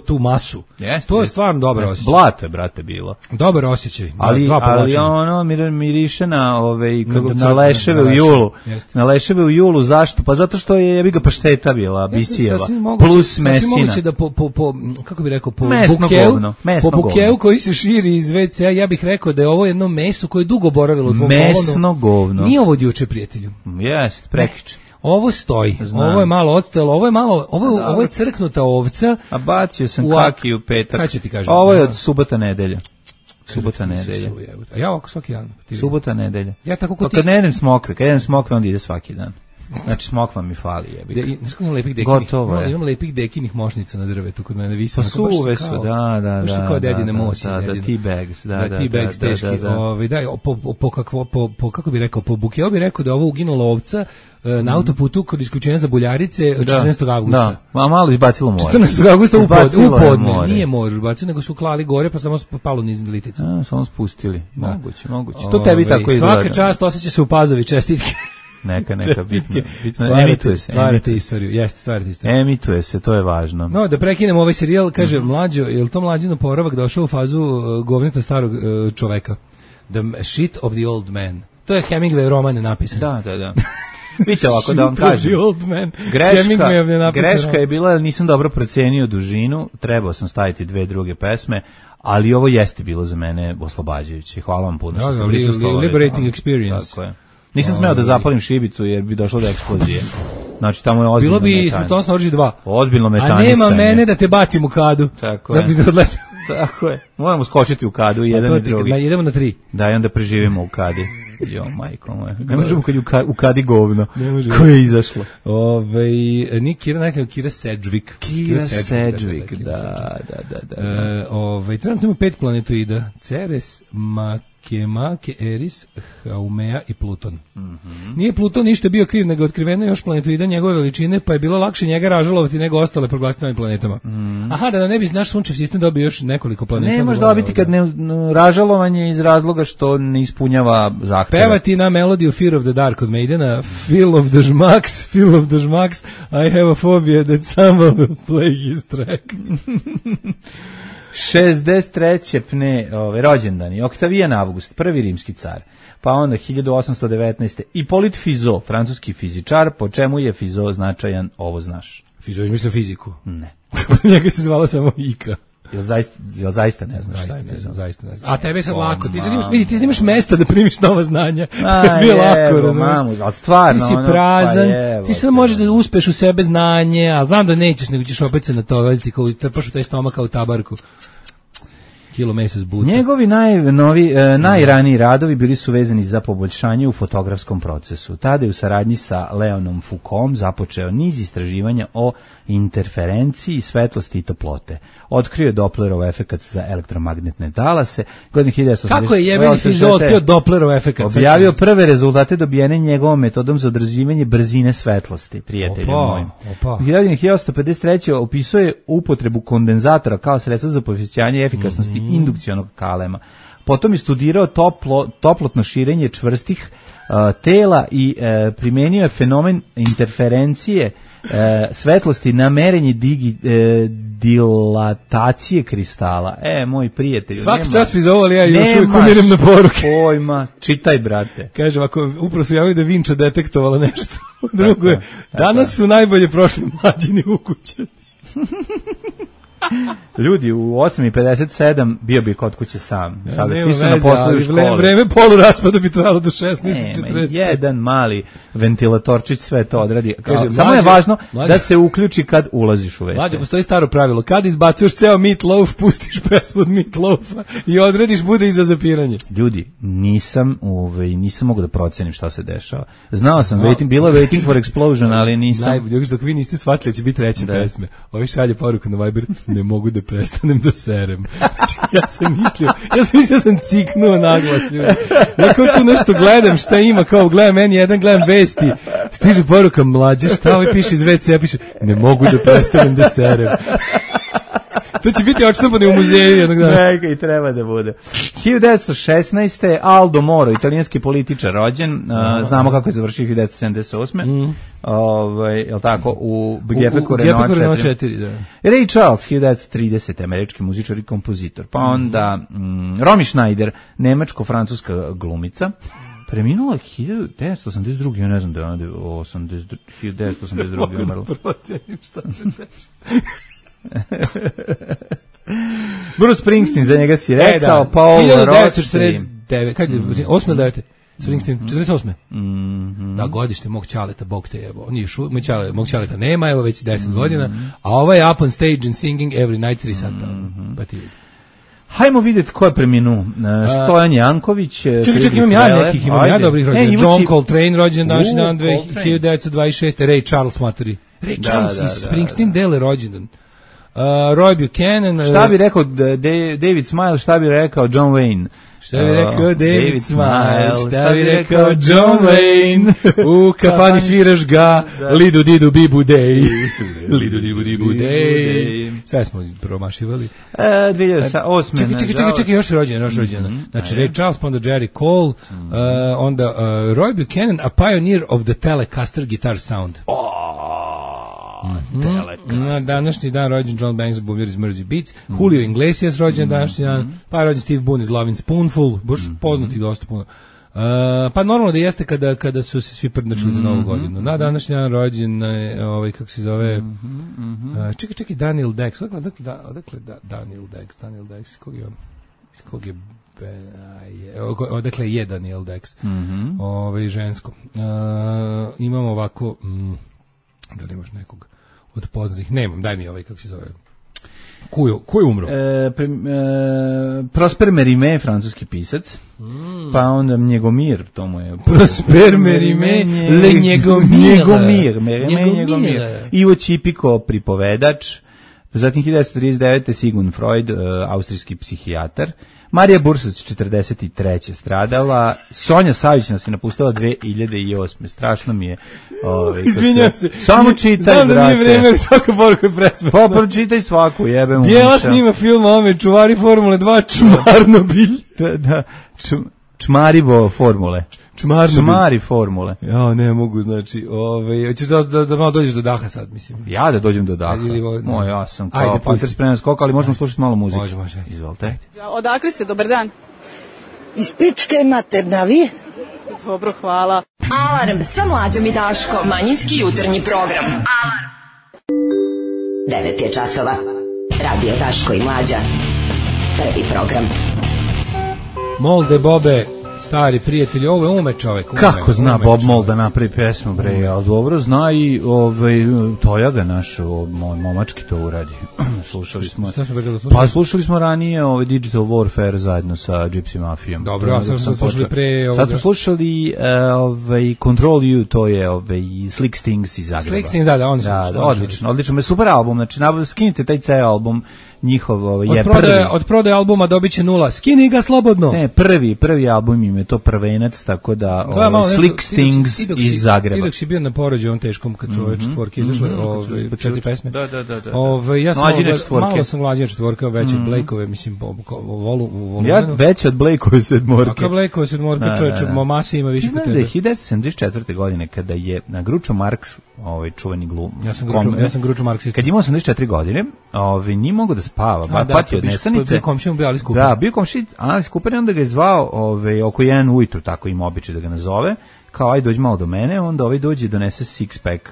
Speaker 8: tu masu, to je stvarno dobar osjećaj.
Speaker 7: Blato je, brate, bilo.
Speaker 8: Dobar osjećaj.
Speaker 7: Ali ono miriše na leševe u julu. Na leševe u julu, zašto? Pa zato što je jebiga pašteta bila, bisijeva, plus mesina.
Speaker 8: Sasvim moguće da kako bih rekao, po bukeu koji se širi iz WC-a, ja bih rekao da je ovo jedno meso koje je dugo boravilo u tvom kolonu.
Speaker 7: Mesno govno.
Speaker 8: Nije ovo od juče, prijatelju.
Speaker 7: Jest, prekiče.
Speaker 8: Ovo stoji, ovo je malo odstojalo, ovo je crknuta ovca.
Speaker 7: A bacio sam kaki u petak.
Speaker 8: Sad ću ti kažem.
Speaker 7: Ovo je od subota nedelja. Subota nedelja.
Speaker 8: A ja ovako svaki dan.
Speaker 7: Subota nedelja.
Speaker 8: Ja tako kod
Speaker 7: kad ne jedem smokve, onda ide svaki dan. Znači smokva mi fali, jebi.
Speaker 8: Imam lepih dekinih mošnica na drvetu kod mene visam.
Speaker 7: Pa suve su, da.
Speaker 8: Što kao dedine mosi.
Speaker 7: Da, tea bags, da.
Speaker 8: Tea bags teški. Kako bi rekao, po bukeo bi rekao da je ovo uginula ovca na autoputu kod isključenja za Buljarice 14. augusta.
Speaker 7: Da, malo izbacilo more.
Speaker 8: 14. augusta u podne. Nije more izbacilo, nego su klali gore, pa samo palo niz liticu.
Speaker 7: Samo spustili. Moguće. To tebi tako izgleda.
Speaker 8: Svaka čast, osjeća se u Pazovi, čestitke.
Speaker 7: Neka bitno.
Speaker 8: Emituje se. Stvarate istoriju. Jeste, stvarate istoriju.
Speaker 7: Emituje se, to je važno.
Speaker 8: No, da prekinemo ovaj serijal, kaže Mlađo, je li to Mlađino Poravak došao u fazu govneta starog čoveka? The shit of the old man. To je Hemingway roman napisan.
Speaker 7: Da. Vidite ovako da vam kažem. Greška je bila, nisam dobro procenio dužinu, trebao sam staviti 2 druge pesme, ali ovo jeste bilo za mene oslobađajuće. Hvala vam puno što ste prisustvovali.
Speaker 8: Liberating experience.
Speaker 7: Tako je. Nisam smeo da zapalim šibicu jer bi došlo do eksplozije. Znači tamo je ozbiljno
Speaker 8: metanje. Bilo bi smrtonosno oružje 2.
Speaker 7: Ozbiljno metanisanje.
Speaker 8: A nema mene da te bacim u kadu.
Speaker 7: Tako je. Tako je. Moramo skočiti u kadu, jedan i drugi.
Speaker 8: Idemo na 3.
Speaker 7: Da, i onda preživimo u kadi. Jo, majko moja. Ne možemo kad u kadi govno. Koje je izašlo?
Speaker 8: Nije Kira, nekako Kira Sedgwick.
Speaker 7: Kira Sedgwick, da.
Speaker 8: Trenutno ima 5 planetoida. Ceres, Makemake, Eris, Haumea i Pluton. Nije Pluton ništa bio kriv, nego otkriveno još planetoida njegove veličine, pa je bilo lakše njega ražalovati nego ostale proglasiti novim planetama. Aha, da ne bi naš sunčev sistem dobio još nekoliko planeta.
Speaker 7: Ne može dobiti kad ne ražalovanje iz razloga što ne ispunjava zahteve.
Speaker 8: Pevati na melodiju Fear of the Dark od Maidena, Feel of the Schmucks, I have a phobia that someone will play his track.
Speaker 7: 63. rođendani, Oktavijan Avgust, prvi rimski car, pa onda 1819. Ipolit Fizeau, francuski fizičar, po čemu je Fizeau značajan, ovo znaš?
Speaker 8: Fizeau je mislio fiziku?
Speaker 7: Ne.
Speaker 8: Njega se zvala samo Ika.
Speaker 7: Jel zaista ne znaš šta je Fizeau?
Speaker 8: Zaista ne znam. A tebe je sad lako, ti nemaš mesta da primiš nova znanja.
Speaker 7: Bio lako, mamu, ali stvarno.
Speaker 8: Ti si prazan, ti sad možeš da uspeš u sebe znanje, ali znam da nećeš, nego ćeš opet se natovati, kao trpaš u taj stomak kao u tabarku. kilo mesa s buta.
Speaker 7: Njegovi najraniji radovi bili su vezani za poboljšanje u fotografskom procesu. Tada je u saradnji sa Leonom Foucaultom započeo niz istraživanja o interferenciji, svetlosti i toplote. Otkrio je Dopplerov efekat za elektromagnetne talase. Godine 1980.
Speaker 8: Kako je jebeni fiziolog otkrio Dopplerov efekat?
Speaker 7: Objavio prve rezultate dobijene njegovom metodom za određivanje brzine svetlosti, prijatelju mojim. 1953. opisuje upotrebu kondenzatora kao sredstvo za povećanje efikasnosti indukcionog kalema. Potom je studirao toplotno širenje čvrstih tela i primenio je fenomen interferencije svetlosti na merenje dilatacije kristala. Moj prijatelj.
Speaker 8: Svaki čas mi zovali, ja još uvijek umirim na poruke.
Speaker 7: Pojma, čitaj, brate.
Speaker 8: Kažem, ako upravo su javili da Vinča detektovala nešto. Drugo je, danas su najbolje prošli mlađini u kuće.
Speaker 7: Ljudi, u 8:57 bio bi kod kuće sam. Sada svi su na poslu u školi.
Speaker 8: Vreme poluraspada bi trajalo do 16:40.
Speaker 7: Jedan mali ventilatorčić sve to odradi. Samo je važno da se uključi kad ulaziš u WC.
Speaker 8: Mlađe, postoji staro pravilo. Kad izbacuješ ceo Meat Loaf, pustiš pesmu od Meat Loafa i odrediš, bude i za zapiranje.
Speaker 7: Ljudi, nisam mogu da procenim šta se dešava. Znao sam, bilo je Waiting for Explosion, ali nisam.
Speaker 8: Najbolje, dok vi niste shvatili, će biti treća pesme. Ovi šalje poruku na Viber, ne mogu da prestanem da serem. Ja sam mislio sam ciknuo naglas, ljudi. Ja kao tu nešto gledam, šta ima, kao gledam N1, gledam vesti, stiže poruka, mlađe, šta ovaj piše iz WC, ja piše, ne mogu da prestanem da serem. To će biti odštampano u muzeju jednog dana.
Speaker 7: Neka i treba da bude. 1916. Aldo Moro, italijanski političar, rođen. Znamo kako je završio 1978. Jel tako? U Gepeku Renault 4.
Speaker 8: Da.
Speaker 7: Ray Charles, 1930. američki muzičar i kompozitor. Pa onda Romy Schneider, nemačko-francuska glumica. Preminula 1982. Ja ne znam da je ona 1982. umrla.
Speaker 8: Mogu da procenim šta se dešava.
Speaker 7: Bruce Springsteen, za njega si rekao, Paul Rossi.
Speaker 8: 1949, kad je, 8 ili 9? Springsteen, 48. Da, godište mog ćaleta, Bog te jebo. Mog ćaleta nema, evo već 10 godina, a ovo je Up on Stage and Singing Every Night 3 sata. Pa ti vidi.
Speaker 7: Hajmo vidjeti ko je preminuo. Stojan Janković.
Speaker 8: Čekaj, imam ja dobrih rođena. John Coltrane, rođen današnji dan 1926. Ray Charles, matori. Ray Charles i Springsteen dele rođendan. Roy Buchanan.
Speaker 7: Šta bi rekao David Smile, šta bi rekao John Wayne?
Speaker 8: Šta bi rekao David Smile, šta bi rekao John Wayne, u kafani sviraš ga, lidu didu bibu dej, lidu didu bibu dej. Sve smo promašivali.
Speaker 7: 2008.
Speaker 8: Čekaj, još rođena. Znači, Ray Charles, onda Jerry Cole, onda Roy Buchanan, a pioneer of the Telecaster guitar sound. Na današnji dan rođen John Banks, bubnjar iz Mersey Beats, Julio Iglesias rođen današnji dan, pa je rođen Steve Boone iz Lovin' Spoonful, baš poznati dosta puno. Pa normalno da jeste kada su se svi prdnačili za Novu godinu. Na današnji dan rođen, kako se zove, čekaj, Daniel Dex, odakle Daniel Dex, kog je odakle je Daniel Dex, žensko. Imamo ovako, da li imaš nekog od poznatih? Nemam, daj mi kako se zove. Ko je umro?
Speaker 7: Prosper Mérimée, francuski pisac. Pa onda Njegomir, to mu je...
Speaker 8: Prosper Mérimée, le Njegomir.
Speaker 7: Ivo Čipiko, pripovedač. Zatim 1939. Sigmund Freud, austrijski psihijatar. Marija Bursac, 43. stradala. Sonja Savić nas je napustila 2008. Strašno mi je.
Speaker 8: Izvinjam se.
Speaker 7: Samo čitaj,
Speaker 8: znam
Speaker 7: brate.
Speaker 8: Znam da nije vreme, ali svaka poruka je presmešna.
Speaker 7: Pa pročitaj svaku, jebem.
Speaker 8: Bijela snima film ome, čuvari Formule 2, Čmarnobilj.
Speaker 7: Da, Čmarivo formule. Čmari formule.
Speaker 8: Ja, ne mogu, znači, hoćeš da malo dođeš do daha sad, mislim.
Speaker 7: Ja da dođem do daha. Ja sam kao Panter spreman skok, ali možemo slušati malo muzike.
Speaker 8: Može.
Speaker 7: Izvolite.
Speaker 9: Odakle ste, dobar dan?
Speaker 10: Iz Pičke materna, vi?
Speaker 9: Dobro, hvala.
Speaker 5: Alarm sa Mlađom i Daškom. Manjinski jutarnji program. Alarm.
Speaker 11: 9 je časova. Radio Daško i Mlađa. Prvi program.
Speaker 8: Molde Bobe, Stari prijatelji, ovo je ume čovek.
Speaker 7: Kako zna Bob Mould da napravi pesmu, bre, ali dobro zna i Tojaga naš, momački to uradi. Slušali smo. Pa slušali smo ranije Digital Warfare zajedno sa Gypsy Mafijom.
Speaker 8: Dobro, a sad smo slušali pre
Speaker 7: sad smo slušali Control You, to je Slick Stings iz Zagreba.
Speaker 8: Slick Stings, da, oni su.
Speaker 7: Odlično, super album, znači skinite taj ceo album. Njihov je prvi.
Speaker 8: Od prodaje albuma dobiće 0. Skini ga slobodno.
Speaker 7: Ne, prvi album im je to prvenac, tako da Slick Stings iz Zagreba.
Speaker 8: Ti dok si bio na porođaju ovom teškom kad su ove četvorke izašle, 4 pesme.
Speaker 7: Da.
Speaker 8: Ja sam malo sam mlađina četvorka, već od Blakeove, mislim, u
Speaker 7: ja već od Blakeove sedmorke.
Speaker 8: Ako Blakeove sedmorke, čovječe, masi ima više kod tebe.
Speaker 7: Znaš da je 1974. godine, kada je na Groucho Marx, čuveni glum.
Speaker 8: Ja sam Groucho Marx.
Speaker 7: Kad imao 84 godine, nije mogao da spava, patio od nesanice.
Speaker 8: Bio komšijom, bio Alice Cooper.
Speaker 7: Da, bio komšij Alice Cooper i onda ga je zvao oko 1 ujutru, tako ima običaj da ga nazove, kao aj dođi malo do mene, onda dođe i donese six pack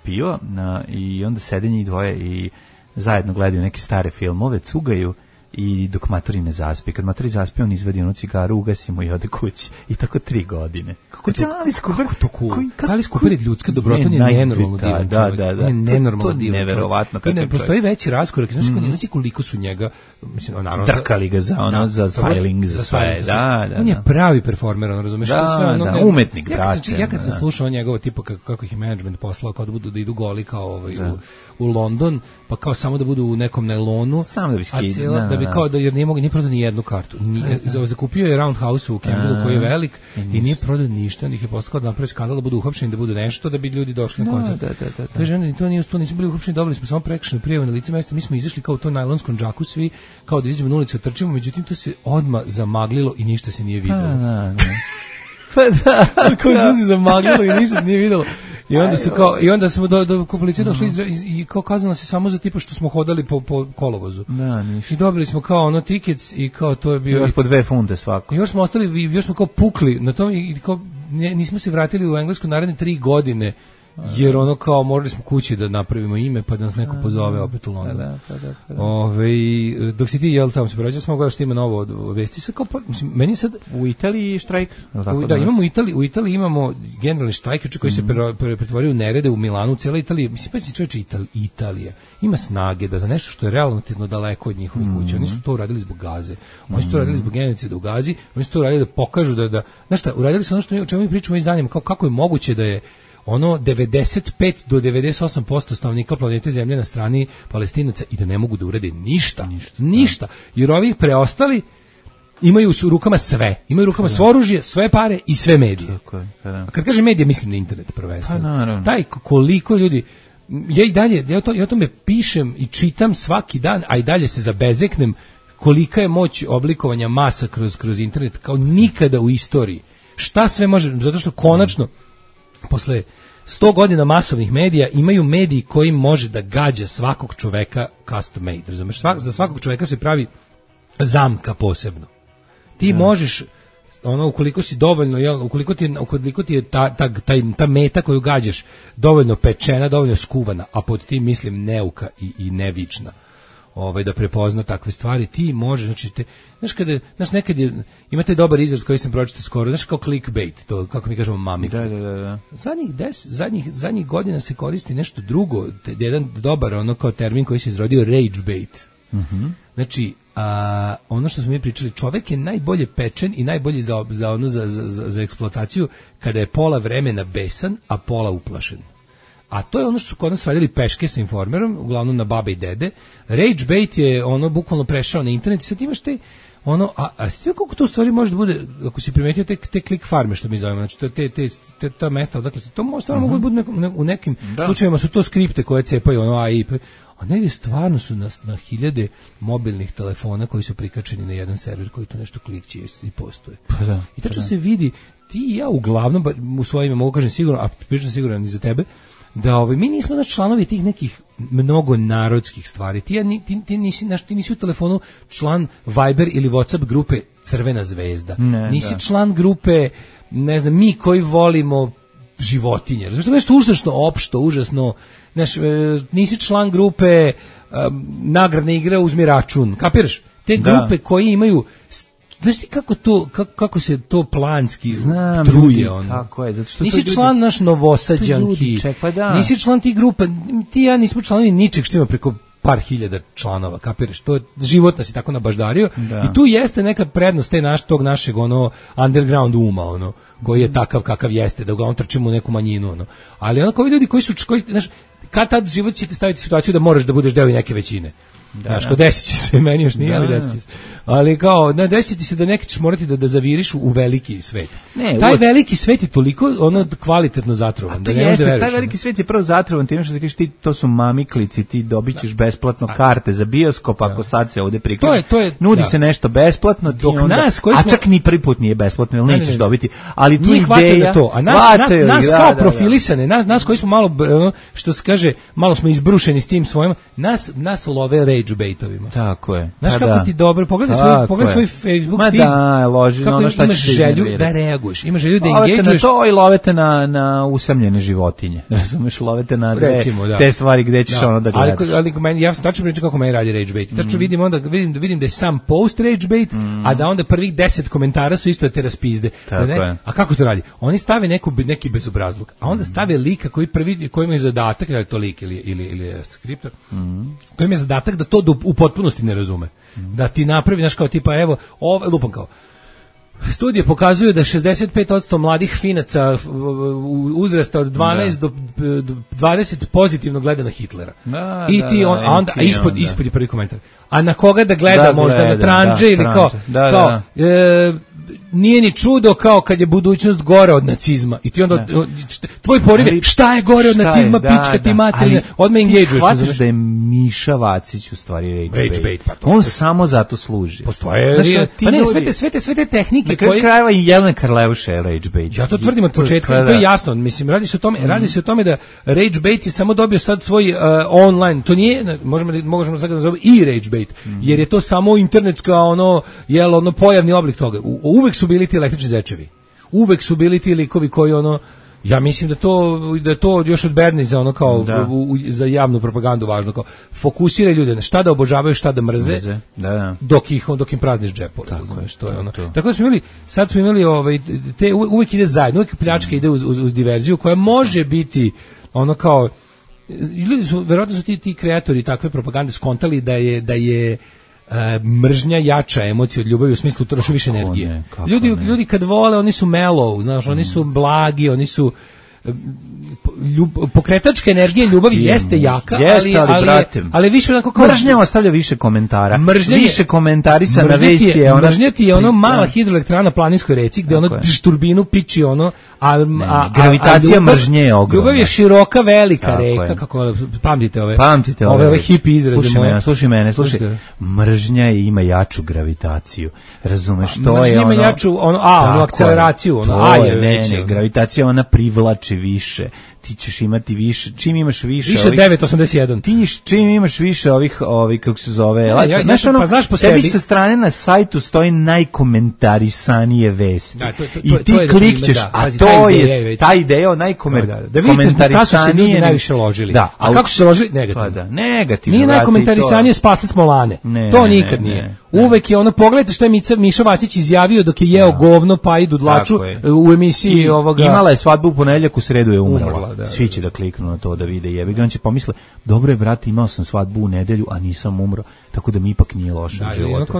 Speaker 7: piva i onda sede njih dvoje i zajedno gledaju neke stare filmove, cugaju i dok matori ne zaspi. Kad matori zaspi, on izvadi onu cigaru, ugasi mu i ode kući. I tako 3 godine.
Speaker 8: Kako to cool? Alice Cooper je ljudska dobrota, on je nenormalno divan čovjek.
Speaker 7: Da.
Speaker 8: On je nenormalno divan čovjek.
Speaker 7: Neverovatno.
Speaker 8: Ne postoji veći raskorak. Znači koliko su njega, mislim, naravno,
Speaker 7: drkali ga za styling, za sve. Da.
Speaker 8: On je pravi performer, razumeš?
Speaker 7: Da, umetnik, brate.
Speaker 8: Ja kad sam slušao njegovo tipa kako ih je management poslao, kao da idu goli kao u London, pa kao samo da budu u nekom nailonu,
Speaker 7: samo da bi skidali,
Speaker 8: da bi kao da jer nije mogao ni prodao ni jednu kartu. Zakupio je Roundhouse u Campbellu koji je velik i nije prodao ništa, onda ih je poslao da napravi skandal, da budu uhapšeni, da budu nešto, da bi ljudi došli na koncert. Kaže, onda to nije uspelo, nismo bili uhapšeni, dobili smo samo prekršajnu prijavu na lice mesta, mi smo izašli kao u tom najlonskom džaku svi, kao da izađemo na ulicu, trčimo, međutim to se odmah zamaglilo i ništa se nije videlo.
Speaker 7: Pa da.
Speaker 8: Kako se zamaglilo i ništa se nije videlo. I onda smo do policije došli i kao kazano se samo za tipa što smo hodali po kolovozu.
Speaker 7: Da, ništa.
Speaker 8: I dobili smo kao ono tickets i kao to je bio
Speaker 7: još po 2 funte svako.
Speaker 8: Još smo ostali, još smo kao pukli na tom i kao nismo se vratili u Englesku naredne 3 godine. Jer ono kao morali smo kući da napravimo ime pa da nas neko pozove opet u London.
Speaker 7: Da.
Speaker 8: Dok si ti jel tamo se prođe, smo gledali što ima novo vesti se kao mislim meni sad
Speaker 7: u Italiji štrajk.
Speaker 8: Da, imamo u Italiji imamo generalni štrajk koji se pretvorio u nerede u Milanu, cijela Italija, mislim pa čovječe Italija ima snage da za nešto što je relativno daleko od njihovih kuća, oni su to uradili zbog Gaze. Oni su to uradili zbog genocida u Gazi, oni su to uradili da pokažu da znaš šta, uradili su ono što o čemu mi pričamo izdanjima, kako je moguće da je ono 95 do 98% stanovnika planete Zemlje na strani Palestinaca i da ne mogu da urede ništa. Jer ovih preostali imaju u rukama sve. Imaju u rukama svo oružje, sve pare i sve medije. A kad kažem medije, mislim na internet prvenstveno. Taj koliko ljudi ja o tome pišem i čitam svaki dan, a i dalje se zabezeknem kolika je moć oblikovanja masa kroz internet kao nikada u istoriji. Šta sve može, zato što konačno posle 100 godina masovnih medija imaju mediji koji može da gađa svakog čoveka custom made, razumeš? Za svakog čoveka se pravi zamka posebno. Ti možeš, ukoliko si dovoljno, ukoliko ti je ta meta koju gađaš dovoljno pečena, dovoljno skuvana, a pod tim mislim neuka i nevična, da prepozna takve stvari, ti možeš, znači znaš nekad imate dobar izraz koji sam pročitao skoro, znaš kao clickbait, to kako mi kažemo mami.
Speaker 7: Da.
Speaker 8: Zadnjih godina se koristi nešto drugo, jedan dobar kao termin koji se izrodio rage bait. Znači, ono što smo mi pričali, čovek je najbolje pečen i najbolji za eksploataciju kada je pola vremena besan, a pola uplašen. A to je ono što su kod nas radili peške sa Informerom, uglavnom na babe i dede. Rage bait je bukvalno prešao na internet i sad imaš te a ste kako to stvari može da bude, ako si primetio te klik farme što mi zovemo, znači ta mesta, dakle to možda mogu da bude u nekim slučajevima su to skripte koje cepaju AI, a negdje stvarno su na hiljade mobilnih telefona koji su prikačeni na jedan server koji to nešto klikće i postoje. I tačno se vidi, ti i ja uglavnom u svojim mogu kažem sigurno, a pričam siguran i za tebe, da mi nismo znači članovi tih nekih mnogo narodskih stvari. Ti nisi u telefonu član Viber ili WhatsApp grupe Crvena zvezda. Nisi član grupe, ne znam, mi koji volimo životinje. Znači nešto užasno opšto, užasno. Nisi član grupe nagradne igre uzmi račun. Kapiraš? Te grupe koje imaju znaš ti kako se to planski
Speaker 7: znam,
Speaker 8: truje ono.
Speaker 7: Tako je, zato što
Speaker 8: nisi član naš Novosađanki, nisi član tih grupa, ti ja nismo članovi ničeg što ima preko par hiljada članova, kapiraš, to je život nas je tako nabaždario i tu jeste neka prednost tog našeg ono underground uma, ono, koji je takav kakav jeste, da uglavnom trčimo u neku manjinu, ono. Ali onako ovi ljudi koji znaš, kad tad život će te staviti u situaciju da moraš da budeš deo neke većine. Znaš, desit će se, meni još nije, ali desit će se. Ali kao, desit se da neki ćeš morati da zaviriš u veliki svet. Taj veliki svet je toliko kvalitetno zatrovan. Da ne možeš da veruješ.
Speaker 7: Taj veliki svet je prvo zatrovan, time što se kažeš ti, to su mamiklici, ti dobit ćeš besplatno karte za bioskop, ako sad se ovde prikaže. Nudi se nešto besplatno, ti onda, a čak ni prvi put nije besplatno, ili nećeš dobiti. Ali tu ideja,
Speaker 8: a nas kao profilisane, nas koji smo malo, što se kaže, malo smo izbrušeni s tim svojim, nas love rage baitovima.
Speaker 7: Tako je.
Speaker 8: Znaš kako ti dobro, pogledaj svoj Facebook feed. Kako imaš želju da reaguješ, imaš želju da engageuješ.
Speaker 7: Lovete na to i lovete na usamljene životinje. Razumeš, lovete na te stvari gde ćeš ono da gledaš.
Speaker 8: Ali ja sam tačno pričam kako meni radi rage bait. Tačno vidim da je sam post rage bait, a da onda prvih 10 komentara su isto da te raspizde. A kako to radi? Oni stave neki bezobrazluk, a onda stave lika koji ima zadatak, da je to lik ili skriptor, koji ima zadatak da to u potpunosti ne razume. Da ti napravi, znaš, kao tipa, evo, lupam kao, studije pokazuju da 65% mladih Finaca uzrasta od 12 do 20 pozitivno gleda na Hitlera. I ti onda ispod je prvi komentar. A na koga da gleda, možda na tranđe ili kao nije ni čudo kao kad je budućnost gore od nacizma. I ti onda tvoj poriv je šta je gore od nacizma, pička ti materina, odmah engageuješ. Ti
Speaker 7: shvataš da je Miša Vacić u stvari rage bait. On samo zato služi.
Speaker 8: Postoje, pa ne, sve te tehnike
Speaker 7: koje krajeva i Jelena Karleuša je rage bait.
Speaker 8: Ja to tvrdim od početka, to je jasno. Mislim, radi se o tome da rage bait je samo dobio sad svoj online, to nije, možemo sad da nazovemo i rage bait, jer je to samo internetska pojavni oblik toga. Uvek su bili ti električni zečevi. Uvek su bili ti likovi koji ja mislim da je to još od Berniza za javnu propagandu važno, kao fokusira ljude na šta da obožavaju, šta da mrze. Dok im prazniš džep. Tako da smo imali, sad smo imali uvek ide zajedno, uvek pljačka ide uz diverziju koja može biti kao ljudi su, verovatno su ti kreatori takve propagande skontali da je mržnja jača emocija od ljubavi, u smislu troši više energije. Ljudi kad vole, oni su mellow, znaš, oni su blagi, oni su pokretačka energija ljubavi jeste jaka, ali više onako kao
Speaker 7: mržnja ostavlja više komentara. Više komentarisa na vesti je ona.
Speaker 8: Mržnja ti je mala hidroelektrana na planinskoj reci gde turbinu piči a
Speaker 7: gravitacija mržnje je ogromna.
Speaker 8: Ljubav je široka, velika reka, kako pamtite ove hipi izraze moje.
Speaker 7: Slušaj mene, mržnja ima jaču gravitaciju. Razumeš, to je
Speaker 8: ono. Mržnja ima jaču akceleraciju,
Speaker 7: gravitacija ona privlači više, ti ćeš imati više, čim imaš više
Speaker 8: 981.
Speaker 7: Ti čim imaš više ovih kako se zove,
Speaker 8: znaš po
Speaker 7: sebi sa strane na sajtu stoji najkomentarisanije vesti. I ti klikćeš, a to je ta ideja najkomentarisanije
Speaker 8: ljudi najviše ložili. A kako su se ložili? Negativno. Nije najkomentarisanije spasli smo lane. To nikad nije. Uvek je pogledajte što je Miša Vacić izjavio dok je jeo govno pa idu dlaču u emisiji ovoga.
Speaker 7: Imala je svadbu u ponedeljak, u sredu je umrla. Svi će da kliknu na to da vide jebi ga, on će pomisle, dobro je brate, imao sam svadbu u nedelju, a nisam umro, tako da mi ipak nije loše u životu.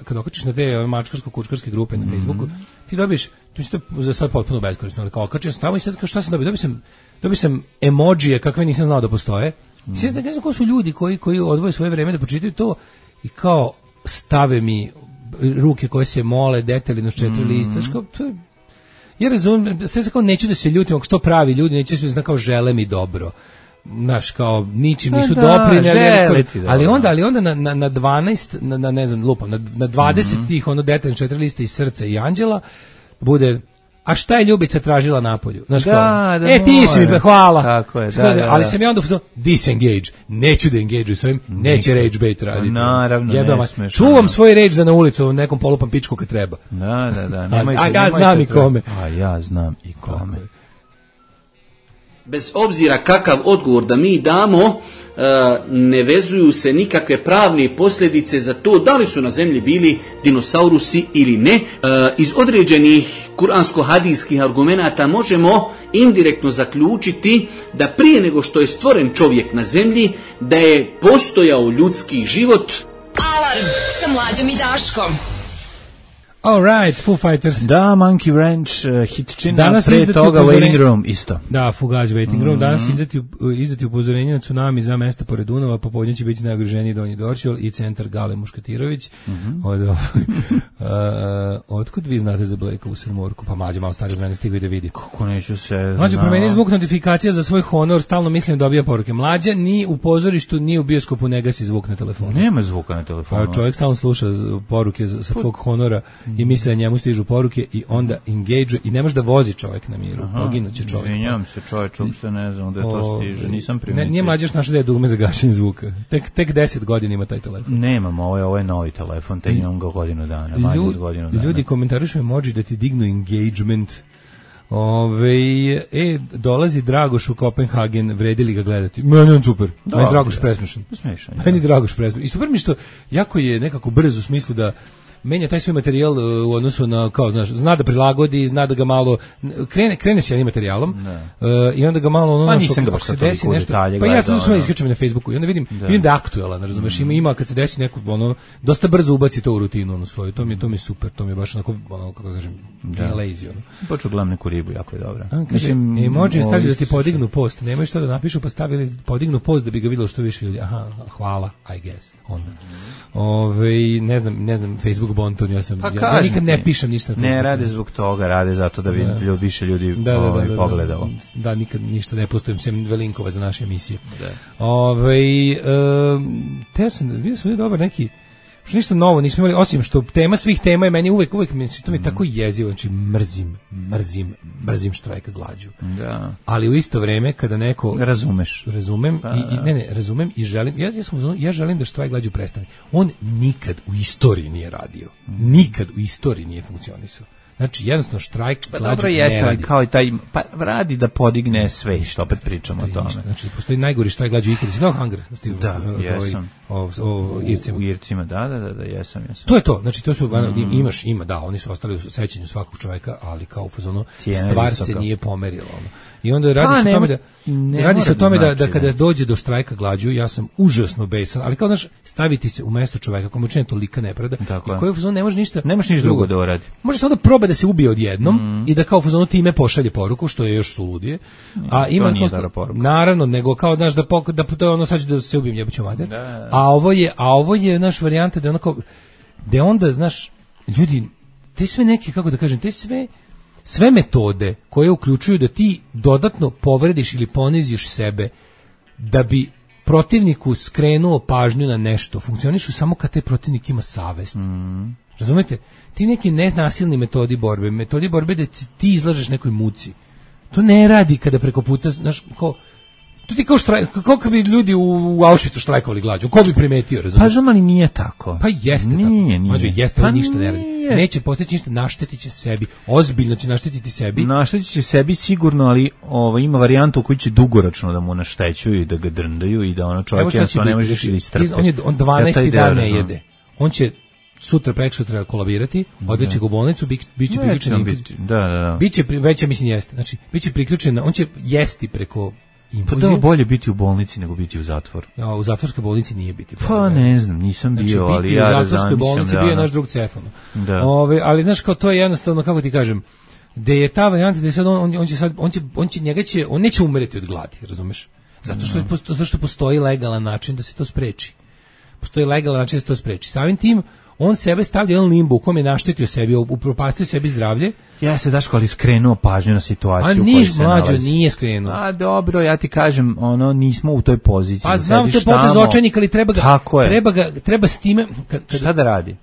Speaker 8: Kad okačiš na te mačkarsko-kučkarske grupe na Facebooku, ti dobiješ, to je za sad potpuno beskorisno, ali kao okačio sam tamo i sad šta sam dobio? Dobio sam emodžije kakve nisam znao da postoje. Ne znam ko su ljudi koji odvoje svoje vreme da pročitaju to i kao stave mi ruke koje se mole detaljno s 4 lista, to je. Ja razumijem, sve kao neću da se ljutim, ako što pravi ljudi, neću da se kao žele mi dobro. Znaš, kao ničim nisu doprinjali, ali onda na 12, ne znam, lupam, na 20 tih detaljno 4 liste iz Srca i Anđela bude, a šta je Ljubica tražila napolju? Znaš, ti si mi, hvala.
Speaker 7: Tako je,
Speaker 8: ali sam ja onda disengage, neću da engageuju s ovim, neće rage bait raditi.
Speaker 7: Naravno, ne smeš.
Speaker 8: Čuvam svoj rage za na ulicu, u nekom polupam pičku kad treba. A ja znam i kome.
Speaker 7: A ja znam i kome.
Speaker 12: Bez obzira kakav odgovor da mi damo, ne vezuju se nikakve pravne posljedice za to da li su na zemlji bili dinosaurusi ili ne. Iz određenih kuransko-hadijskih argumenata možemo indirektno zaključiti da prije nego što je stvoren čovjek na zemlji, da je postojao ljudski život.
Speaker 5: Alarm sa Mlađom i Daškom.
Speaker 8: All right, Foo Fighters.
Speaker 7: Da, Monkey Ranch, hitčina, pre toga Waiting Room, isto.
Speaker 8: Da, Fugazi Waiting Room. Danas izdati upozorenje na tsunami za mesta pored Dunava, popodne će biti najugroženiji Donji Dorčol i centar Gale Muškatirović. Otkud vi znate za Blake u Srmorku? Pa Mlađe malo stariji od mene stigao i da vidi.
Speaker 7: Kako neću se...
Speaker 8: Mlađe, promeni zvuk notifikacija za svoj honor, stalno mislim da dobija poruke. Mlađe, ni u pozorištu, ni u bioskopu ne gasi zvuk na telefonu.
Speaker 7: Nema zvuka na telefonu.
Speaker 8: Čovjek stalno sluša poruke sa tvog honora i misle da njemu stižu poruke i onda engage i ne može da vozi čovjek na miru. Poginuće čovjek.
Speaker 7: Izvinjavam se, čovjek, uopšte ne znam da to stiže, nisam primetio.
Speaker 8: Nije Mlađe još našao da je dugme za gašenje zvuka. Tek 10 godina ima taj telefon.
Speaker 7: Nemam, ovo je novi telefon, tek imam ga godinu dana, manje od godinu dana.
Speaker 8: Ljudi komentarišu emoji da ti dignu engagement. Dolazi Dragoš u Kopenhagen, vredi li ga gledati? Meni on super. Meni Dragoš presmešan. Meni Dragoš presmešan. I super mi što jako je nekako brzo u smislu da menja taj svoj materijal u odnosu na, kao, znaš, zna da prilagodi, zna da ga malo, krene s jednim materijalom i onda ga malo ono,
Speaker 7: ako se desi nešto,
Speaker 8: pa ja sam samo iskačem na Facebooku i onda vidim da je aktuelan, razumeš, ima kad se desi neko, ono, dosta brzo ubaci to u rutinu, ono svoju, to mi je super, to mi je baš onako, ono, kako kažem, lazy, ono.
Speaker 7: Počeo gledam neku ribu, jako je dobra.
Speaker 8: Mislim, emoji stavljaju da ti podignu post, nemaju što da napišu, pa stavili podignu post da bi ga videlo što više ljudi, aha, hvala, I guess, onda. Ne znam, Facebook bonton, ja nikad ne pišem ništa na Facebooku.
Speaker 7: Ne rade zbog toga, rade zato da bi više ljudi pogledalo.
Speaker 8: Da, nikad ništa ne postavim, sem linkova za naše emisije. Vidio sam dobar neki, što ništa novo nismo imali, osim što tema svih tema je meni uvek to mi je tako jezivo, znači mrzim štrajka glađu.
Speaker 7: Da.
Speaker 8: Ali u isto vreme kada neko razumem i želim, ja želim da štrajk glađu prestane. On nikad u istoriji nije radio. Nikad u istoriji nije funkcionisao. Znači, jednostavno, štrajk glađu ne radi.
Speaker 7: Kao i taj, pa radi da podigne sve, što opet pričamo o tome.
Speaker 8: Znači, postoji najgori štrajk glađu ikada. Si gledao Hunger?
Speaker 7: Da, jesam.
Speaker 8: O Ircima.
Speaker 7: U Ircima, da, jesam.
Speaker 8: To je to, znači, to su, oni su ostali u sećanju svakog čoveka, ali kao u fazonu, stvar se nije pomerila. I onda radi se o tome da kada dođe do štrajka glađu, ja sam užasno besan, ali kao, znaš, staviti se u mesto čoveka komu učinje tolika nepravda i koji u fazonu ne može ništa
Speaker 7: drugo da uradi.
Speaker 8: Može samo da proba da se ubije odjednom i da kao u fazonu time pošalje poruku, što je još suludije. A ima naravno, nego kao, znaš, da to je ono, sad ću da se ubijem, jebaću mater. A ovo je naš varijanta da onako, da onda, znaš, ljudi, te sve neke, kako da kažem, te sve metode koje uključuju da ti dodatno povrediš ili poniziš sebe da bi protivniku skrenuo pažnju na nešto, funkcionišu samo kad taj protivnik ima savest. Razumete? Ti neki nenasilni metodi borbe da ti izlažeš nekoj muci. To ne radi kada preko puta, znaš, to ti kao štrajk, kako bi ljudi u Auschwitzu štrajkovali glađu, ko bi primetio, razumiješ?
Speaker 7: Pa znam, ali nije tako.
Speaker 8: Pa jeste tako. Nije. Jeste, ali ništa ne radi. Neće postići ništa, naštetit će sebi. Ozbiljno će naštetiti sebi.
Speaker 7: Naštetit će sebi sigurno, ali ima varijantu u kojoj će dugoročno da mu naštećuju i da ga drndaju i da ono čovjek jednostavno ne može da istrpe.
Speaker 8: On 12. dan ne jede. On će prekosutra kolabirati, odveće ga u bolnicu, biće priključen. Biće veća, mislim, jeste. Znači, biće priključen, on će jesti preko infuzije.
Speaker 7: Pa da, bolje biti u bolnici nego biti u zatvoru.
Speaker 8: Ja, u zatvorskoj bolnici nije biti.
Speaker 7: Pa ne znam, nisam bio,
Speaker 8: znači,
Speaker 7: ali ja
Speaker 8: u zatvorskoj bolnici bio je naš drug Cefano. Ali znaš, kao to je jednostavno, kako ti kažem, da je ta varijanta da je sad on neće umirati od gladi, razumeš? Zato što postoji legalan način da se to spreči. Samim tim on sebe stavlja jedan limbo u kom je naštetio sebi, upropastio sebi zdravlje.
Speaker 7: Ja se Daško, ali skrenuo pažnju na situaciju u kojoj se nalazi.
Speaker 8: Mlađo, nije skrenuo.
Speaker 7: A dobro, ja ti kažem, nismo u toj poziciji.
Speaker 8: Pa znam, to je potez očajnik, ali treba s time...
Speaker 7: Šta da radi?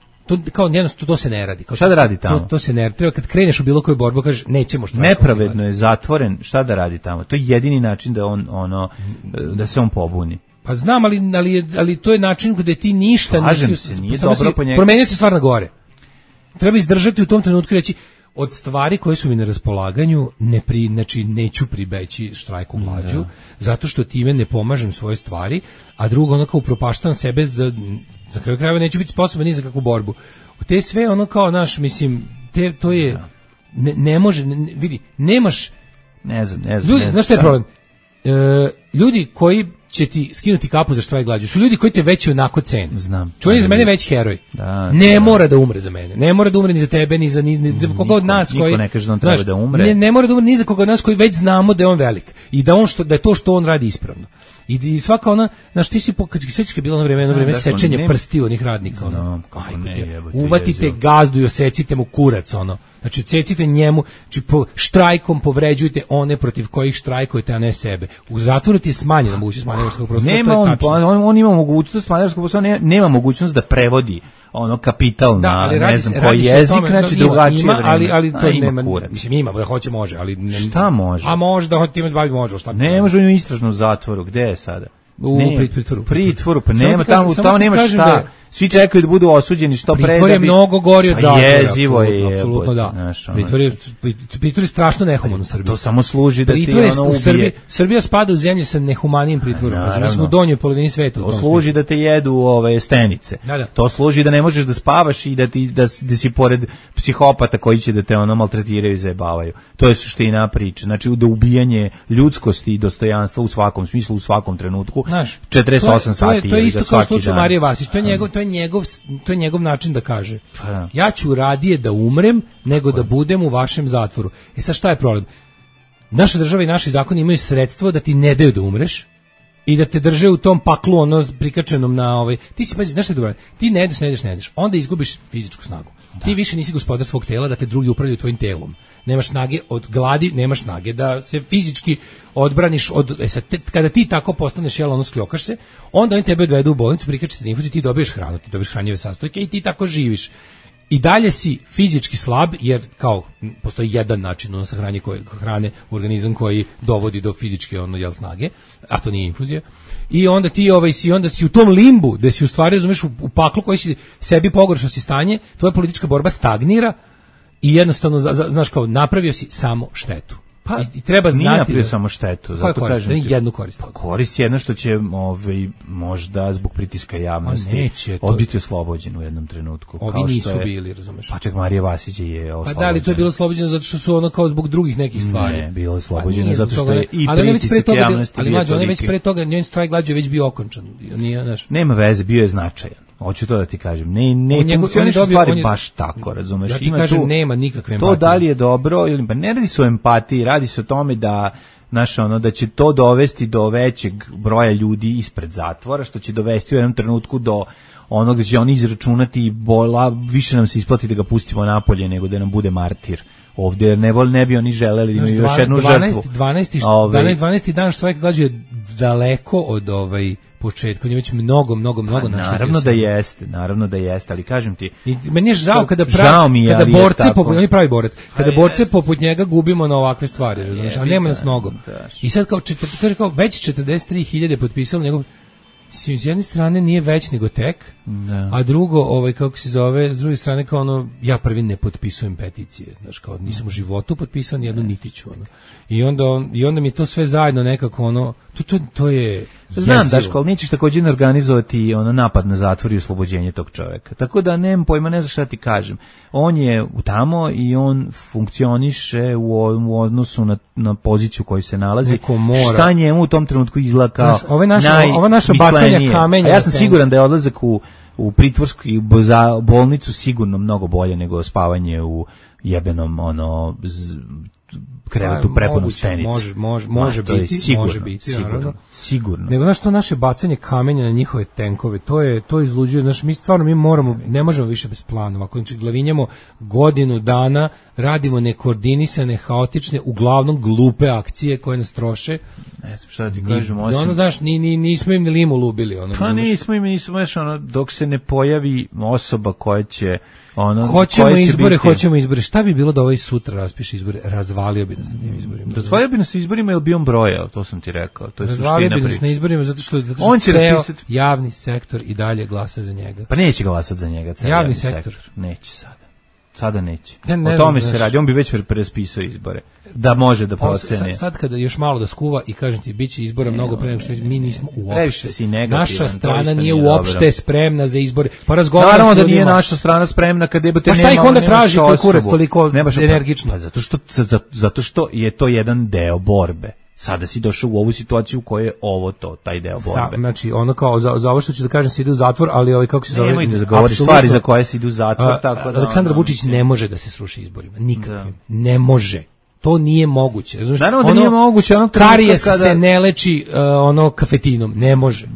Speaker 8: To se ne radi.
Speaker 7: Šta da radi tamo?
Speaker 8: To se ne radi. Treba kad kreneš u bilo koju borbu, kažeš nećemo što.
Speaker 7: Nepravedno je zatvoren, šta da radi tamo? To je jedini način da da se on pobuni.
Speaker 8: Pa znam, ali to je način gdje ti ništa
Speaker 7: nije dobro po njega.
Speaker 8: Promenio se stvar na gore. Treba izdržati u tom trenutku i reći, od stvari koje su mi na raspolaganju znači neću pribeći štrajku glađu, zato što time ne pomažem svoje stvari, a drugo ono kao upropaštam sebe za kraju krajeva neću biti sposoban ni za kakvu borbu. Te sve ono kao mislim, to je ne može, vidi, nemaš
Speaker 7: ne znam.
Speaker 8: Znaš šta je problem? Ljudi koji će ti skinuti kapu za štrajk glađu su ljudi koji te već onako cene.
Speaker 7: Znam.
Speaker 8: Čovjek je za mene već heroj. Ne mora da umre za mene. Ne mora da umre ni za tebe, ni za koga od nas koji...
Speaker 7: Niko ne kaže da on treba da umre.
Speaker 8: Ne mora da umre ni za koga od nas koji već znamo da je on velik. I da je to što on radi ispravno. I svaka ona, znaš, ti si kad je bilo jedno vreme sečenje prsti onih radnika, uvatite gazdu i osecite mu kurac, znači cecite njemu, znači štrajkom povređujte one protiv kojih štrajkujete, a ne sebe. U zatvoru ti je smanjena mogućnost manevarskog prostora.
Speaker 7: On ima mogućnost manevarskog prostora, nema mogućnost da prevodi kapital na ne znam koji jezik, znači drugačije vreme.
Speaker 8: Ali to nema, mislim ima, da hoće može, ali...
Speaker 7: Šta može?
Speaker 8: A može da hoće time zbaviti, može, šta?
Speaker 7: Ne može u istražnom zatvoru, gde je sada?
Speaker 8: U pritvoru,
Speaker 7: pa nema tamo nema šta. Svi čekaju da budu osuđeni što pre.
Speaker 8: Pritvor je mnogo gori od zatvora.
Speaker 7: Jezivo je.
Speaker 8: Apsolutno da. Pritvor je strašno nehuman u Srbiji.
Speaker 7: To samo služi da ti ubije.
Speaker 8: Srbija spada u zemlje sa nehumanijim pritvorom. Mi smo u donjoj polovini sveta.
Speaker 7: To služi da te jedu stenice. To služi da ne možeš da spavaš i da si pored psihopata koji će da te maltretiraju i zajebavaju. To je suština priče. Znači da ubijanje ljudskosti i dostojanstva u svakom smislu, u svakom trenutku. 48 sati.
Speaker 8: To je isto kao slučaj Marije Vasić. To je njegov način da kaže. Ja ću radije da umrem nego da budem u vašem zatvoru. Sad šta je problem? Naša država i naši zakoni imaju sredstvo da ti ne daju da umreš i da te drže u tom paklu prikačenom na ti si, pazi, znaš šta je dobro? Ti ne jedeš, onda izgubiš fizičku snagu. Ti više nisi gospodar svog tela, da te drugi upravljaju tvojim telom. Nemaš snage od gladi, nemaš snage da se fizički odbraniš kada ti tako postaneš skljokaš se, onda oni tebe odvedu u bolnicu, prikače te infuziju, ti dobiješ hranu, ti dobiješ hranjive sastojke i ti tako živiš. I dalje si fizički slab, jer kao postoji jedan način hrane u organizam koji dovodi do fizičke snage, a to nije infuzija. I onda ti onda si u tom limbu, gde si u stvari razumeš u paklu koji si sebi pogoršao si stanje, tvoja politička borba stagnira i jednostavno znaš kao napravio si samo štetu. I treba znati.
Speaker 7: Nije napravio samo štetu, zato kažem.
Speaker 8: Jednu korist.
Speaker 7: Korist je jedna što će možda zbog pritiska javnosti biti oslobođen u jednom trenutku.
Speaker 8: Ovi nisu bili, razumeš.
Speaker 7: Pa čak Marija Vasić je oslobođena.
Speaker 8: Pa da li to je bilo oslobođeno zato što su kao zbog drugih nekih stvari?
Speaker 7: Ne, bilo je oslobođeno zato što je i pritisak javnosti.
Speaker 8: Ali mlađe, on je već pre toga, njen štrajk glađu je već bio okončan.
Speaker 7: Nema veze, bio je značajan. Hoću to da ti kažem. Ne funkcionišu stvari baš tako, razumeš?
Speaker 8: Ja ti kažem, nema nikakve empatije.
Speaker 7: To da li je dobro, pa ne radi se o empatiji, radi se o tome da da će to dovesti do većeg broja ljudi ispred zatvora, što će dovesti u jednom trenutku do onog da će oni izračunati više nam se isplati da ga pustimo napolje nego da nam bude martir. Ovdje ne bi oni želeli da imaju još jednu žrtvu.
Speaker 8: 12. dan štrajka glađu je daleko od početka, on je već mnogo
Speaker 7: naravno da jeste, ali kažem ti...
Speaker 8: I meni je žao kada borci, on je pravi borac, kada borce poput njega gubimo na ovakve stvari, razumiješ, ali nema nas mnogo. I sad kaže kao već 43.000 potpisalo njegov... S jedne strane nije već nego tek, a drugo, kako se zove, s druge strane kao ja prvi ne potpisujem peticije, znaš, kao nisam u životu potpisan jednu nitiću, I onda mi to sve zajedno nekako, to je...
Speaker 7: Znam, Daško, ali nećeš također organizovati napad na zatvor i oslobođenje tog čovjeka. Tako da nemam pojma, ne znam šta ti kažem. On je tamo i on funkcioniše u odnosu na poziciju koju se nalazi. Šta njemu u tom trenutku izgleda kao
Speaker 8: ova naša bacanja kamenja.
Speaker 7: A ja sam siguran da je odlazak u pritvorsku i bolnicu sigurno mnogo bolje nego spavanje u jebenom krevetu prepunu stenice.
Speaker 8: Može biti,
Speaker 7: sigurno.
Speaker 8: Nego znaš, to naše bacanje kamenja na njihove tenkove, to izluđuje, znaš, mi moramo, ne možemo više bez planova, ako glavinjamo godinu dana, radimo nekoordinisane, haotične, uglavnom glupe akcije koje nas troše.
Speaker 7: Ne znam šta ti kažem, osim...
Speaker 8: znaš, nismo im ni limu lubili.
Speaker 7: Pa nismo im, dok se ne pojavi osoba koja će...
Speaker 8: Hoćemo izbore. Šta bi bilo da ovaj sutra raspiše izbore? Razvalio bi nas na tim izborima.
Speaker 7: Razvalio bi nas na izborima ili bi on brojao, to sam ti rekao.
Speaker 8: Razvalio bi nas na izborima zato što ceo javni sektor i dalje glasa za njega.
Speaker 7: Pa neće glasati za njega,
Speaker 8: javni sektor.
Speaker 7: Neće sada. Sada neće. O tome se radi, on bi već prespisao izbore. Da može da procene.
Speaker 8: Sad kada još malo da skuva i kažem ti, bit će izbora mnogo pre nego što mi nismo uopšte. Naša strana nije uopšte spremna za izbore. Pa razgovaramo.
Speaker 7: Naravno da nije naša strana spremna kad debate nema.
Speaker 8: Pa šta ih onda traži koji kurac toliko energično?
Speaker 7: Pa zato što je to jedan deo borbe. Sada si došao u ovu situaciju u kojoj je ovo taj deo borbe.
Speaker 8: Znači, ono kao, za ovo što ću da kažem se ide u zatvor, ali kako se zove...
Speaker 7: Nemoj da govoriš stvari za koje se ide u zatvor, tako da...
Speaker 8: Aleksandar Vučić ne može da se sruši izborima, nikakvim. Ne može. To nije moguće.
Speaker 7: Naravno da nije moguće.
Speaker 8: Karijes se ne leči kafetinom, ne može.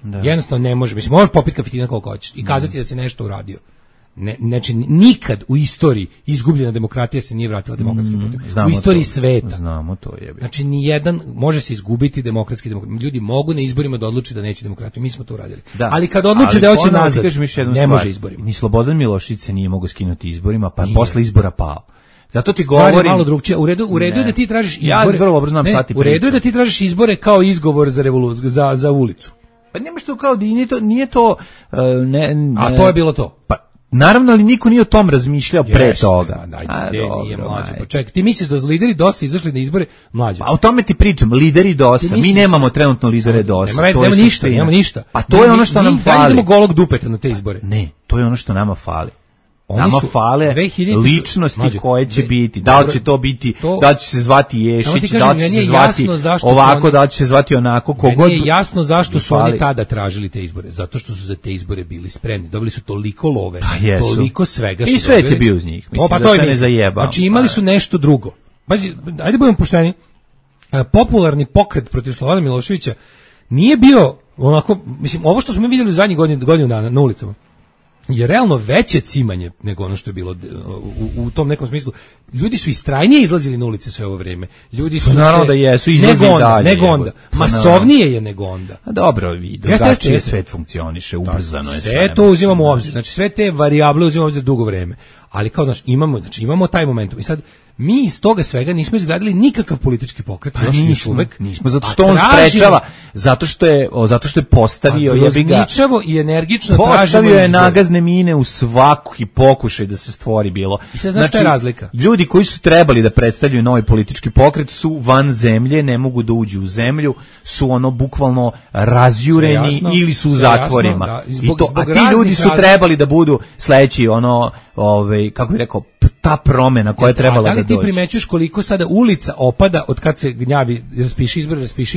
Speaker 7: Da.
Speaker 8: Jednostavno ne može. Mislim, možeš popiti kafetina koliko hoćeš i kazati da si nešto uradio. Znači, nikad u istoriji izgubljena demokratija se nije vratila demokratskim putem. U istoriji sveta.
Speaker 7: Znamo to je.
Speaker 8: Znači, nijedan može se izgubiti demokratski demokratija. Ljudi mogu na izborima da odluči da neće demokratiju. Mi smo to uradili. Ali kad odluče da hoće nazad, ne može izborima.
Speaker 7: Ni Slobodan Milošević se nije mogao skinuti izborima, pa posle izbora pao. Zato ti govorim
Speaker 8: malo drugčije. U redu je da ti tražiš izbore.
Speaker 7: Ja vrlo dobro znam šta ti pričam.
Speaker 8: U redu je da ti tražiš izbore kao izgovor za revoluciju, za ulicu.
Speaker 7: Pa nema što kao nije to
Speaker 8: a to je bilo to.
Speaker 7: Pa naravno, ali niko nije o tom razmišljao pre toga.
Speaker 8: Nije mlađe. Pa čekaj, ti misliš da su lideri DOS-a izašli na izbore mlađe?
Speaker 7: Pa o tome ti pričam, lideri DOS-a. Mi nemamo trenutno lidere DOS-a.
Speaker 8: Nema ništa.
Speaker 7: Pa to je ono što nam fali.
Speaker 8: Mi idemo golog dupeta na te izbore.
Speaker 7: Ne, to je ono što nama fali. Nama fale ličnosti koje će biti. Da li će to biti, da li će se zvati Ješić, da li će se zvati ovako, da li će se zvati onako, kogod.
Speaker 8: Nije jasno zašto su oni tada tražili te izbore. Zato što su za te izbore bili spremni. Dobili su toliko love, toliko svega su
Speaker 7: dobili. I svet je bio uz njih. Mislim da se ne zajebao.
Speaker 8: Znači imali su nešto drugo. Ajde budemo pošteni. Popularni pokret protiv Slobodana Miloševića nije bio onako, mislim, ovo što smo mi vidjeli u zadnjih godinu dana na ulicama je realno veće cimanje nego ono što je bilo u tom nekom smislu. Ljudi su istrajnije izlazili na ulice sve ovo vrijeme. Ljudi su
Speaker 7: naravno da jesu, izlazi dalje.
Speaker 8: Nego onda. Masovnije je nego onda.
Speaker 7: A dobro, drugačije svet funkcioniše, ubrzano je sve.
Speaker 8: Sve to uzimamo u obzir. Znači sve te varijable uzimamo u obzir dugo vrijeme. Ali kao imamo taj momentum. I sad mi iz toga svega nismo izgradili nikakav politički pokret, još uvek.
Speaker 7: Nismo, zato što on sprečava, zato što je postavio
Speaker 8: grozničavo i energično
Speaker 7: postavio je nagazne mine u svaki pokušaj da se stvori bilo.
Speaker 8: I sad znaš šta je razlika?
Speaker 7: Ljudi koji su trebali da predstavljaju novi politički pokret su van zemlje, ne mogu da uđu u zemlju, su bukvalno razjureni ili su u zatvorima. A ti ljudi su trebali da budu sledeći kako bih rekao, ta promena koja je trebala da dođe.
Speaker 8: Da li ti primećuješ koliko sada ulica opada od kad se gnjavi raspiši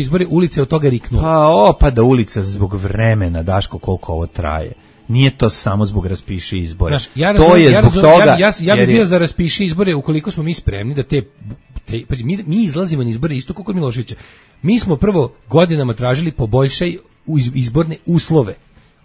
Speaker 8: izbore, ulica je od toga riknula?
Speaker 7: Pa opada ulica zbog vremena, Daško, koliko ovo traje. Nije to samo zbog raspiši izbore. To je zbog toga.
Speaker 8: Ja bih bio za raspiši izbore ukoliko smo mi spremni da mi izlazimo na izbore isto kako Miloševića. Mi smo prvo godinama tražili poboljšaj izborne uslove.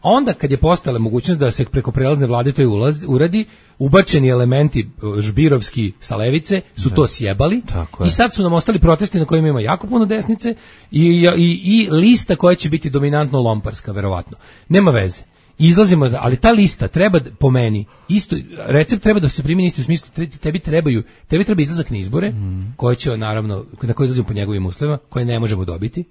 Speaker 8: Onda kad je postojala mogućnost da se preko prelazne vlade to uradi, ubačeni elementi žbirovski sa levice su to sjebali i sad su nam ostali protesti na kojima ima jako puno desnice i lista koja će biti dominantno lomparska, verovatno. Nema veze. Izlazimo, ali ta lista treba, po meni, isto, recept treba da se primjeni isto u smislu, tebi treba izlazak na izbore, koje će, naravno, na koje izlazimo po njegovim uslovima, koje ne možemo dobiti,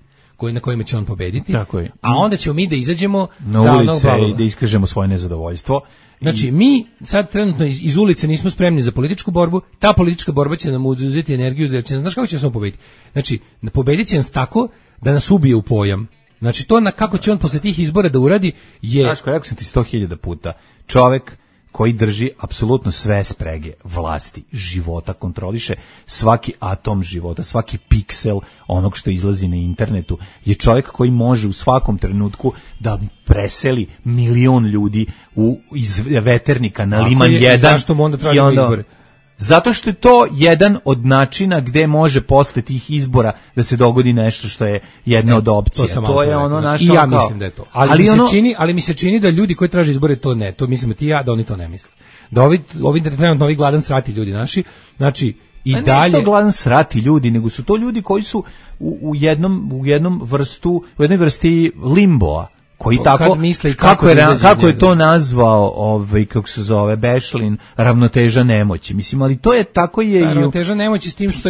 Speaker 8: na kojima će on pobediti, a onda ćemo mi da izađemo
Speaker 7: na ulice i da iskažemo svoje nezadovoljstvo.
Speaker 8: Znači, mi sad trenutno iz ulice nismo spremni za političku borbu, ta politička borba će nam uzeti energiju, jer znaš kako će se on pobediti? Znači, pobedit će nas tako da nas ubije u pojam. Znači, to kako će on posle tih izbora da uradi je...
Speaker 7: Znaš, rekao sam ti 100.000 puta, čovek koji drži apsolutno sve sprege vlasti, života, kontroliše svaki atom života, svaki piksel onog što izlazi na internetu, je čovjek koji može u svakom trenutku da preseli 1.000.000 ljudi iz Veternika na Liman 1.
Speaker 8: Zašto mu onda tražimo izbore?
Speaker 7: Zato što je to jedan od načina gde može posle tih izbora da se dogodi nešto što je jedna od opcija. To je ono naše.
Speaker 8: I ja mislim da je to. Ali mi se čini da ljudi koji traže izbore to ne. To mislimo ti ja, da oni to ne misle. Da ovi trenutno ovi gladan srati ljudi naši. Znači i dalje.
Speaker 7: Ne su to gladan srati ljudi, nego su to ljudi koji su u jednoj vrsti limboa. koji tako
Speaker 8: misle
Speaker 7: kako je to nazvao kako se zove Bešlin, ravnoteža nemoći. Mislim, ali to je tako je
Speaker 8: ravnoteža nemoći s tim što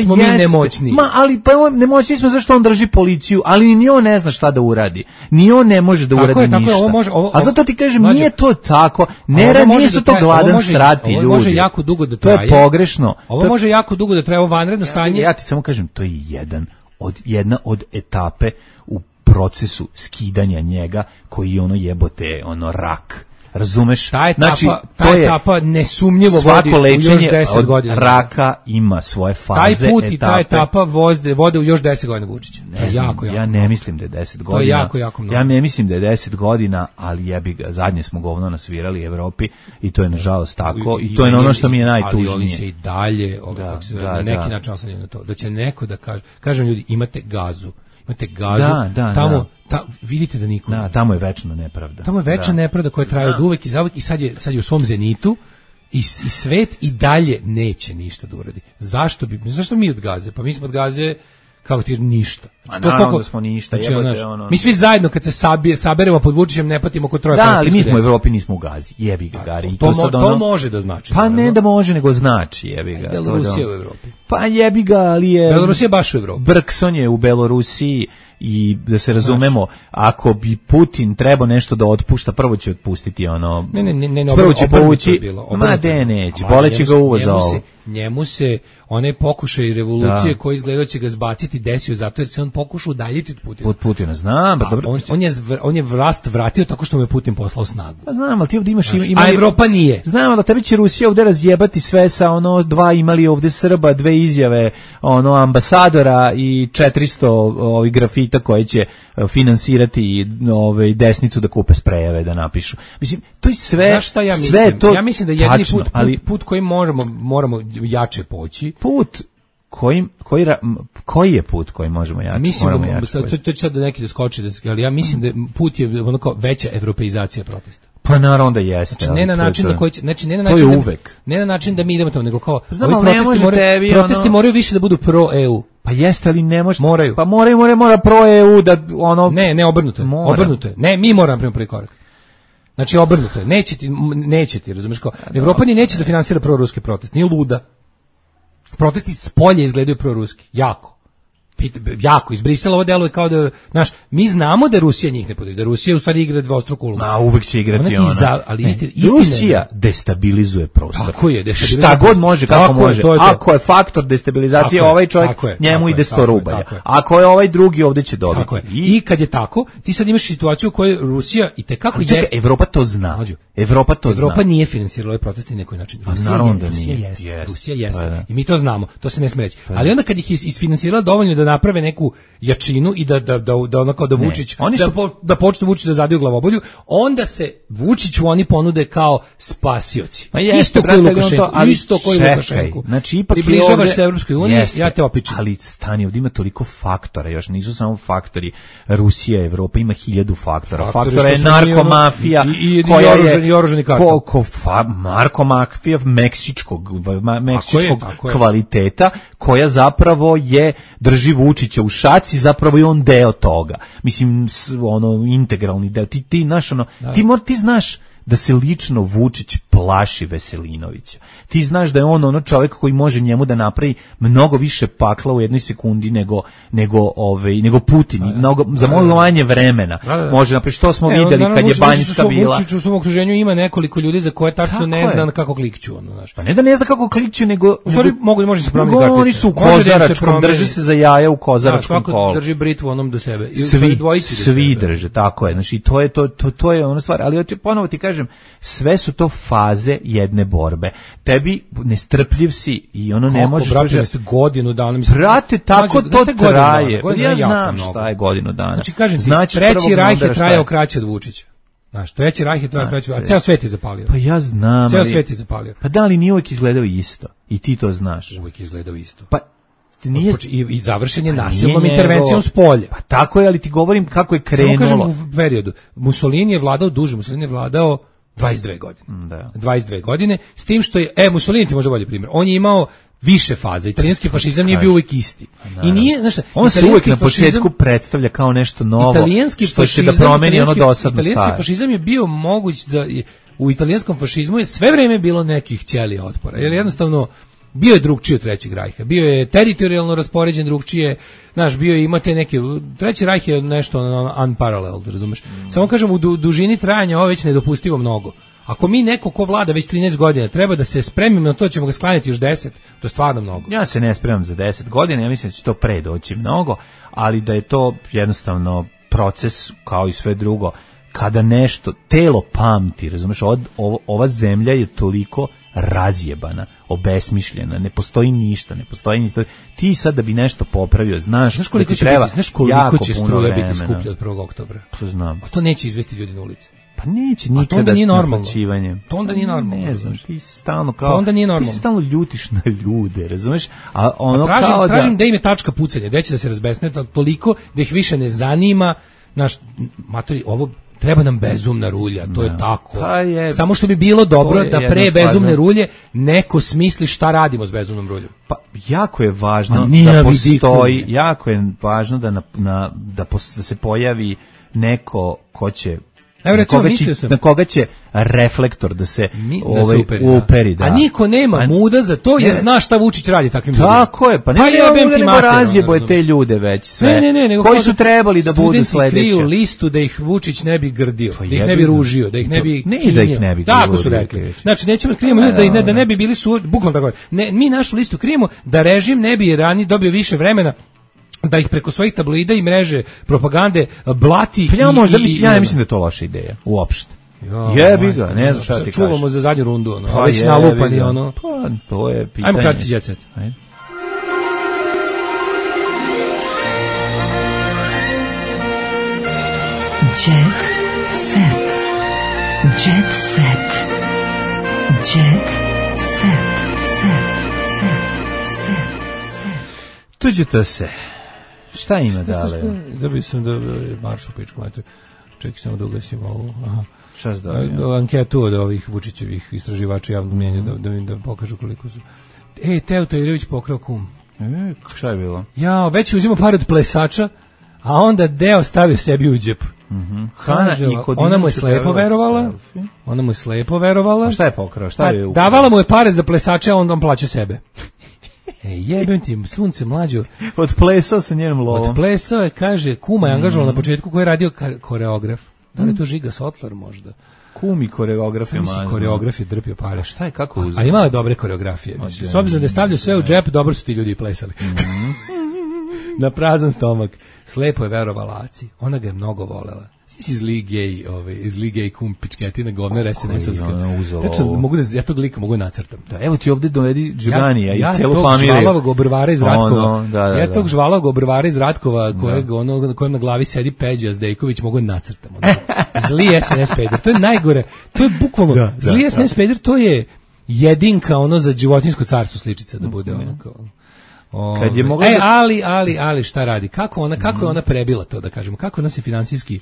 Speaker 8: smo mi nemoćni.
Speaker 7: Ali pa nemoćni smo zašto on drži policiju, ali ni on ne zna šta da uradi. Ni on ne može da uradi ništa. A zato ti kažem, nije to tako. Nisu to gladan srati ljudi.
Speaker 8: Ovo može jako dugo da traje.
Speaker 7: To je pogrešno.
Speaker 8: Ovo može jako dugo da traje, ovo vanredno stanje.
Speaker 7: Ja ti samo kažem, to je jedna od etape u procesu skidanja njega koji je jebote, rak. Razumeš?
Speaker 8: Ta etapa nesumnjivo vodi u još 10 godina.
Speaker 7: Od raka ima svoje faze,
Speaker 8: taj put etape. I ta etapa vode u još 10 godina Vučića.
Speaker 7: Ja ne mislim da je 10 godina.
Speaker 8: To je jako mnogo.
Speaker 7: Ja ne mislim da je 10 godina, ali jebi ga, zadnje smo govno nasvirali Evropi i to je nažalost tako i to je ono što mi je najtužnije.
Speaker 8: Ali oni se i dalje na neki način oslanjaju na to. Da će neko da kaže, kažem ljudi, imate gazu, tamo vidite da niko.
Speaker 7: Da, tamo je večno nepravda.
Speaker 8: Tamo je večna nepravda koja traje od uvek i zauvek i sad je u svom zenitu i svet i dalje neće ništa da uradi. Zašto mi od Gaze? Pa mi smo od Gaze kako ti ništa.
Speaker 7: Naravno da smo ništa.
Speaker 8: Mi svi zajedno kad se saberemo pod Vučićem ne patimo kod troje.
Speaker 7: Da, ali mi smo u Evropi, nismo u Gazi. Jebi ga, Gari.
Speaker 8: To može da znači.
Speaker 7: Pa ne da može, nego znači, jebi ga.
Speaker 8: Belorusija u Evropi.
Speaker 7: Pa jebi ga, ali je...
Speaker 8: Belorusija baš u Evropi.
Speaker 7: Brkson je u Belorusiji i da se razumemo, ako bi Putin trebao nešto da otpušta, prvo će otpustiti prvo će povući, neće, boleće ga uvoza ovo.
Speaker 8: Njemu se onaj pokušaj revolucije koji izgleda će ga zbaciti desio zato jer se on pokušao udaljiti od
Speaker 7: Putina. Znam, pa dobro.
Speaker 8: On je vlast vratio tako što mu je Putin poslao snagu.
Speaker 7: Pa znam, ali ti ovdje imaš...
Speaker 8: A Evropa nije.
Speaker 7: Znam, ali tebi će Rusija ovdje razjebati sve sa dva imali ovdje Srba, 2 izjave ambasadora i 400 grafita koje će finansirati desnicu da kupe sprejeve da napišu. Mislim, to je sve...
Speaker 8: Znaš šta ja mislim?
Speaker 7: Sve to
Speaker 8: ja mislim da jedini put kojim moramo jače poći.
Speaker 7: Koji je put koji možemo jače?
Speaker 8: Mislim to će da neki da skoči, ali ja mislim da put je veća evropeizacija protesta.
Speaker 7: Pa naravno da jeste.
Speaker 8: Znači, ne na način da koji će, znači ne na
Speaker 7: način da uvek.
Speaker 8: Ne na način da mi idemo tamo, nego kao
Speaker 7: protesti
Speaker 8: moraju više da budu pro EU.
Speaker 7: Pa jeste, ali ne može.
Speaker 8: Moraju.
Speaker 7: Pa mora pro EU da
Speaker 8: Ne, obrnuto je. Ne, mi moramo prema prvi korak. Znači obrnuto je. Neće ti, razumeš kao. Evropa ni neće da finansira proruski protest, nije luda. Protesti s polja izgledaju proruski, jako iz Brisela ovo deluje kao da, mi znamo da Rusija njih ne podrži, da Rusija u stvari igra dvostruku ulogu.
Speaker 7: Uvek će igrati Rusija destabilizuje prostor.
Speaker 8: Tako je,
Speaker 7: šta god može, kako može. Ako je faktor destabilizacije, ovaj čovjek, njemu ide 100 rubalja. Ako je ovaj drugi, ovdje će dobiti.
Speaker 8: I kad je tako, ti sad imaš situaciju u kojoj Rusija i tekako jeste.
Speaker 7: Evropa to zna.
Speaker 8: Evropa nije finansirala ovaj protest na neki način. Rusija jeste. I mi to znamo, to se ne smije reći. Ali onda kad ih isfinansirala dovoljno da naprave neku jačinu i da onako da Vučić da počne Vučić da zadaju glavobolju, onda se Vučiću oni ponude kao spasioci. Isto koji Lukašenko.
Speaker 7: Znači ipak
Speaker 8: približavaš se Evropskoj uniji, ja te opičem.
Speaker 7: Ali stani, ovdje ima toliko faktora, još nisu samo faktori Rusija, Evropa, ima 1000 faktora. Faktora je narkomafija
Speaker 8: i oružani kartel.
Speaker 7: Narkomafija meksičkog kvaliteta koja zapravo drži Vučića u šaci, zapravo je on deo toga. Mislim, integralni deo. Ti znaš da se lično Vučić plaši Veselinovića. Ti znaš da je on čovjek koji može njemu da napravi mnogo više pakla u jednoj sekundi nego Putin, za mnogo manje vremena. Može napraviti, što smo vidjeli kad je Banjska bila.
Speaker 8: Vučić u svom okruženju ima nekoliko ljudi za koje tačno ne zna kako klikću.
Speaker 7: Pa ne da ne zna kako klikću, nego
Speaker 8: može se promijeniti kartice.
Speaker 7: Oni su u kozaračkom, drže se za jaja u kozaračkom kolu.
Speaker 8: Drži britvu onom do sebe.
Speaker 7: Svi drže, tako je. Znači, to je ona stvar. Ali ponovo ti kažem, sve su to faze jedne borbe. Tebi nestrpljiv si i ne možeš...
Speaker 8: Brate, godinu dana...
Speaker 7: Brate, tako to traje. Ja znam šta je godinu dana.
Speaker 8: Znači, kažem ti, Treći Rajh je trajao kraće od Vučića. Znaš, Treći Rajh je trajao kraće, a ceo svet je zapalio.
Speaker 7: Pa ja znam.
Speaker 8: Ceo svet je zapalio.
Speaker 7: Pa da li nije uvijek izgledao isto? I ti to znaš.
Speaker 8: Uvijek je izgledao isto.
Speaker 7: Pa
Speaker 8: i završen je nasilnom intervencijom s polja.
Speaker 7: Pa tako je, ali ti govorim kako je krenulo.
Speaker 8: Samo kažem u periodu. Mussolini je vladao duže, Mussolini je vladao 22 godine.
Speaker 7: Da.
Speaker 8: 22 godine, s tim što je, Mussolini ti može bolji primjer. On je imao više faza. Italijanski fašizam nije bio uvijek isti. I nije, znaš šta,
Speaker 7: on se uvijek na početku predstavlja kao nešto novo, što će da promeni ono dosadno staro.
Speaker 8: Italijanski fašizam je bio moguć da u italijanskom fašizmu je sve vreme bilo nekih ćelija otpora, jer jednostavno bio je drugčiji od Trećeg rajha, bio je teritorijalno raspoređen drugčije, znaš, bio je imate neke, Treći rajh je nešto unparalleled, razumeš? Samo kažem, u dužini trajanja ovo već nedopustivo mnogo. Ako mi neko ko vlada već 13 godina treba da se spremimo na to, ćemo ga sklanjati još 10, to je stvarno mnogo.
Speaker 7: Ja se ne spremam za 10 godina, ja mislim da će to pre doći mnogo, ali da je to jednostavno proces kao i sve drugo. Kada nešto, telo pamti, razumeš, ova zemlja je toliko razjebana, obesmišljena, ne postoji ništa, ti sad da bi nešto popravio, znaš koliko
Speaker 8: će
Speaker 7: treba,
Speaker 8: će struje biti skuplje od 1. oktobra.
Speaker 7: To znam.
Speaker 8: A to neće izvesti ljudi na ulici.
Speaker 7: Pa neće nikada naplaćivanje.
Speaker 8: To onda nije normalno.
Speaker 7: Ne znam, ti si stalno kao, ti se stalno ljutiš na ljude, razumeš? A ono
Speaker 8: tražim da im je tačka pucanja, da će da se razbesne toliko da ih više ne zanima, naš matori, ovo treba nam bezumna rulja, to je tako. Samo što bi bilo dobro da pre bezumne rulje neko smisli šta radimo s bezumnom ruljom.
Speaker 7: Pa jako je važno da postoji, jako je važno da se pojavi neko ko će na koga će reflektor da se uperi.
Speaker 8: A niko nema muda za to jer zna šta Vučić radi takvim ljudima.
Speaker 7: Tako je, pa nema muda nego razjeboje te ljude već sve. Koji su trebali da budu sledeći.
Speaker 8: Studenti kriju listu da ih Vučić ne bi grdio, da ih ne bi ružio, da ih ne bi kinjio. Tako su rekli. Znači nećemo krijemo da ne bi bili bukvalno tako. Mi našu listu krijemo da režim ne bi ranije dobio više vremena da ih preko svojih tabloida i mreže propagande blati.
Speaker 7: Pa ja ne mislim da je to loša ideja, uopšte. Jebi ga, ne znam šta ti kažeš.
Speaker 8: Čuvamo za zadnju rundu, već nalupani, ono.
Speaker 7: Pa, to je pitanje.
Speaker 8: Ajmo kratki jet set.
Speaker 5: Jet set. Jet set. Jet set.
Speaker 7: Tuđete se. Šta ima dale?
Speaker 8: Da bi sam da maršu pičku mater. Čekaj samo da ugasim ovu.
Speaker 7: Šta se da?
Speaker 8: Anketu od ovih Vučićevih istraživača javnog mnjenja da pokažu koliko su. Teo Tajirović pokrao kum.
Speaker 7: Šta je bilo?
Speaker 8: Ja, već je uzimao par od plesača, a onda deo stavio sebi u džep. Kaže, ona mu je slepo verovala.
Speaker 7: A šta je pokrao?
Speaker 8: Davala mu je pare za plesače, a on plaća sebe. Jebem ti, sunce mlađo.
Speaker 7: Odplesao sa njenom lovom.
Speaker 8: Odplesao je, kaže, kuma je angažovala na početku koji je radio koreograf. Da li je to Žiga Sotlar možda?
Speaker 7: Kumi koreograf je mazno.
Speaker 8: Koreograf je drpio pare.
Speaker 7: Šta je, kako uzeo?
Speaker 8: A imala je dobre koreografije. S obzirom da je stavljao sve u džep, dobro su ti ljudi plesali. Na prazan stomak. Slepo je verovala Aci. Ona ga je mnogo volela. Iz lige kum pičketina govnera SNS-ovska. Ja tog lika mogu nacrtam.
Speaker 7: Da, evo ti ovdje dovedi Đuganija i celu familiju.
Speaker 8: Ja tog žvalavog obrvara iz Ratkova. Ja tog žvalavog obrvara iz Ratkova kojem na glavi sedi Peđa Zdejković mogu nacrtam. Zli SNS peder. To je najgore. To je bukvalno zli SNS peder, to je jedinka ono za životinjsko carstvo sličica da bude ono kao.
Speaker 7: Kad je mogla
Speaker 8: ali šta radi? Kako je ona prebila to, da kažemo? Kako ona se finansijski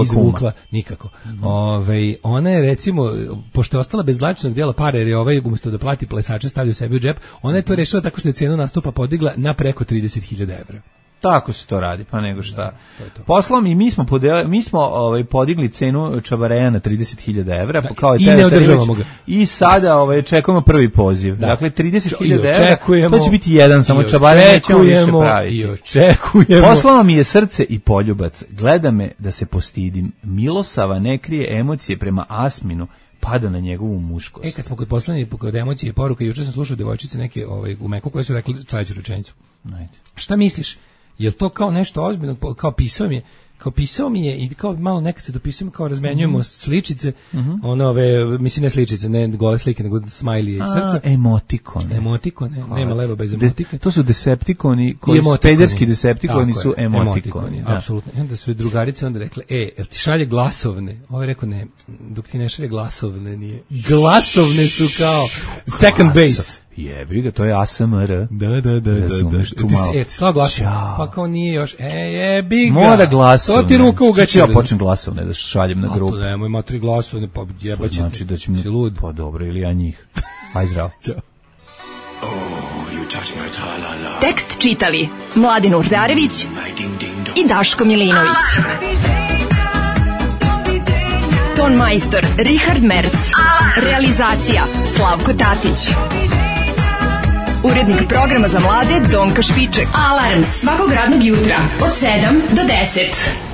Speaker 8: izvukla? Kuma? Nikako. Ona je recimo, pošto je ostala bez zlačnog dijela pare, jer je umjesto da plati plesače stavio sebi u džep, ona je to rešila tako što je cenu nastupa podigla na preko 30.000 evra.
Speaker 7: Tako se to radi, pa nego šta. Poslom i mi smo podigli cenu čabareja na 30.000 evra, kao
Speaker 8: i ne održavamo ga.
Speaker 7: I sada čekujemo prvi poziv. Dakle, 30.000 evra, to će biti jedan, samo čabareja nećemo više praviti.
Speaker 8: I očekujemo.
Speaker 7: Poslalo mi je srce i poljubac, gleda me da se postidim. Milosava ne krije emocije prema Asminu, pada na njegovu muškost.
Speaker 8: Kad smo kod emocije i poruka, juče sam slušao devojčice neke u Meku koje su rekli sledeću rečenicu. Šta misliš? Je li to kao nešto ozbiljno, kao pisao mi je i kao malo nekad se dopisujemo, kao razmenjujemo sličice, mislim ne sličice, ne gole slike, nego smajlije i srca.
Speaker 7: Emotikone,
Speaker 8: nema leva bez emotika.
Speaker 7: To su deceptikoni, pederski deceptikoni su emotikoni.
Speaker 8: Apsolutno. I onda su drugarice onda rekle, jel ti šalje glasovne? Ovo je rekao, ne, dok ti ne šalje glasovne nije. Glasovne su kao second base.
Speaker 7: Jebi ga, to je ASMR.
Speaker 8: Da. Razumeš tu malo. Ti slao glasovne. Pa kao nije još. Jebi ga.
Speaker 7: Mora glasovne.
Speaker 8: To ti ruka ugačila.
Speaker 7: Ja počnem glasovne da šaljem na grupu.
Speaker 8: To nemoj, ima 3 glasovne, pa jebaće.
Speaker 7: Znači da će mi lud. Pa dobro, ili ja njih. Aj zdravo.
Speaker 8: Ćao.
Speaker 5: Tekst čitali Mladin Urdarević i Daško Milinović. Ton majstor Richard Merc. Realizacija Slavko Tatić. Urednik programa za mlade Donka Špiček. Alarms svakog radnog jutra od 7 do 10.